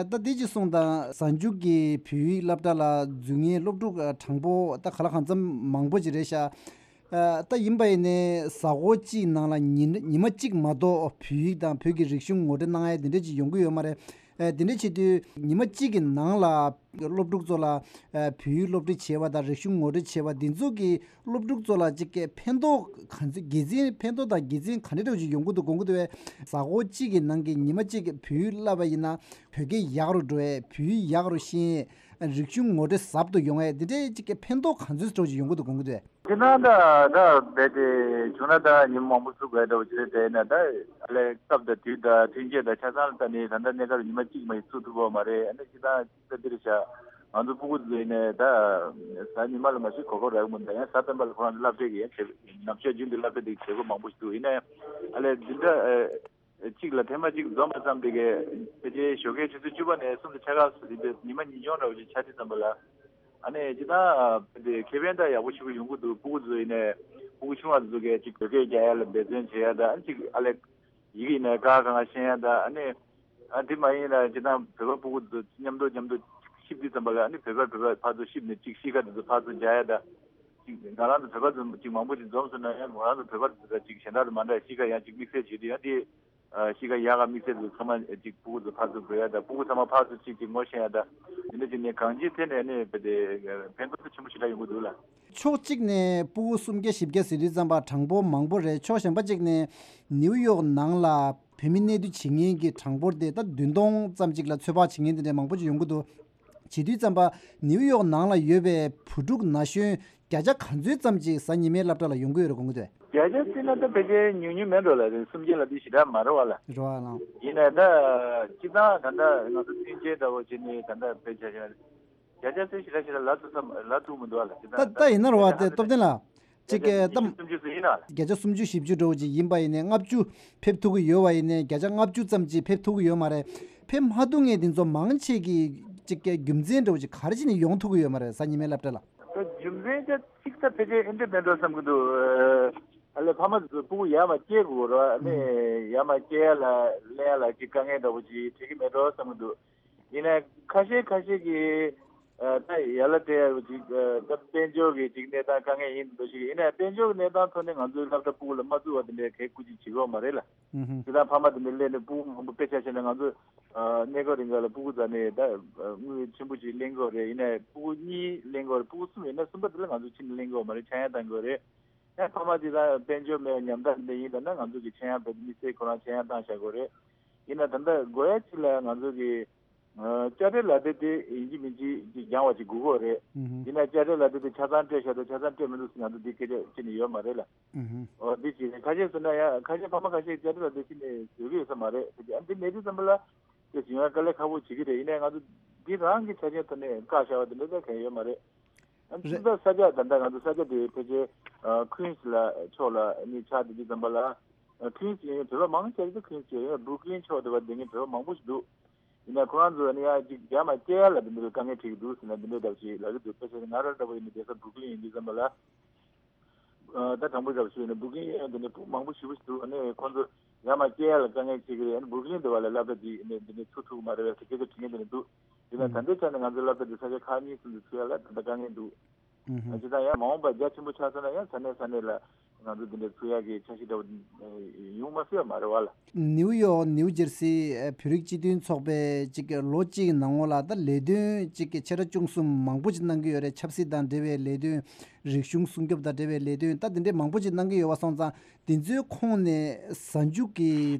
ད་ད་འདི་ཅིག་གསུངས་དང་། གཟའ་མཇུག་གི་བོད་ཡིག་སློབ་གྲྭ་ལ་འཛུལ་མཁན་སློབ་ཕྲུག་ཨ་གྲངས་འབོར་ད་ག་ལ་གང་འཚམ་མང་པོ་ཅིག་རེད་ཤག་ཨ་ད་ཡིན་པ་ཡིན་ནའི་གཟའ་འཁོར་གཅིག་ནང་ལ་ཉི་ཉི་མ་གཅིག་མ་གཏོགས་བོད་ཡིག་དང་བོད་ཀྱི་རིག་གཞུང་ངོ་སྤྲོད་གནང་ཡ་དེ་འདྲ་ཅིག་ཡོང་གི་ཡོད་མ་རེད། ཨ་དེ་འདྲ་བྱེད་དུས་ཉི་མ་གཅིག་གི་ནང་ལ་སློབ་ཕྲུག་ཚོ་ལ་ཨ་བོད་ཡིག་སློབ་ཁྲིད་བྱས་པ་དང་རིག་གཞུང་ངོ་སྤྲོད་བྱས་པ་འདི་ཚོ་གིས་སློབ་ཕྲུག་ཚོ་ལ་ཅིག་གི་ཕན་ཐོགས་ག་ཚོད་དགེ་མཚན་ཕན་ཐོགས་དང་དགེ་མཚན་ག་འདྲ་འདྲ་ཅིག་ཡོང་གི་འདུག་དགོངས་ཀྱི་འདུག་བས། གཟའ་འཁོར་གཅིག་གི་ནང་གི་ཉི་མ་གཅིག་བོད་ཡིག་བསླབ་པ་ཡིན་ན་བོད་སྐད་ཡག་རུ་འགྲོ་ཡས། བོད་ཡིག་ཡག་རུ་ཤེས་ཡས། རིག་གཞུང་ངོ་སྤྲོད་ཟབ་ཏུ་ཡོང་ཡས། འདི་འདྲའི་ཅིག་གི་ཕན་ཐོགས་ག་ཚོད་འདྲ་ཅིག་ཡོང་གི་འདུག་དགོངས་ཀྱི་འདུག་བས། ཁྱེད་རང་ད་ད་རྦད་དེ་བྱུང་ན་ད་ཉིན་མོ་མང་པོ་བཙུགས་དགོས་འདྲ་བོ་ཅིག་རེད། དེ་ཡིན་ན་ད་ཨ་ལས་སྐབས་དང་དུས་དང་ཐོན་སྐྱེད་དང་ཆ་ཚང་ལ་ལྟ་ནས་ད་ལྟ་གནས་སྐབས་ཉི་མ་གཅིག་མ་ཡིན་ཚུགས་ཐུབ་ཀྱི་ཡོད་མ་རེད། ཨ་ནི་ཅི་ད་ཅི་ད་འདིར་བཞག་ང་ཚོ་སྤུ་གུ་ཚོ་ཡིན་ནའི་ད་གཟའ་ཉི་མ་ལ་མ་གཞི་གོ་སྐབས་རག་གི་མི་འདུག་ཡང་གཟའ་སྤེན་པ་ལ་ཁོ་རང་ཚོ་སློབ་གྲྭའི་གི་ཡང་བྱེད་ནམ་ཞག་རྒྱུན་དུ་སློབ་གྲྭ་དེ་བྱེད་སྒོ་མང་པོ་ཞིག་འདུག་ཡིན་ནའི་ཨ་ལས་འདི་འདྲ་ཨ་གཅིག་ལ་ཐེངས་མ་གཅིག་འཛོམས་པ་ཙམ་དེ་གས་ཕལ་ཆེར་ཞོགས་ཀའི་ཆུ་ཚོད་བཅུ་པ་ནས་གསུམ་དང་ཕྱེད་ཀ་སུ་དེ་འདྲ་ཉི་མ་ཉིན་གུང་འདྲ་བོ་ཅིག་ཆགས་དུས་ཙམ་པ་ལ་ཨ་ནི་ཅི་ད་དེ་ཁེ་ཕན་ད་ཡག་པོ་ཞེ་པོ་ཡོང་གི་འདུག་སྤུ་གུ་ཚོ་ཡིན་ནའི་སྤུ་གུ་ཆུང་བ་ཚོ་གས་ཅིག་བོད་སྐད་རྒྱག་ཡ་ལ་འབད་བརྩོན་བྱེད་ཡ་ད་ཨ་ནི་ཅིག་ཨ་ལས་ཡི་གེ་ཡིན་ནའི་ཀ་ཁ་གང་ཤེས་ཡ་ད་ཨ་ནི་ཨ་དེ་མ་ཡིན་ན་ཅི་ད་བོད་པ་སྤུ་གུ་ཚོ་མཉམ་དུ་མཉམ་དུ་གཤིབ་དུས་ཙམ་པ་ལ་ཨ་ནི་བོད་པ་བོད་པ་ཕར་ཚུར་གཤིབ་ནས་ཅིག་གཤིས་ཀ་དེ་ཚོ་ཕར་ཚུར་འཇགས་ཡ་ད་ཅིག་ང་རང་ཚོ་བོད་པ་ཚོ་ཅིག་མང་པོ་ཅིག་འཛོམས་སོང་ན་ཡང་ང་རང་ཚོ་བོད་པ་ཚོ་ད་ཅིག་གཞན་དག་དང་མ་འདྲ་གཤིས་ཀ་ཡང་ཅིག་དམིགས་བསལ་བྱེད་དུས་ཡང་དེ། ཨ་གཤིས་ཀ་ཡག་ག་དམིགས་བསལ་དུ་ཚང་མ་ཅིག་སྤུ་གུ་ཚོ་ཕར་ཚུར་འགྲོ་ཡ་དང་སྤུ་གུ་ཚང་མ་ཕར་ཚུར་གཅིག་གཅིག་ངོ་ཤེས་ཡ་དང་དེ་འདྲ་བྱས་ནས་གང་ཅིའི་ཐད་ནས་ནི་དེ་ཕན་ཐོགས་ཆེན་པོ་ཞེ་དྲག་ཡོང་གི་འདུག་ལ། ཕྱོགས་གཅིག་ནས་སྤུ་གུ་སུམ་བརྒྱ་བཞི་བརྒྱ་ཟེར་དུས་ཙམ་པ་གྲངས་འབོར་མང་པོ་རེད། ཕྱོགས་གཞན་པ་གཅིག་ནས་ནིའུ་ཡོག་ནང་ལ་བོད་མི་གནས་སྡོད་བྱེད་མཁན་གྱི་གྲངས་འབོར་དེ་ད་བདུན་སྟོང་ཙམ་ཅིག་ལ་ཚོད་དཔག་བྱེད་མཁན་དེ་འདྲ་མང་པོ་ཅིག་ཡོང་གི་འདུག་བྱེད་དུས་ཙམ་པ་ནིའུ་ཡོག་ནང་ལ་ཡོད་པའི་བུ་ཕྲུག་ན་གཞོན་བརྒྱ་ཆ་ག་ཚོད་ཙམ་ཅིག་གཟའ་ཉི་མའི་སློབ་གྲྭ་ལ་ཡོང་གི་ཡོད་རེད་དགོངས་ཀྱི་འདུག་བརྒྱ་ཆ་བརྩིས་ན་ད་ཕལ་ཆེར་ཉུང་ཉུང་མེད་འགྲོ་ལ། རེད། སུམ་བརྒྱ་ལ་དེ་ཞེ་དྲག་མ་རེད་བ་ལ། རེད་བ་ལགས། ཡིན་ནའི་ད་སྤྱི་བཏང་ད་ལྟ་ང་ཚོ་མཐུན་རྐྱེན་འདྲ་བོ་བྱས་ནས་ད་ལྟ་དཔེ་ཆ་བཞག་བརྒྱ་ཆ་ཚོད་ཞེ་དྲག་ཞེ་དྲག་ལབ་ཐུབ་ས་ལབ་ཐུབ་མི་འདུག་བ་ལ། སྤྱི་ད་བཏང་ད་ད་ཡིན་ན་རེད་བ། དེ་སྟོབས་ལྡན་ལགས། གཅིག་གི་ད་བརྒྱ་ཆ་སུམ་ཅུ་བཞི་བཅུ་འདྲ་བོ་ཅིག་ཡིན་པ་ཡིན་ནའི་ལྔ་བཅུ་ཕེབས་ཐུབ་ཀྱི་ཡོད་པ་ཡིན་ནའི་བརྒྱ་ཆ་ལྔ་བཅུ་ཙམ་ཅིག་ཕེབས་ཐུབ་ཀྱི་ཡོད་མ་རེད། ཕེབས་མ་ཐུབ་མཁན་དེ་ཚོ་མང་ཆེ་གི་གཅིག་གི་རྒྱུ་མཚན་འདྲ་བོ་ཅིག་ག་རེ་བྱས་ནས་ཡོང་ཐུབ་ཀྱི་ཡོད་མ་རེད། གཟའ་ཉི་མའི་སློབ་གྲྭ་ལ། ད་རྒྱུ་མཚན་ཅིག་ད་ཕལ་ཆེར་ཨེ་འདྲ་མེད་འགྲོ་བསམ་གྱི་འདུག་ཨ་ལས་ཕ་མ་ཚོ་སྤུ་གུ་ཡར་མར་སྐྱེལ་དགོས་རེད། ཨ་ནི་ཡར་མར་སྐྱེལ་ཡ་ལ་ལེན་ཡ་ལ་ཅིག་དཀའ་ངལ་འདྲ་བོ་ཅིག་འཕྲད་ཀྱི་མེད་འགྲོ་བསམ་གྱི་འདུག་ཡིན་ནའི་ཁ་ཤས་ཁ་ཤས་ཀྱིས་ཨ་ད་ཡར་ལ་སྤྲད་ཡ་ཅིག་ཨ་ད་དཔལ་འབྱོར་གྱི་ཅིག་གནས་སྟངས་དཀའ་ངལ་ཡིན་འདུག་ཞིག་ཡིན་ནའི་དཔལ་འབྱོར་གྱི་གནས་སྟངས་ཐོག་ནས་ང་ཚོའི་སློབ་གྲྭ་སྤུ་གུ་ལ་མ་བཙུགས་པ་དེ་འདྲའི་གལ་སྐུ་ཅིག་བྱེད་ཀྱི་ཡོད་མ་རེད་ལ། ཨུ་ཧུམ། དེ་དང་ཕ་མ་དེ་འདྲ་སླེབས་ནས་སྤུ་གུ་མང་པོ་དཔེ་ཆ་བཞག་ན་ང་ཚོ་ཨ་གནས་སྐབས་རིང་ག་ལ་སྤུ་གུ་རྩ་ནས་ད་དངུལ་ཆེན་པོ་ཅིག་ལེན་དགོས་རེད། ཡིན་ནའི་སྤུ་གུ་གཉིས་ལེན་དགོས་རེད། སྤུ་གུ་གསུམ་ཡིན་ན་གསུམ་པ་དེ་ལ་ང་ཚོ་ཕྱི་ནས་ལེན་དགོས་མ་རེད། ཆག་ཡང་བཏང་དགོས་རེད། ཡང་ཕ་མ་དེ་དང་དཔལ་འབྱོར་མེད་ཉམ་ཐག་འདི་ཡིན་ད་ན་ང་ཚོ་གི་ཆག་ཡང་བཏང་དམིགས་བསལ་ཁོ་རང་ཆག་ཡང་བཏང་བཞག་དགོས་རེད། ཡིན་ན་ད་ལྟ་དགོས་ཡ་ཅིག་ལ་ང་ཚོ་གི་ཨ་དཔྱ་ཁྲལ་ལག་དེབ་དེ་ཡིན་གཅིག་མིན་གཅིག་ཅིག་འགྱངས་པ་ཅིག་དགོས་ཀྱི་རེད། ཨུ་ཧུམ། ཡིན་ན་དཔྱ་ཁྲལ་ལག་དེབ་དེ་ཆ་ཚང་སྤྲད་བཞག་དང་ཆ་ཚང་སྤྲད་མི་འདུག་ཟེར་ང་ཚོ་འདི་སྐད་ཆ་བཤད་ནས་ཡོད་མ་རེད་ལ། ཨུ་ཧུམ། ཨོ་འདི་ཅིག་རེད། ཁ་ཤས་ཟེར་ན་ཡང་ཁ་ཤས་ཕ་མ་ཁ་ཤས་དཔྱ་ཁྲལ་ལག་དེབ་ཅིག་ནས་བཟོས་ཀྱི་ཡོད་ས་མ་རེད། དེ་ཨ་འདི་མེད་དུས་ཙམ་པ་ལ་དེ་བྱུང་ཡ་དཀའ་ལས་ཁག་པོ་བྱེད་ཀྱི་རེད། ཡིན་ནའི་ང་ཚོ་འདི་རང་གི་ཆ་རྐྱེན་ཐོག་ནས་བཀག་བཞག་པ་དེ་འདྲ་ད་གང་ཡོད་མ་རེད། ཨ་ནི་རེད། ཕྱི་ས་ས་ཆ་ད་ལྟ་ང་ཚོ་ས་ཆ་དེ་ཕལ་ཆེར་ཨ་ཁུན་སི་ལ་ཕྱོགས་ལ་ནི་ཆགས་བསྡད་དུས་ཙམ་པ་ལ་ཨ་ཁུན་སི་ཡིན་བོད་པ་མང་ཆེ་ཚོ་ཁུན་སི་ཡིན་བུ་རུག་ལིན་ཕྱོགས་དེ་བ་བསྡད་མཁན་བོད་པ་མང་པོ་ཞིག་འདུག་ཡིན་ན་ཁོ་རང་ཚོ་ནི་ཡང་ཅིག་རྒྱ་མ་སྐྱེལ་ཡ་ལ་དེ་འདྲའི་དཀའ་ངལ་འཕྲད་ཀྱི་འདུག་ཟེར་ན་དེ་འདྲའི་འདྲ་བ་ཞིག་ལབ་ཀྱི་འདུག་དཔེ་བཞག་ན་ང་རང་འདྲ་བོ་ཡིན་ན་བསྡད་ས་བུ་རུག་ལིན་ཡིན་དུས་ཙམ་པ་ལ། ཨ་ད་དྲང་པོ་རྒྱབ་ཞུས་ནས་བུ་རུག་ལིན་ཡང་དེ་ནས་སྤུ་མང་པོ་ཞེ་པོ་ཞིག་འདུག་ཨ་ནི་ཁོང་ཚོ་ཡར་མར་སྐྱེལ་ཡ་ལ་དཀའ་ངལ་འཕྲད་ཀྱི་རེད། ཨ་ནི་བུ་རུག་ལིན་དེ་བ་ལ་སློབ་གྲྭ་དེ་ནས་དེ་ནས་ཚུགས་ཐུབ་ཀྱི་མ་རེད་པས་ཟེར་སྐད་ཆ་དྲི་མཁན་དེ་འདྲ་འདུག་དེ་ནས་ད་ལྟའི་ཆ་ནས་ང་ཚོའི་སློབ་གྲྭ་དེ་ས་ཆ་ཁག་གཉིས་གསུམ་དུ་ཚུགས་ཡ་ལ་ད་ལྟ་དཀའ་ངལ་འདུག་ཨ་ཅི་ད་ཡང་མ་འོངས་པ་རྒྱ་ཆེན་པོ་ཆགས་སོང་ན་ཡང་ས་གནས་ས་གནས་ལ་ང་ཚོ་དེ་འདྲ་ཚུགས་ཡ་གི་འཆར་གཞི་འདྲ་བོ་ཡོང་མ་སྲིད་པ་མ་རེད་བ་ལ། ནིའུ་ཡོག་ནིའུ་ཇར་སི་བོད་རིགས་སྤྱི་མཐུན་ཚོགས་པས་གཅིག་ལོ་གཅིག་གི་ནང་ལོགས་ལ་ད་ལས་དོན་གཅིག་གི་ཆེ་ཕྲ་ཆུང་གསུམ་མང་པོ་ཅིག་གནང་གི་ཡོད་རེད། ཆབ་སྲིད་དང་འབྲེལ་བའི་ལས་དོན། རིག་གཞུང་སྲུང་སྐྱོབ་དང་འབྲེལ་བའི་ལས་དོན་ད་དེ་འདྲའི་མང་པོ་ཅིག་གནང་གི་ཡོད་པ་སོང་ཙང་དེ་ཚོའི་ཁོངས་ནས་གཟའ་མཇུག་གི་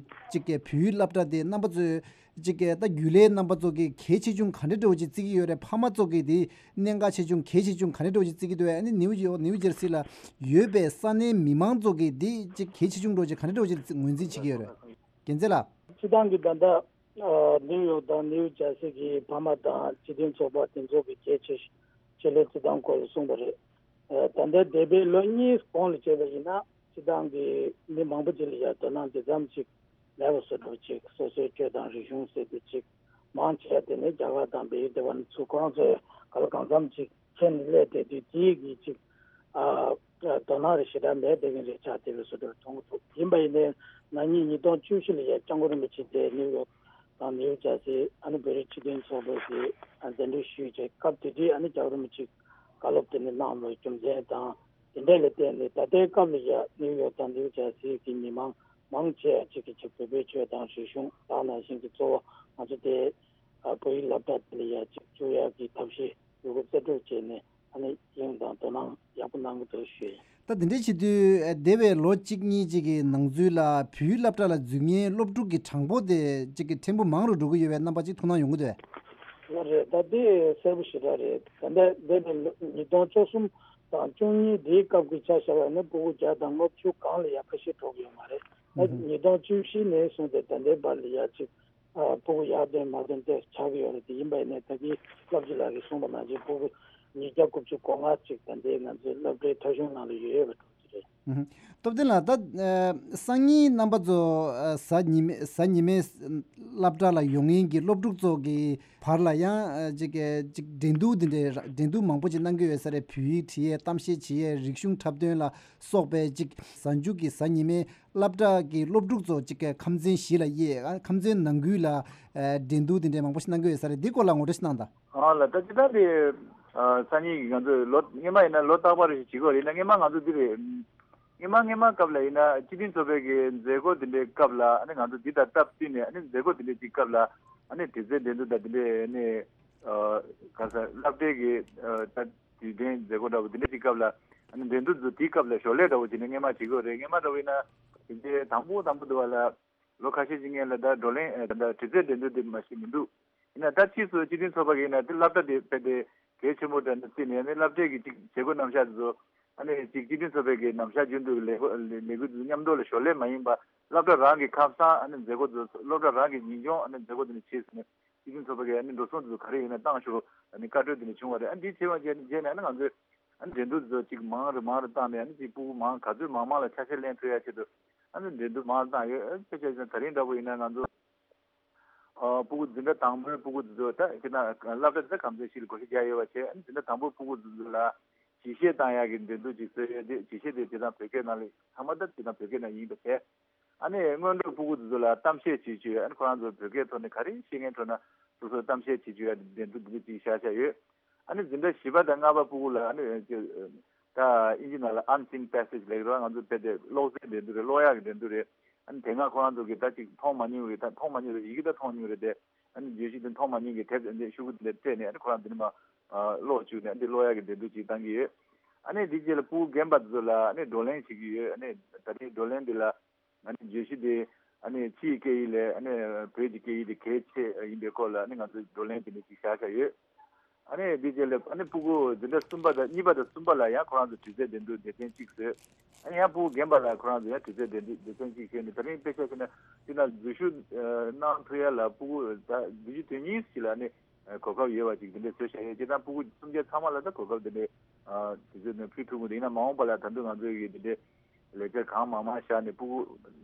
གཅིག་གི་བོད་ཡིག་སློབ་གྲྭ་དེ་རྣམ་པ་ཚོས་གཅིག་གི་ད་རྒྱུན་ལས་རྣམ་པ་ཚོ་གིས་གལ་ཆེ་ཆུང་ག་འདྲ་འདྲ་བོ་ཅིག་བརྩི་གི་ཡོད་རེད། ཕ་མ་ཚོ་གིས་དེ་གནད་འགག་ཆེ་ཆུང་གལ་ཆེ་ཆུང་ག་འདྲ་འདྲ་བོ་ཅིག་བརྩི་གི་འདུག་ཨ་ནི་ནིའུ་ཡོག་ནིའུ་ཇར་སི་ལ་ཡོད་པའི་ས་གནས་མི་མང་ཚོ་གིས་དེ་གཅིག་གལ་ཆེ་ཆུང་འདྲ་བོ་ཅིག་ག་འདྲ་འདྲ་བོ་ཅིག་ངོས་འཛིན་བྱེད་ཀྱི་ཡོད་རེད། རྒྱལ་མཚན་ལགས། སྤྱི་བཏང་གི་ད་ལྟ་ཨ་ནིའུ་ཡོག་དང་ནིའུ་ཇར་སི་གི་ཕ་མ་དང་སྤྱི་མཐུན་ཚོགས་པ་དེ་ཚོ་གི་གལ་ཆེ་ཆེད་ལས་སྤྱི་བཏང་སྐོར་ལ་གསུངས་པ་རེད། ཨ་ད་ལྟ་འདས་པའི་ལོ་གཉིས་གོང་ལ་བྱས་པ་ཡིན་ན་སྤྱི་བཏང་གི་མི་མང་པོ་ཅིག་ལ་ཡ་དོ་སྣང་དེ་ཙམ་ཅིག་མེད་པ་བཟོ་འདྲ་ཅིག་སོ་སོའི་ཆོས་དང་རིག་གཞུང་ཟེར་དུས་ཅིག་མང་ཆེ་བ་དེ་ནི་རྒྱ་གར་དང་བལ་ཡུལ་དེ་བ་ནི་ཚུར་ཁོ་རང་ཚོའི་ག་ལ་གང་འཚམ་ཅིག་ཁྱེར་ནས་སླེབས་བསྡད་དུས་དེའི་གི་ཅིག་ཨ་དོ་སྣང་རེ་ཞེ་དྲག་མེད་བསྡད་མཁན་རེ་ཆགས་བསྡད་པའི་བཟོ་འདྲ་མཐོང་གི་འདུག་ཡིན་པ་ཡིན་ནའི་ན་ནིང་ཉིས་སྟོང་བཅུ་བཞི་ལ་ཡ་སྐྱབས་མགོན་རིན་པོ་ཆེ་དེ་ནིའུ་ཡོག་དང་ནིའུ་ཇར་སི་ཨ་ནི་བོད་རིགས་སྤྱི་མཐུན་ཚོགས་པའི་གི་ཨ་གདན་འདྲེན་ཞུས་བྱས་སྐབས་དེ་དུས་ཨ་ནི་སྐྱབས་རིན་པོ་ཆེ་བཀའ་སློབ་དེ་ནི་གནང་བའི་རྒྱུ་མཚན་དང་དེ་འདྲ་ལ་བརྟེན་ནས་ད་ལྟའི་སྐབས་ལ་ཡ་ནིའུ་ཡོག་དང་ནིའུ་ཇར་སི་གི་མི་མང་མང་ཆེ་བ་ཅིག་གིས་ཅིག་བོད་པའི་ཆོས་དང་རིག་གཞུང་དེ་ནང་བཞིན་གྱི་གཙོ་བོ་ང་ཚོ་དེ་ཨ་བོད་ཡིག་སློབ་གྲྭ་དེ་ལ་ཡ་ཅིག་བཅུག་ཡག་གི་ཐབས་ཤེས་ཡོད་རྒུ་རྩལ་སྤྲུགས་བྱས་ནས་ཨ་ནི་དབྱིངས་དང་དོ་སྣང་ཡག་པོ་གནང་གི་འདུག་ཞུས། ད་དེ་འདྲའི་བྱེད་དུས་འདས་པའི་ལོ་གཅིག་གཉིས་ཅིག་གི་ནང་ཚུད་ལ་བོད་ཡིག་སློབ་གྲྭ་ལ་འཛུལ་མཁན་སློབ་ཕྲུག་གི་གྲངས་འབོར་དེ་གཅིག་གི་ཕྲན་བུ་མང་རུ་འགྲོ་གི་ཡོད་པའི་རྣམ་པ་ཅིག་མཐོང་སྣང་ཡོང་གི་འདུག་ལགས་རེད། ད་དེ་གསལ་པོ་ཞེ་དྲག་རེད། ད་ལྟ་འདས་པའི་ལོ་ཉིས་སྟོང་བཅུ་གསུམ་དང་བཅུ་གཉིས་དེའི་སྐབས་ཀྱི་ཆ་བཞག་པ་ཡིན་ན་སྤུ་གུ་བརྒྱ་དང་ལྔ་བཅུ་སྒང་ལ་ཡ་ཁ་ཤས་འགྲོ་གི་ཡོད་མ་རེད། ད་ཉིས་སྟོང་བཅུ་བཞི་ནས་བཟུང་སྟེ་ད་ལྟའི་བར་ལ་ཡ་གཅིག་ཨ་སྤུ་གུ་ཡར་ཐོན་མར་ཐོན་དེ་ཆགས་ཀྱི་ཡོད་རེད། དེ་ཡིན་པ་ཡིན་ནའི་ད་གིན་སློབ་སྤྱི་ལགས་ཀྱིས་གསུངས་པ་ནང་བཞིན་སྤུ་གུ་ཉིས་བརྒྱ་དགུ་བཅུ་གོ་ལྔ་ཅིག་ད་ལྟའི་ང་ཚོའི་སློབ་གྲྭའི་ཐོ་གཞུང་ནང་ལ་ཡོད་ཡོད་པ་འགྲོ་གི་རེད། ཨུ་ཧུ། སྟོབས་ལྡན་ལགས། ད་ཨ་སང་ཉིན་རྣམ་པ་ཚོ་ཨ་གཟའ་ཉི་མའི་གཟའ་ཉི་མའི་སློབ་གྲྭ་ལ་ཡོང་མཁན་གྱི་སློབ་ཕྲུག་ཚོ་གི་བར་ལ་ཡང་ཨ་ཅིག་ཨ་ཅིག་འགྲན་བསྡུར་འདི་འདྲའི་འགྲན་བསྡུར་མང་པོ་ཅིག་གནང་གི་ཡོད་ས་རེད། བོད་ཡིག་བྲིས་ཡས་གཏམ་བཤད་བྱེད་ཡས་རིག་གཞུང་འཁྲབ་སྟོན་ལ་སོགས་པའི་ཅིག་གཟའ་མཇུག་གི་གཟའ་ཉི་མའི་སློབ་གྲྭ་གི་སློབ་ཕྲུག་ཚོ་གཅིག་གི་ཁམས་ཚན་བཞི་ལ་དབྱེ། ཨ་ཁམས་ཚན་ནང་ཁུལ་ལ་ཨ་འགྲན་བསྡུར་དེ་འདྲའི་མང་པོ་ཞིག་གནང་གི་ཡོད་ས་རེད། འདི་སྐོར་ལ་ངོ་སྤྲོད་ཞིག་གནང་དང་། ཨ་ལ་ད་ཅི་ད་འདི་ཨ་སང་ཉིན་གྱི་ང་ཚོས་ལོ་སྔོན་མ་ཡིན་ན་ལོ་རྟག་པར་ཞིག་བྱེད་དགོས་རེད། ཡིན་ན་སྔོན་མ་ང་ཚོ་འདི་རེད། སྔོན་མ་སྔོན་མ་སྐབས་ལ་ཡིན་ན་སྤྱི་མཐུན་ཚོགས་པའི་གི་མཛད་སྒོ་དེ་འདྲའི་སྐབས་ལ་ཨ་ནི་ང་ཚོ་འདི་དང་སྟབས་བསྟུན་ནས་ཨ་ནི་མཛད་སྒོ་དེ་འདྲའི་ཅིག་སྐབས་ལ་ཨ་ནི་དྲི་རྩད་འགྲན་བསྡུར་དང་དེ་འདྲའི་ཨ་ནི་ཨ་ག་ས་སློབ་གྲྭའི་གི་ཨ་ད། དུས་སྟོན་མཛད་སྒོ་འདྲ་བོ་དེ་འདྲ་ཅིག་སྐབས་ལ་ཨ་ནི་འགྲན་བསྡུར་དེ་དུས་སྐབས་ལ་ཞོར་ལས་འདྲ་བོ་བྱས་ནས་སྔས་མ་བྱེད་དགོས་རེད། སྔས་མ་འདྲ་བོ་ཡིན་ན་དེ་འདྲའི་དང་པོ་དང་པོ་འདུག་བ་ལ། ལོ་ཁ་ཤས་ཤིག་སྔོན་ལ་ད་བགྲོ་གླེང་ཨ་ད་དྲི་རྩད་འགྲན་བསྡུར་དེ་མ་ཞིག་མི་འདུག་ཡིན་ན་ད་ཕྱིས་སུ་སྤྱི་མཐུན་ཚོགས་པ་གིས་ཡིན་ན་དེ་སློབ་གྲྭ་དེ་དཔེ་དེ་གལ་ཆེན་པོ་འདྲ་ནས་བརྩིས་ནས་ནི་སློབ་གྲྭའི་གི་ཅིག་བྱེད་སྒོ་རྣམ་གཞག་དེ་ཚོ་ཨ་ནི་ཅིག་སྤྱི་མཐུན་ཚོགས་པའི་གི་རྣམ་གཞག་རྒྱུན་དུ་ལས་སྒོ་ལས་ལས་འགུལ་དེ་ཚོ་མཉམ་དུ་ལ་ཞོར་ལས་མ་ཡིན་པ་སློབ་གྲྭ་རང་གི་ཁ་སང་ཨ་ནི་མཛད་སྒོ་དེ་ཚོ་སློབ་གྲྭ་རང་གི་ཉིན་སྐྱོང་ཨ་ནི་མཛད་སྒོ་དེ་ནི་བྱས་ཟིན་ནས་སྤྱི་མཐུན་ཚོགས་པ་གི་ཨ་ནི་འགྲོ་སོང་དེ་ཚོ་ག་རེ་ཡིན་ན་བཏང་ཤོག་ཨ་ནི་བཀའ་འཁྲོལ་དེ་ནི་བྱུང་བ་རེད། ཨ་འདི་བྱས་པ་རྗེས་རྗེས་ནས་ཨ་ནི་ང་ཚོས་ཨ་ནི་འགྲན་བསྡུར་དེ་ཚོ་ཅིག་མང་རུ་མང་རུ་བཏང་ནས་ཨ་ནི་ཅིག་ཕྲུ་གུ་མང་ག་ཚོད་མང་མང་ལ་ཆ་ཤས་ལེན་ཐུབ་ཡ་ཆེད་དུ་ཨ་ནི་འགྲན་བསྡུར་མང་རུ་བཏང་ཡོད། ཨ་དཔེ་ཆ་བཞག་ན་ད་རིང་འདྲ་པོ་ཡིན་ན་ང་ཚོ། ཨ་ཕྲུ་གུ་འཛིན་གྲྭ་དང་པོའི་ཕྲུ་གུ་དེ་ཚོ་ད་ཁྱེད་རང་སློབ་གྲྭ་དེ་ཚོ་གང་འཚམ་ཞིག་ལ་བགོ་བཤའ་རྒྱག་ཡོད་པ་བྱས། ཨ་ནི་འཛིན་གྲྭ་དང་པོའི་ཕྲུ་གུ་དེ་ཚོ་ལ་ཇུས་བཤད་བཏང་ཡག་གི་འགྲན་བསྡུར་ཅིག་བཟོས་ཡོད། དེ་ཇུས་བཤད་དེ་ཁྱེད་རང་བོད་སྐད་ནང་ལ་ཚང་མ་ད་ཁྱེད་རང་བོད་སྐད་ནང་ཡིན་པ་བྱས། ཨ་ནི་སྔོན་འགྲོའི་ཕྲུ་གུ་དེ་ཚོ་ལ་གཏམ་བཤད་བྱེད་བཅུག་ཨ་ནི་ཁོ་རང་ཚོ་བོད་སྐད་ཐོག་ནས་ག་རེ་ཤེས་མཁན་ཐོག་ན་སོ་སོས་གཏམ་བཤད་བྱེད་བཅུག་ཡག་འགྲན་བསྡུར་འདི་འདྲ་ཅིག་བཞག་བཞག་ཡོད། ཨ་ནི་འཛིན་གྲྭ་བཞི་པ་དང་ལྔ་པ་ཕྲུ་གུ་ལ་ཨ་ནི་ཅིག་ད་ཨིན་ཇི་ནང་ལ་Unseen Passage ལབ་ཀྱི་རེད། ང་ཚོ་དཔེ་དེ་ཀློག་རྩལ་འགྲན་བསྡུར་རེད། ཀློག་ཡག་གི་འགྲན་བསྡུར་རེད། ཨ་ནི་དེ་སྔ་ཁོ་རང་ཚོ་གིས་ད་ཅིག་མཐོང་མ་མྱོང་རེད། ད་མཐོང་མ་མྱོང་རེད། ཡི་གེ་ད་མཐོང་མྱོང་རེད་དེ། ཨ་ནི་བརྗོད་གཞི་དེ་མཐོང་མ་མྱོང་གི་དེབ་འདི་ཤོག་གུ་འདི་སྤྲད་ནས་ཨ་ནི་ཁོ་རང་འདི་ནས་མར་ཀློག་བཅུག་ནས་འདི་ཀློག་ཡག་གི་འགྲན་བསྡུར་ཅིག་བཏང་གི་ཡོད། ཨ་ནི་འདི་རྗེས་ལ་ཕྲུ་གུ་རྒན་པ་ཚོ་ལ་ཨ་ནི་བགྲོ་གླེང་བྱེད་ཀྱི་ཡོད། ཨ་ནི་ད་ལྟའི་བགྲོ་གླེང་འདི་ལ་ཨ་ནི་བརྗོད་གཞི་དེ་ཨ་ནི་ཕྱིའི་སྐད་ཡིག་ལས་ཨ་ནི་བོད་ཀྱི་སྐད་ཡིག་དེ་གལ་ཆེ་ཡིན་པའི་སྐོར་ལ་ཨ་ནི་ང་ཚོས་བགྲོ་གླེང་དེ་འདྲ་ཅིག་བཞག་བཞག་ཡོད། ཨ་ནི་འདི་རྗེས་ལ་ཨ་ནི་ཕྲུ་གུ་འཛིན་གྲྭ་གསུམ་པ་དང་གཉིས་པ་དང་གསུམ་པ་ལ་ཡང་ཁོ་རང་ཚོ་དྲི་རྩད་འགྲན་བསྡུར་སྡེ་ཚན་གཅིག་བཟོས། ཨ་ནི་ཡང་ཕྲུ་གུ་རྒན་པ་ལ་ཁོ་རང་ཚོ་ཡང་དྲི་རྩད་འགྲན་བསྡུར་སྡེ་ཚན་གཅིག་བཟོས་ནས་ད་རིང་དཔེ་ཆ་བཞག་ན་འདི་ན་འཛུལ་ཞུགས་གནང་ཐུབ་ཡ་ལ་ཕྲུ་གུ་ད་འཛུལ་ཞུགས་དོན་གཉིས་ཤིག་ལ་ནི་གོ་སྐབས་ཡོད་པ་ཅིག་དེ་འདྲ་བཟོས་བཞག་ཡོད། སྤྱིར་བཏང་ཕྲུ་གུ་གསུམ་ཆ་ཚང་མ་ལ་ད་གོ་སྐབས་དེ་འདྲ་དེ་ཚོ་ནས་ཕུལ་ཐུབ་ཀྱི་འདུག་ཡིན་ན་མ་འོངས་པ་ལ་ད་དུང་ང་ཚོས་ཀྱི་དེ་འདྲའི་ལས་འཆར་གང་མང་མང་བཞག་ནས་ཕྲུ་གུ་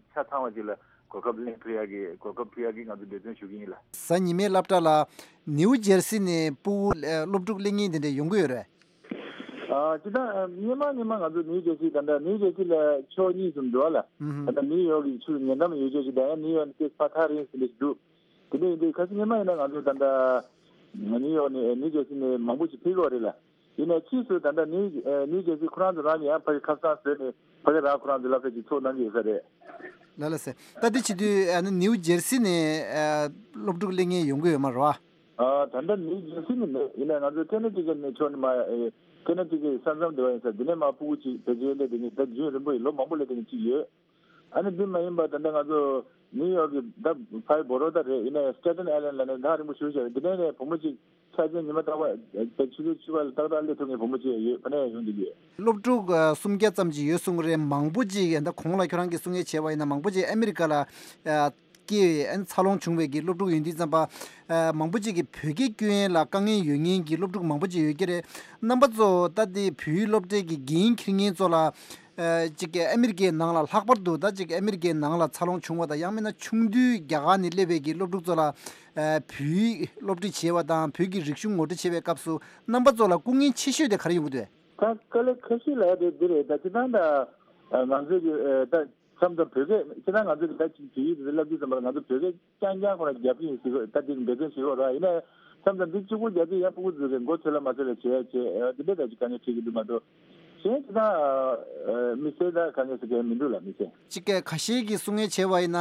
ཆ་ཚང་བ་ཅིག་ལ་གོ་སྐབས་ལེན་ཐུབ་ཡག་གི་གོ་སྐབས་ཕུལ་ཡག་གི་ང་ཚོ་འབད་བརྩོན་ཞུ་གི་ཡིན་ལ། གཟའ་ཉི་མའི་སློབ་གྲྭ་ལ་ནིའུ་ཇེར་སི་ནས་ཕྲུ་གུ་སློབ་ཕྲུག་སླེབས་མཁན་དེ་འདྲ་ཡོང་གི་ཡོད་རེད། ཨ་ཅི་ད་སྔོན་མ་སྔོན་མ་ང་ཚོ་ནིའུ་ཇེར་སི་ད་ལྟ་ནིའུ་ཇེར་སི་ལ་ཕྱོགས་གཉིས་སུ་འགྲོ་བ་ལ། ཨུ་ཧུམ། ད་ལྟ་ནིའུ་ཡོག་གི་ཆུ་ཉེ་འགྲམ་ཡོད་ཆོག་ཅིག་ད་ཡང་ནིའུ་ཡོག་ནས་ཏོག་ཙམ་ཕར་ཐག་རིང་ཟིན་འདྲ་ཞིག་འདུག་དེ་འདྲ་ཡིན་དུས་ཁ་སང་སྔོན་མ་ཡིན་ན་ང་ཚོ་ད་ལྟ་ནིའུ་ཡོག་ནས་ནིའུ་ཇེར་སི་ནས་མང་པོ་ཞིག་ཕེབས་ཀྱི་ཡོད་རེད་ལ། ཡིན་ནའི་ཕྱིས་སུ་ད་ལྟ་ནིའུ་ནིའུ་ཇེར་སི་ཁོ་རང་ཚོ་རང་གིས་ཡང་ཕ་གི་ཁ་སང་བཟོས་ནས་ཕ་གི་རང་ཁོ་རང་ཚོ་སློབ་གྲྭ་ཅིག་ཚུགས་གནང་གི་ཡོད་ས་རེད། ལགས་ལགས་སེ། ད་འདི་བྱེད་དུས་ཨ་ནི་ནིའུ་ཇེར་སི་ནས་ཨ་སློབ་ཕྲུག་སླེབས་མཁན་ཡོང་གི་ཡོད་མ་རེད་བ། ཨ་ད་ལྟ་ནིའུ་ཇེར་སི་ནས་མེད། ཡིན་ནའི་ང་ཚོ་ཀེ་ན་ཊི་ཀེ་ཊི་ནས་ཕྱོགས་ནས་མ་ཨེ་ཀེ་ན་ཊི་ཀེ་ཊི་ས་མཚམས་དེ་བ་ཡིན་ས་འདི་ནས་མར་ཕྲུ་གུ་ཅིག་བེད་སྤྱོད་སླེབས་བསྡད་མཁན་ད་རྒྱུན་རིང་པོ་ཡིན་ལོ་མང་པོ་སླེབས་བསྡད་མཁན་ཅིག་ཡོད། ཨ་ནི་འདི་མ་ཡིན་པ་ད་ལྟ་ང་ཚོ་ནིའུ་ཡོག་གི་ད་ཕ་གི་བོ་རོ་ད་རེད། ཡིན་ནའི་སི་ཊེ་ཊེན་ཨའི་ལེན་ཌ་ལབ་ནས་ཐག་རིང་པོ་ཞེ་པོ་ཅིག་རེད། འདི་ནས་ནས་བུ་མོ་ཅིག་ཆ་ཆེན་ཉི་མ་རྟག་པར་ཆུ་ཚོད་བཅུ་པ་ལ་ཏག་ཏག་སླེབས་ཐུབ་མཁན་བུ་མོ་ཅིག་ཡོད། ཕ་ནས་ཡོང་བསྡད་ཀྱི་ཡོད། སློབ་ཕྲུག་ཨ་སུམ་བརྒྱ་ཙམ་ཅིག་ཡོད་གསུང་གི་རེད། མང་པོ་ཅིག་ད་གོང་ལ་ཁྱོད་རང་གིས་གསུང་ཡས་བྱས་པ་ཡིན་ན་མང་པོ་ཅིག་ཨ་མི་རི་ཀ་ལ་ཨ་སྐྱེས་ཨ་འཚར་ལོངས་བྱུང་བའི་གི་སློབ་ཕྲུག་ཡོད་དུས་ཙམ་པ། ཨ་མང་པོ་ཅིག་གིས་བོད་སྐད་སྐྱོན་ཡས་ལ་དཀའ་ངལ་ཡོད་མཁན་གྱི་སློབ་ཕྲུག་མང་པོ་ཅིག་ཡོད་ཀྱི་རེད། རྣམ་པ་ཚོ་ད་ལྟའི་བོད་ཡིག་སློབ་གྲྭའི་གི་འགན་འཁྱེར་མཁན་ཚོ་ལ། ཨ་ཅིག་ཨ་མི་རི་ཀའི་ནང་ལ་ལྷག་པར་དུ་ད་ཅིག་ཨ་མི་རི་ཀའི་ནང་ལ་འཚར་ལོངས་བྱུང་བ་དང་ཡང་མིན་ན་ཆུང་དུས་རྒྱ་གར་ནས་སླེབས་པའི་གི་སློབ་ཕྲུག་ཚོ་ལ་ཨ་བོད་ཡིག་སློབ་ཁྲིད་བྱེད་པ་དང་བོད་ཀྱི་རིག་གཞུང་ངོ་སྤྲོད་བྱེད་པའི་སྐབས་སུ་རྣམ་པ་ཚོ་ལ་སྐུ་ངལ་ཆེ་ཤོས་དེ་ག་རེ་ཡོང་གི་འདུག་ད་དཀའ་ལས་ཁ་ཤས་ལ་དེ་འདི་རེད། ད་ཅི་ད་ད་ང་ཚོའི་གི་ད་མཚམས་མཚམས་བོད་སྐད་ཅི་ད་ང་ཚོའི་གི་ད་ཅིག་བོད་ཡིག་དེ་བསླབ་དུས་ཙམ་པ་ལ་ང་ཚོ་བོད་སྐད་རྐྱང་རྐྱང་ཁོ་ན་རྒྱབ་ཀྱི་ཡིན་ཟེར་གི་ད་འདི་འབད་བརྩོན་བྱེད་གི་རེད། ཡིན་ན་མཚམས་མཚམས་འདི་གཅིག་པུ་རྒྱབ་དུས་ཡང་ཕྲུ་གུ་ཚོས་གི་མགོ་ཚོས་ལ་མ་ཚོས་ལ་བྱེད་བྱེད་འདི་འདྲ་ད་ཅིག་དཀའ་ངལ་འཕྲད་ཀྱི་འདུག་མ་གཏོགས། གཞན་ཅི་ད་མི་སེར་ད་དཀའ་ངལ་ཟེར་མཁན་མི་འདུག་ལ་མི་སེར། ཅིག་གི་ཁ་ཤས་ཀྱིས་གསུང་ངེས་བྱས་པ་ཡིན་ན་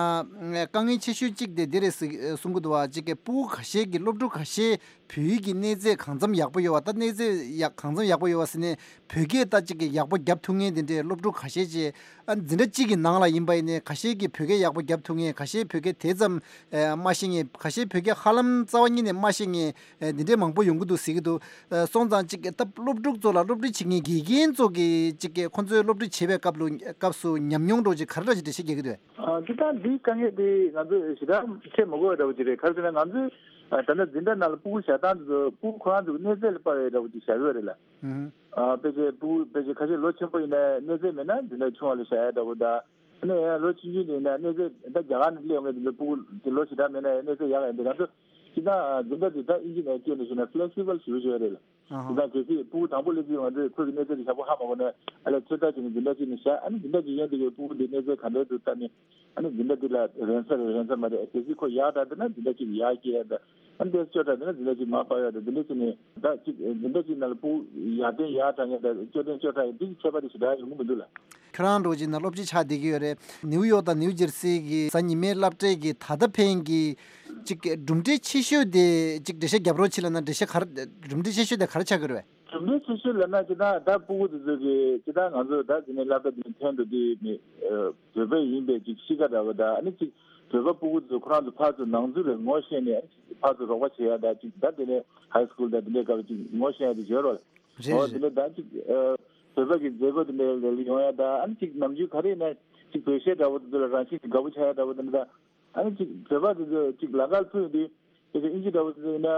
དཀའ་ངལ་ཆེ་ཤོས་གཅིག་དེ་འདི་རེད་ཟེར་གསུང་གི་འདུག་བ། ཅིག་གི་ཕྲུ་གུ་ཁ་ཤས་ཀྱིས་སློབ་ཕྲུག་ཁ་ཤས་བོད་ཡིག་གི་གནས་ཚད་གང་འཚམ་ཡག་པོ་ཡོད་བ། ད་གནས་ཚད་ཡག་གང་འཚམ་ཡག་པོ་ཡོད་བ་ཟེར་ནས་བོད་སྐད་ད་ཅིག་གི་ཡག་པོ་རྒྱབ་ཐུབ་མཁན་དེ་འདྲའི་སློབ་ཕྲུག་ཁ་ཤས་ཀྱིས་ཨ་འཛིན་གྲྭ་གཅིག་གི་ནང་ལ་ཡིན་པ་ཡིན་ནའི་ཁ་ཤས་ཀྱིས་བོད་སྐད་ཡག་པོ་རྒྱབ་ཐུབ་མཁན། ཁ་ཤས་བོད་སྐད་དེ་ཙམ་ཨ་མ་ཤེས་མཁན། ཁ་ཤས་བོད་སྐད་ཧ་ལམ་རྩ་བ་ཉིད་ནས་མ་ཤེས་མཁན་ཨ་འདི་འདྲའི་མང་པོ་ཡོང་གི་འདུག་ཟེར་གྱི་འདུག་ཨ་སོང་ཙང་ཅིག་ད་སློབ་ཕྲུག་ཚོ་ལ་སློབ་ཁྲིད་བྱེད་མཁན་དགེ་རྒན་ཚོ་གིས་ཅིག་གི་ཁོང་ཚོའི་སློབ་ཁྲིད་བྱེད་པའི་སྐབས་ལ་སྐབས་སུ་ཉམས་མྱོང་འདྲ་ཅིག་ག་རེ་འདྲ་ཅིག་འགྲེལ་བཤད་རྒྱག་གི་འདུག་ཨ་ཅི་ད་འདིའི་དཀའ་ངལ་དེ་ང་ཚོས་ཞེ་དྲག་བཤད་མ་དགོས་པ་འདྲ་བོ་ཅིག་རེད། ག་རེ་ཟེར་ན་ང་ཚོས་ཨ་ད་ལྟ་འཛིན་གྲྭ་ནང་ལ་ཕྲུ་གུ་བཞག་སྟངས་དེ་ཚོ་ཕྲུ་གུ་ཁོ་རང་ཚོ་གི་གནས་ཚད་ལ་དཔག་པའི་འདྲ་བོ་ཅིག་བཞག་གི་ཡོད་རེད་ལ། ཨུ་ཧུམ། ཨ་ཕལ་ཆེར་ཕྲུ་གུ་ཕལ་ཆེར་ཁ་ཤས་ལོ་ཆེན་པོ་ཡིན་ན་གནས་ཚད་མེད་ན་འཛིན་གྲྭ་ཆུང་བ་ལ་བཞག་ཡ་འདྲ་བོ་དང་། ཨ་ནི་ཡང་ལོ་ཆུང་ཆུང་དེ་ཡིན་ན་གནས་ཚད་ད་རྒྱ་གར་ནས་སླེབས་ཡོང་མཁན་དེ་ཚོ་ཕྲུ་གུ་དེ་ལོ་ཞེ་དྲག་མེད་ན་ཡང་གནས་ཚད་ཡག་ཡིན་དེ་ང་ཚོ་སྤྱིར་བཏང་འཛིན་གྲྭ་དེ་ད་ཨིན་ཇི་ནང་སྐད་ནས་ཞུས་ན་ཕི་ལེག་སི་བལ་ཞེ་པོ་ཅིག་ཡོད་རེད་ལ། ཨ་དེ་ཧ། ད་གལ་སྲིད་ཕྲུ་གུ་དང་པོ་སླེབས་དུས་ང་ཚོས་ཁོའི་གི་གནས་ཚད་དེ་ཡག་པོ་ཧ་མ་གོ་ན་ཨ་ལས་ཚོད་ལྟ་བྱས་ནས་འཛིན་གྲྭ་གཅིག་ནས་བཞག་ཨ་ནི་འཛིན་གྲྭ་གཅིག་གཞན་དེ་གི་ཕྲུ་གུ་དེ་གནས་ཚད་ག་འདྲའི་འདུག་བལྟས་ནས་ཨ་ནི་འཛིན་གྲྭ་དེ་ལ་རན་ས་རེད་རན་ས་མ་རེད། གལ་སྲིད་ཁོ་ཡག་དྲགས་འདུག་ན་འཛིན་གྲྭ་གཅིག་ཡག་སྐྱེ་ཡ་དང་ཨ་ནི་དེ་སྐྱོ་དྲགས་འདུག་ན་འཛིན་གྲྭ་གཅིག་མར་སྤར་ཡ་དང་འཛིན་གྲྭ་གཅིག་ནས་ད་གཅིག་འཛིན་གྲྭ་གཅིག་ནང་ལ་ཕྲུ་གུ་ཡར་ཐོན་ཡག་དྲགས་མཁན་དང་སྐྱོ་ཐོན་སྐྱོ་དྲགས་མཁན་དེ་གི་ཁྱད་པར་དེ་ཞེ་དྲག་ཡོང་གི་མི་འདུག་ལ། ཁྱོད་རང་འདྲ་བོ་ཅིག་ན་སློབ་སྤྱི་ཆགས་བསྡད་ཀྱི་ཡོད་རེད། ནིའུ་ཡོག་དང་ནིའུ་ཇེར་སི་གི་གཟའ་ཉི་མའི་སློབ་གྲྭའི་གི་ད་ལྟ་ཕན་གྱི་ཅིག་གྲུབ་འབྲས་ཆེ་ཤོས་དེ་ཅིག་འགྲེལ་བཤད་རྒྱབ་རོགས་བྱེད་ལབ་ན་འགྲེལ་བཤད་ག་རེ་གྲུབ་འབྲས་ཆེ་ཤོས་དེ་ག་རེ་ཆགས་ཀྱི་རེད། གྲུབ་འབྲས་ཆེ་ཤོས་ལབ་ན་ཅི་ད་ད་སྤུ་གུ་དེ་ཚོ་གི་ཅི་ད་ང་ཚོ་ད་དེ་ནས་སློབ་གྲྭ་དེ་ནས་ཐོན་འགྲོ་དུས་མི་བོད་པ་ཡིན་པའི་ཅིག་གཤིས་ཀ་འདྲ་བོ་ད་ཨ་ནི་ཅིག་བོད་པ་སྤུ་གུ་དེ་ཚོ་ཁོ་རང་ཚོ་ཕར་ཚུར་ནང་ཚུར་རེ་ངོ་ཤེས་ནས་ཕར་ཚུར་རོགས་པ་བྱེད་ཡ་ད་ཅིག་ད་དེ་ནས་ཧའི་སྐུལ་ད་དེ་འདྲའི་སྐབས་ཅིག་ངོ་ཤེས་ཡ་དེ་ཡོད་རོགས། རེད་ཨོ་དེ་རེད། ནས་ད་ཅིག་བོད་པ་གི་མཛད་སྒོ་དེ་འདྲའི་ལ་ཡོང་ཡ་ད་ཨ་ནི་ཅིག་ནམ་རྒྱུན་ག་རེ་ཡིན་ན་ཅིག་བོད་གཞས་འདྲ་བོ་དེ་ཚོ་ལ་རང་བཞིན་གྱིས་དགའ་པོ་ཆགས་ཡ་འདྲ་བོ་དེ་འདྲ་ད། ཨ་ནི་ཅིག་བོད་པ་དེ་ཚོ་ཅིག་ལ་ཁར་ཕུལ་དུས་དེ་ཚོ་ཨིན་ཇི་འདྲ་བོ་ཟེར་ན་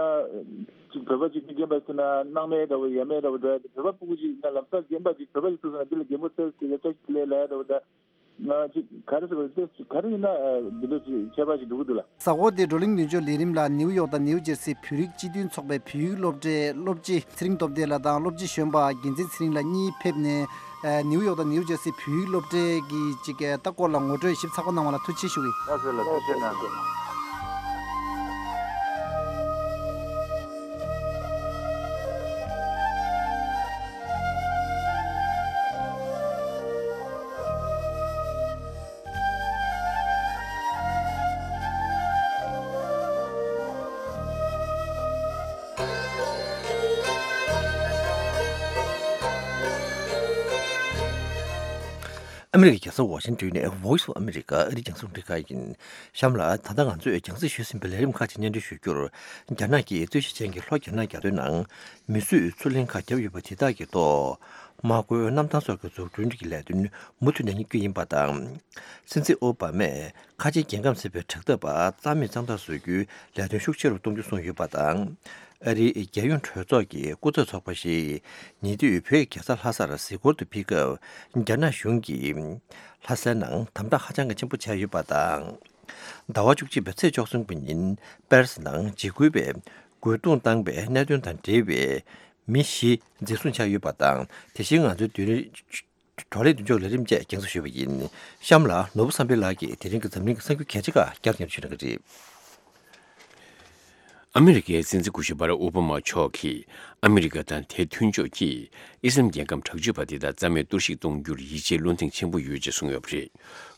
ཅིག་བོད་པ་ཅིག་མི་རྒན་པ་ཟེར་ན་སྣང་མེད་འདྲ་བོ་ཡ་མེད་འདྲ་བོ་འགྲོ་ཡ་དེ་བོད་པ་སྤུ་གུ་ཅིག་ན་ལམ་སང་རྒན་པ་ཅིག་བོད་པ་ཅིག་ཐུག་སོང་ན་འདི་ལ་རྒན་པོ་ཚེ་སྐྱིད་ལེ་བཀྲ་ཤིས་བདེ་ལེགས་ལབ་ཡ་འདྲ་བོ་ད་ང་ཅིག་ག་རེ་ཟེར་བ་དེ་ཅིག་ག་རེ་ཡིན་ན་འདི་འདྲ་ཅིག་ཁྱད་པར་ཅིག་འགྲོ་གི་འདུག་ལ། གཟའ་འཁོར་འདིའི་བགྲོ་གླེང་མདུན་ཅོག་ལས་རིམ་ལ་ནིའུ་ཡོག་དང་ནིའུ་ཇེར་སི་བོད་རིགས་སྤྱི་མཐུན་ཚོགས་པའི་བོད་ཡིག་སློབ་གྲྭའི་སློབ་སྤྱི་ཚེ་རིང་སྟོབས་ལྡན་ལགས་དང་སློབ་སྤྱི་གཞོན་པ་རྒྱལ་མཚན་ཚེ་རིང་ལགས་གཉིས་ཕེབས་ནས། ཨ་ནིའུ་ཡོག་དང་ནིའུ་ཇར་སི་བོད་ཡིག་སློབ་གྲྭའི་གི་ཅིག་ཨ་ལྟ་སྐོར་ལ་ངོ་སྤྲོད་ཞིབ་ཚགས་པོ་གནང་བ་ལ་ཐུགས་རྗེ་ཆེ་ཞུ་གི། ལགས་སོ་ལགས་སོ་ཐུགས་རྗེ་གནང་། ཨ་མི་རི་ཀའི་རྒྱལ་ས་ཝ་ཤིང་ཏོན་ནས་Voice of America ཨ་རིའི་རྒྱང་སྲིང་རླུང་འཕྲིན་ཁང་ཡིན། གཤམ་ལ་ད་ལྟ་ང་ཚོས་རྒྱང་སྲིང་ཞུས་ཟིན་པའི་ལས་རིམ་ཁག་ཅིག་སྙན་སྒྲོན་ཞུ་རྒྱུར། རྒྱ་ནག་གིས་རྩོད་གཞི་ཅན་གྱི་ལྷོ་རྒྱ་ནག་རྒྱ་མདོའི་ནང་མིས་བཟོས་མཚོ་གླིང་ཁག་བརྒྱབ་ཡོད་པ་དེ་དག་གི་ཐོག་དམག་སྒོའི་གནམ་ཐང་སོགས་ཀྱི་འཛུགས་སྐྲུན་གྱི་ལས་དོན་མུ་མཐུད་ནས་གཉེར་རྒྱུ་ཡིན་པ་དང་། སྲིད་འཛིན་ཨོ་བྷ་མས་ཁ་ཆེའི་རྒྱལ་ཁམས་ཟིན་པའི་དྲག་འཐབ་པ་རྩ་མེད་གཙང་དག་བཟོ་རྒྱུའི་ལས་དོན་ཤུགས་ཆེ་རུ་གཏོང་རྒྱུ་གསུངས་ཡོད་པ་དང་། ཨ་རིའི་རྒྱལ་ཡོངས་གྲོས་ཚོགས་ཀྱི་སྐུ་ཚབ་ཚོགས་པ་ཞིག་ཉེ་དུས་བོད་རྒྱལ་ས་ལྷ་སར་གཟིགས་སྐོར་དུ་ཕེབས་སྐབས། རྒྱ་ནག་གཞུང་གིས་ལྷ་སའི་ནང་དམ་དྲག་ཧ་ཅང་གི་ཆེན་པོ་བྱས་ཡོད་པ་དང་། ཟླ་བ་བཅུ་གཅིག་པའི་ཚེས་བཅུ་གསུམ་གྱི་ཉིན་པེ་རི་སི་ནང་འཇིགས་སྐུལ་བས་རྒོལ་རྡུང་བཏང་པའི་གནད་དོན་དང་འབྲེལ་བའི་མི་བཞི་འཛིན་བཟུང་བྱས་ཡོད་པ་དང་། དེ་བཞིན་ང་ཚོའི་བགྲོ་གླེང་བགྲོ་གླེང་མདུན་ཅོག་ལས་རིམ་བཅས་རྒྱང་སྲིང་ཞུས་པ་ཡིན། གཤམ་ལ་ནོར་བུ་བསམ་འཕེལ་ལགས་ཀྱིས་དེ་རིང་གི་འཛམ་གླིང་གི་གསར་འགྱུར་གལ་ཆེ་ཁག་བསྐྱར་ཉན་ཞུ་གནང་གི་རེད། ཨ་མི་རི་ཀའི་སྲིད་འཛིན་སྐུ་ཞབས་བྷ་རག་ཨོ་བྷ་མ་མཆོག་གིས་ཨ་མི་རི་ཀ་དང་དེའི་མཐུན་ཕྱོགས་ཀྱིས་ཨི་སི་ལམ་རྒྱལ་ཁབ་དྲག་སྤྱོད་པ་དེ་དག་རྩ་མེད་གཏོར་བཤིག་གཏོང་རྒྱུར་ཡིད་ཆེས་བློ་གདེང་ཆེན་པོ་ཡོད་ཅེས་གསུངས་ཡོད་པ་རེད།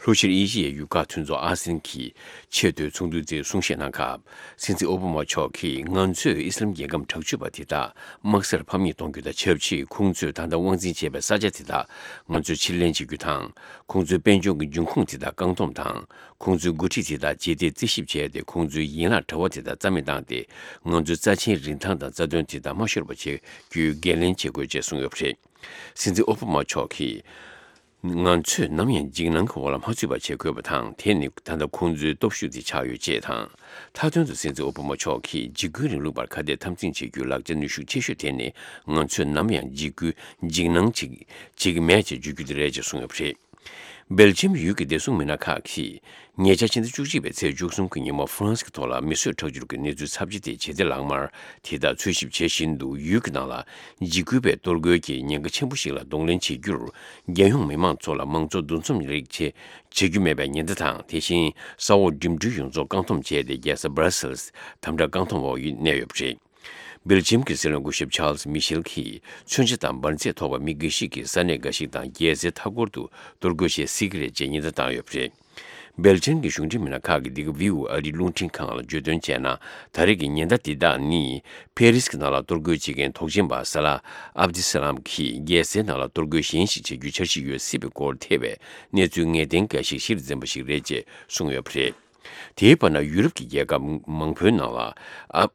ལྷོ་ཤར་ཨེ་ཤི་ཡའི་ཡུལ་ཁག་མཐུན་ཚོགས་ཨ་སེན་གྱི་ཆེས་མཐོའི་ཚོགས་འདུའི་རྩིས་གསུང་བཤད་གནང་སྐབས། སྲིད་འཛིན་ཨོ་བྷ་མ་མཆོག་གིས་ང་ཚོས་ཨི་སི་ལམ་རྒྱལ་ཁབ་དྲག་སྤྱོད་པ་དེ་དག་དམག་སར་ཕམ་ཉེས་གཏོང་རྒྱུ་དང་ཆབས་ཅིག་ཁོང་ཚོས་ད་ལྟ་དབང་འཛིན་བྱས་པའི་ས་ཆ་དེ་དག་ང་ཚོས་ཕྱིར་ལེན་བྱེད་རྒྱུ་དང་། ཁོང་ཚོའི་དཔལ་འབྱོར་གྱི་འབྱུང་ཁུངས་དེ་དག་བཀག་སྡོམ་དང་། ཁོང་ཚོའི་འགོ་ཁྲིད་དེ་དག་ཇི་ལྟར་རྩིས་ཞིབ་བྱས་ཏེ་ཁོང་ཚོའི་ཡན་ལག་དྲ་བ་དེ་དག་རྩ་མེད་བཏང་སྟེ། ང་ཚོའི་རྩ་ཆེན་རིན་ཐང་དང་རྩ་དོན་དེ་དག་མ་ཤོར་བ་བྱེད་རྒྱུའི་འགན་ལེན་བྱེད་དགོས་ཅེས་གསུངས་ཡོད་པ་རེད། སྲིད་འཛིན་ཨོ་བྷ་མ་མཆོག་གིས། ང་ཚོས་ནམ་ཡང་འཇིགས་སྣང་གི་འོག་ལ་མ་ཚུད་པ་བྱེད་དགོས་པ་དང་། དེ་ནི་ད་ལྟ་ཁོང་ཚོའི་སྟོབས་ཤུགས་དེ་ཆགས་ཡོད་ཅེས་དང་། མཐའ་དོན་དུ་སྲིད་འཛིན་ཨོ་བྷ་མ་མཆོག་གིས་འཇིགས་སྐུལ་རིང་ལུགས་པར་ཁ་གཏད་འཐབ་འཛིང་བྱེད་རྒྱུའི་ལག་ཆ་ནུས་ཤུགས་ཆེ་ཤོས་དེ་ནི། ང་ཚོས་ནམ་ཡང་འཇིགས་སྐུལ་འཇིགས་སྣང་བྱེད་བྱེད་ཀྱི་མེད་ཅེས་བརྗོད་རྒྱུ་དེ་རེད་ཅེས་གསུངས་ཡོད་པ་རེད། སྦེལ་ཇམ་ཡུལ་གྱི་བདེ་སྲུང་མི་སྣ་ཁག་གིས། ཉེ་ཆར་ཕྱི་ཟླ་བཅུ་གཅིག་པའི་ཚེས་བཅུ་གསུམ་གྱི་ཉིན་མོ་ཧྥ་རན་སི་གི་ཐོག་ལ་མི་གསོད་ཁྲག་སྦྱོར་གྱི་གནས་ཚུལ་ཚབས་ཆེ་དེ་ཇེ་བདེ་ལངས་མར་དེ་དག་འཚོལ་ཞིབ་བྱེད་བཞིན་འདུག་ཡུལ་གྱི་ནང་ལ་འཇིགས་སྐུལ་བས་གཏོར་རྒོལ་གྱི་ཉེན་ཁ་ཆེན་པོ་ཞིག་ལ་གདོང་ལེན་བྱེད་རྒྱུར། རྒྱལ་ཡོངས་མི་མང་ཚོ་ལ་མང་གཙོ་འདུ་འཛོམས་རིགས་བྱེད་བྱེད་རྒྱུ་མེད་པའི་ཉེན་བརྡ་དང་། དེ་བཞིན་ས་འོག་འགྲིམ་འགྲུལ་ཡོངས་རྫོགས་བཀག་སྡོམ་བྱས་ཏེ། རྒྱལ་ས་Brussels་དམ་དྲག་བཀག་སྡོམ་འོག་གནས་ཡོད་པ་རེད། སྦེལ་ཇམ་གྱི་སྲིད་བློན་སྐུ་ཞབས་ཆཱལ་སི་མི་ཤེལ་གྱིས། མཚོན་ཆ་དང་འབར་རྫས་ཐོགས་པ་མི་འགའ་ཞིག་གིས་ས་གནས་འགའ་ཞིག་དང་རྒྱལ་སའི་མཐའ་འཁོར་དུ་གཏོར་རྒོལ་བྱེད་སྲིད་ཀྱི་རེད་ཅེས་ཉེན་བརྡ་བཏང་ཡོད་པ་རེད། སྦེལ་ཇམ་གྱི་གཞུང་འབྲེལ་མི་སྣ་ཁག་གིས་འདི་ག་ཝི་ཨོ་ཨེ་ཨ་རིའི་རླུང་འཕྲིན་ཁང་ལ་བརྗོད་དོན་བྱས་ན། ད་རེས་ཀྱི་ཉེན་བརྡ་འདི་དག་ནི། ཕེ་རིས་ཀྱི་ནང་ལ་གཏོར་རྒོལ་བྱེད་མཁན་དོགས་ཅན་པ་ས་ལ་ཨབ་དི་ས་ལམ་གྱིས་རྒྱལ་སའི་ནང་ལ་གཏོར་རྒོལ་གཞན་ཞིག་བྱེད་རྒྱུའི་འཆར་གཞི་ཡོད་སྲིད་པའི་སྐོར་ཐེ་བའི་གནས་ཚུལ་ངེས་གཏན་འགའ་ཞིག་གཞིར་འཛིན་པ་ཞིག་རེད་ཅེས་གསུངས་ཡོད་པ་རེད། དེའི་བར་ན། ཡུ་རོབ་ཀྱི་རྒྱལ་ཁབ་མང་པོའི་ནང་ལ་ཨབ།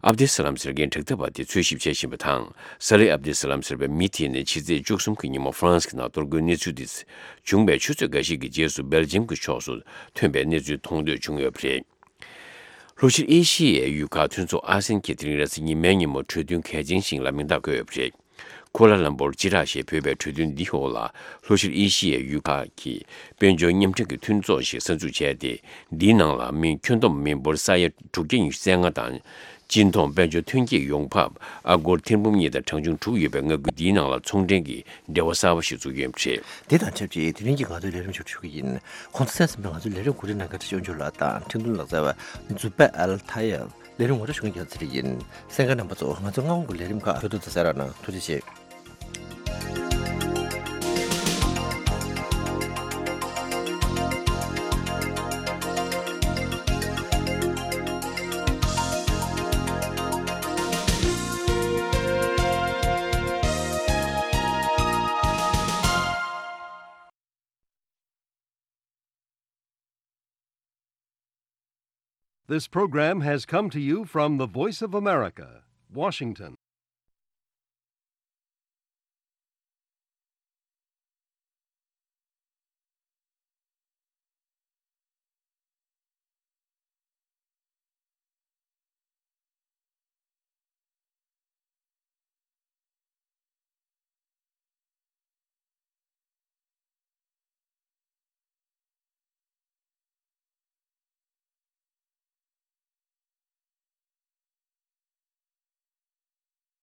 ཨབ་དེ་སི་ལམ་ཟེར་མཁན་དྲག་འཐབ་པ་དེ་འཚོལ་ཞིབ་བྱེད་བཞིན་པ་དང་། ས་ལེ་ཨབ་དེ་སི་ལམ་ཟེར་བའི་མི་དེ་ནི་ཕྱི་ཚེས་བཅུ་གསུམ་གྱི་ཉིན་མོ་ཧྥ་རན་སི་གི་ནང་གཏོར་རྒོལ་གནས་ཚུལ་དེ་བྱུང་བའི་ཆུ་ཚོད་འགའ་ཞིག་གི་རྗེས་སུ་སྦེལ་ཇམ་གྱི་ཕྱོགས་སུ་ཐོན་པའི་གནས་ཚུལ་མཐོང་ཐོས་བྱུང་ཡོད་པ་རེད། ལྷོ་ཤར་ཨེ་ཤི་ཡའི་ཡུལ་ཁག་མཐུན་ཚོགས་ཨ་སེན་གྱིས་དེ་རིང་རེས་གཟའ་ཉི་མའི་ཉིན་མོ་གྲོས་མཐུན་གལ་ཆེན་ཞིག་ལ་མིང་རྟགས་བཀོད་ཡོད་པ་རེད། ཀོ་ལ་ལམ་པོར་སྤྱི་བསྒྲགས་ཞེས་འབོད་པའི་གྲོས་མཐུན་འདིའི་འོག་ལ། ལྷོ་ཤར་ཨེ་ཤི་ཡའི་ཡུལ་ཁག་གི་དཔལ་འབྱོར་མཉམ་འབྲེལ་གྱི་མཐུན་ཚོགས་ཤིག་གསར་འཛུགས་བྱས་ཏེ། འདིའི་ནང་ལ་མི་ཁྱོན་བསྡོམས་མི་འབོར་ས་ཡ་དྲུག་བརྒྱ་ཉི་ཤུ་རྩ་ལྔ་དང་། སྤྱི་ཐོག་དཔལ་འབྱོར་ཐོན་སྐྱེད་ཡོང་འབབ་ཨ་སྒོར་ཐེར་འབུམ་གཉིས་དང་གྲངས་ཆུང་དྲུག་ཡོད་པའི་མངའ་ཁུལ་འདིའི་ནང་ལ་ཚོང་འབྲེལ་གྱི་འབྲེལ་བ་གསར་པ་ཞིག་བཙུགས་ཡོད་པ་རེད། དེ་དང་ཆབས་ཅིག་དེ་རིང་གི་ང་ཚོའི་ལས་རིམ་མཇུག་སྒྲིལ་ཞུ་གི་ཡིན། ཁོང་ཚོ་གསན་གཟིགས་པ་ང་ཚོའི་ལས་རིམ་གོ་སྒྲིག་གནང་མཁན་བཀྲ་ཤིས་དབང་ཕྱུག་ལགས་དང་ཁྲིན་ཏུའུ་ལགས་རྩ་བའི་ཛུ་པེ་ཨལ་ཐ་ཡལ། ལས་རིམ་ངོ་སྤྲོད་ཞུ་མཁན་རྒྱལ་ཚེ་རིང་ཡིན། གསན་མཁན་རྣམ་པ་ཚོ། ང་ཚོ་སྔ་དགོང་གི་ལས་རིམ་ཁག་ཧྲུལ་ཐུར་དུ་གསན་རོགས་གནང་། ཐུགས་རྗེ་ཆེ། This program has come to you from the Voice of America, Washington.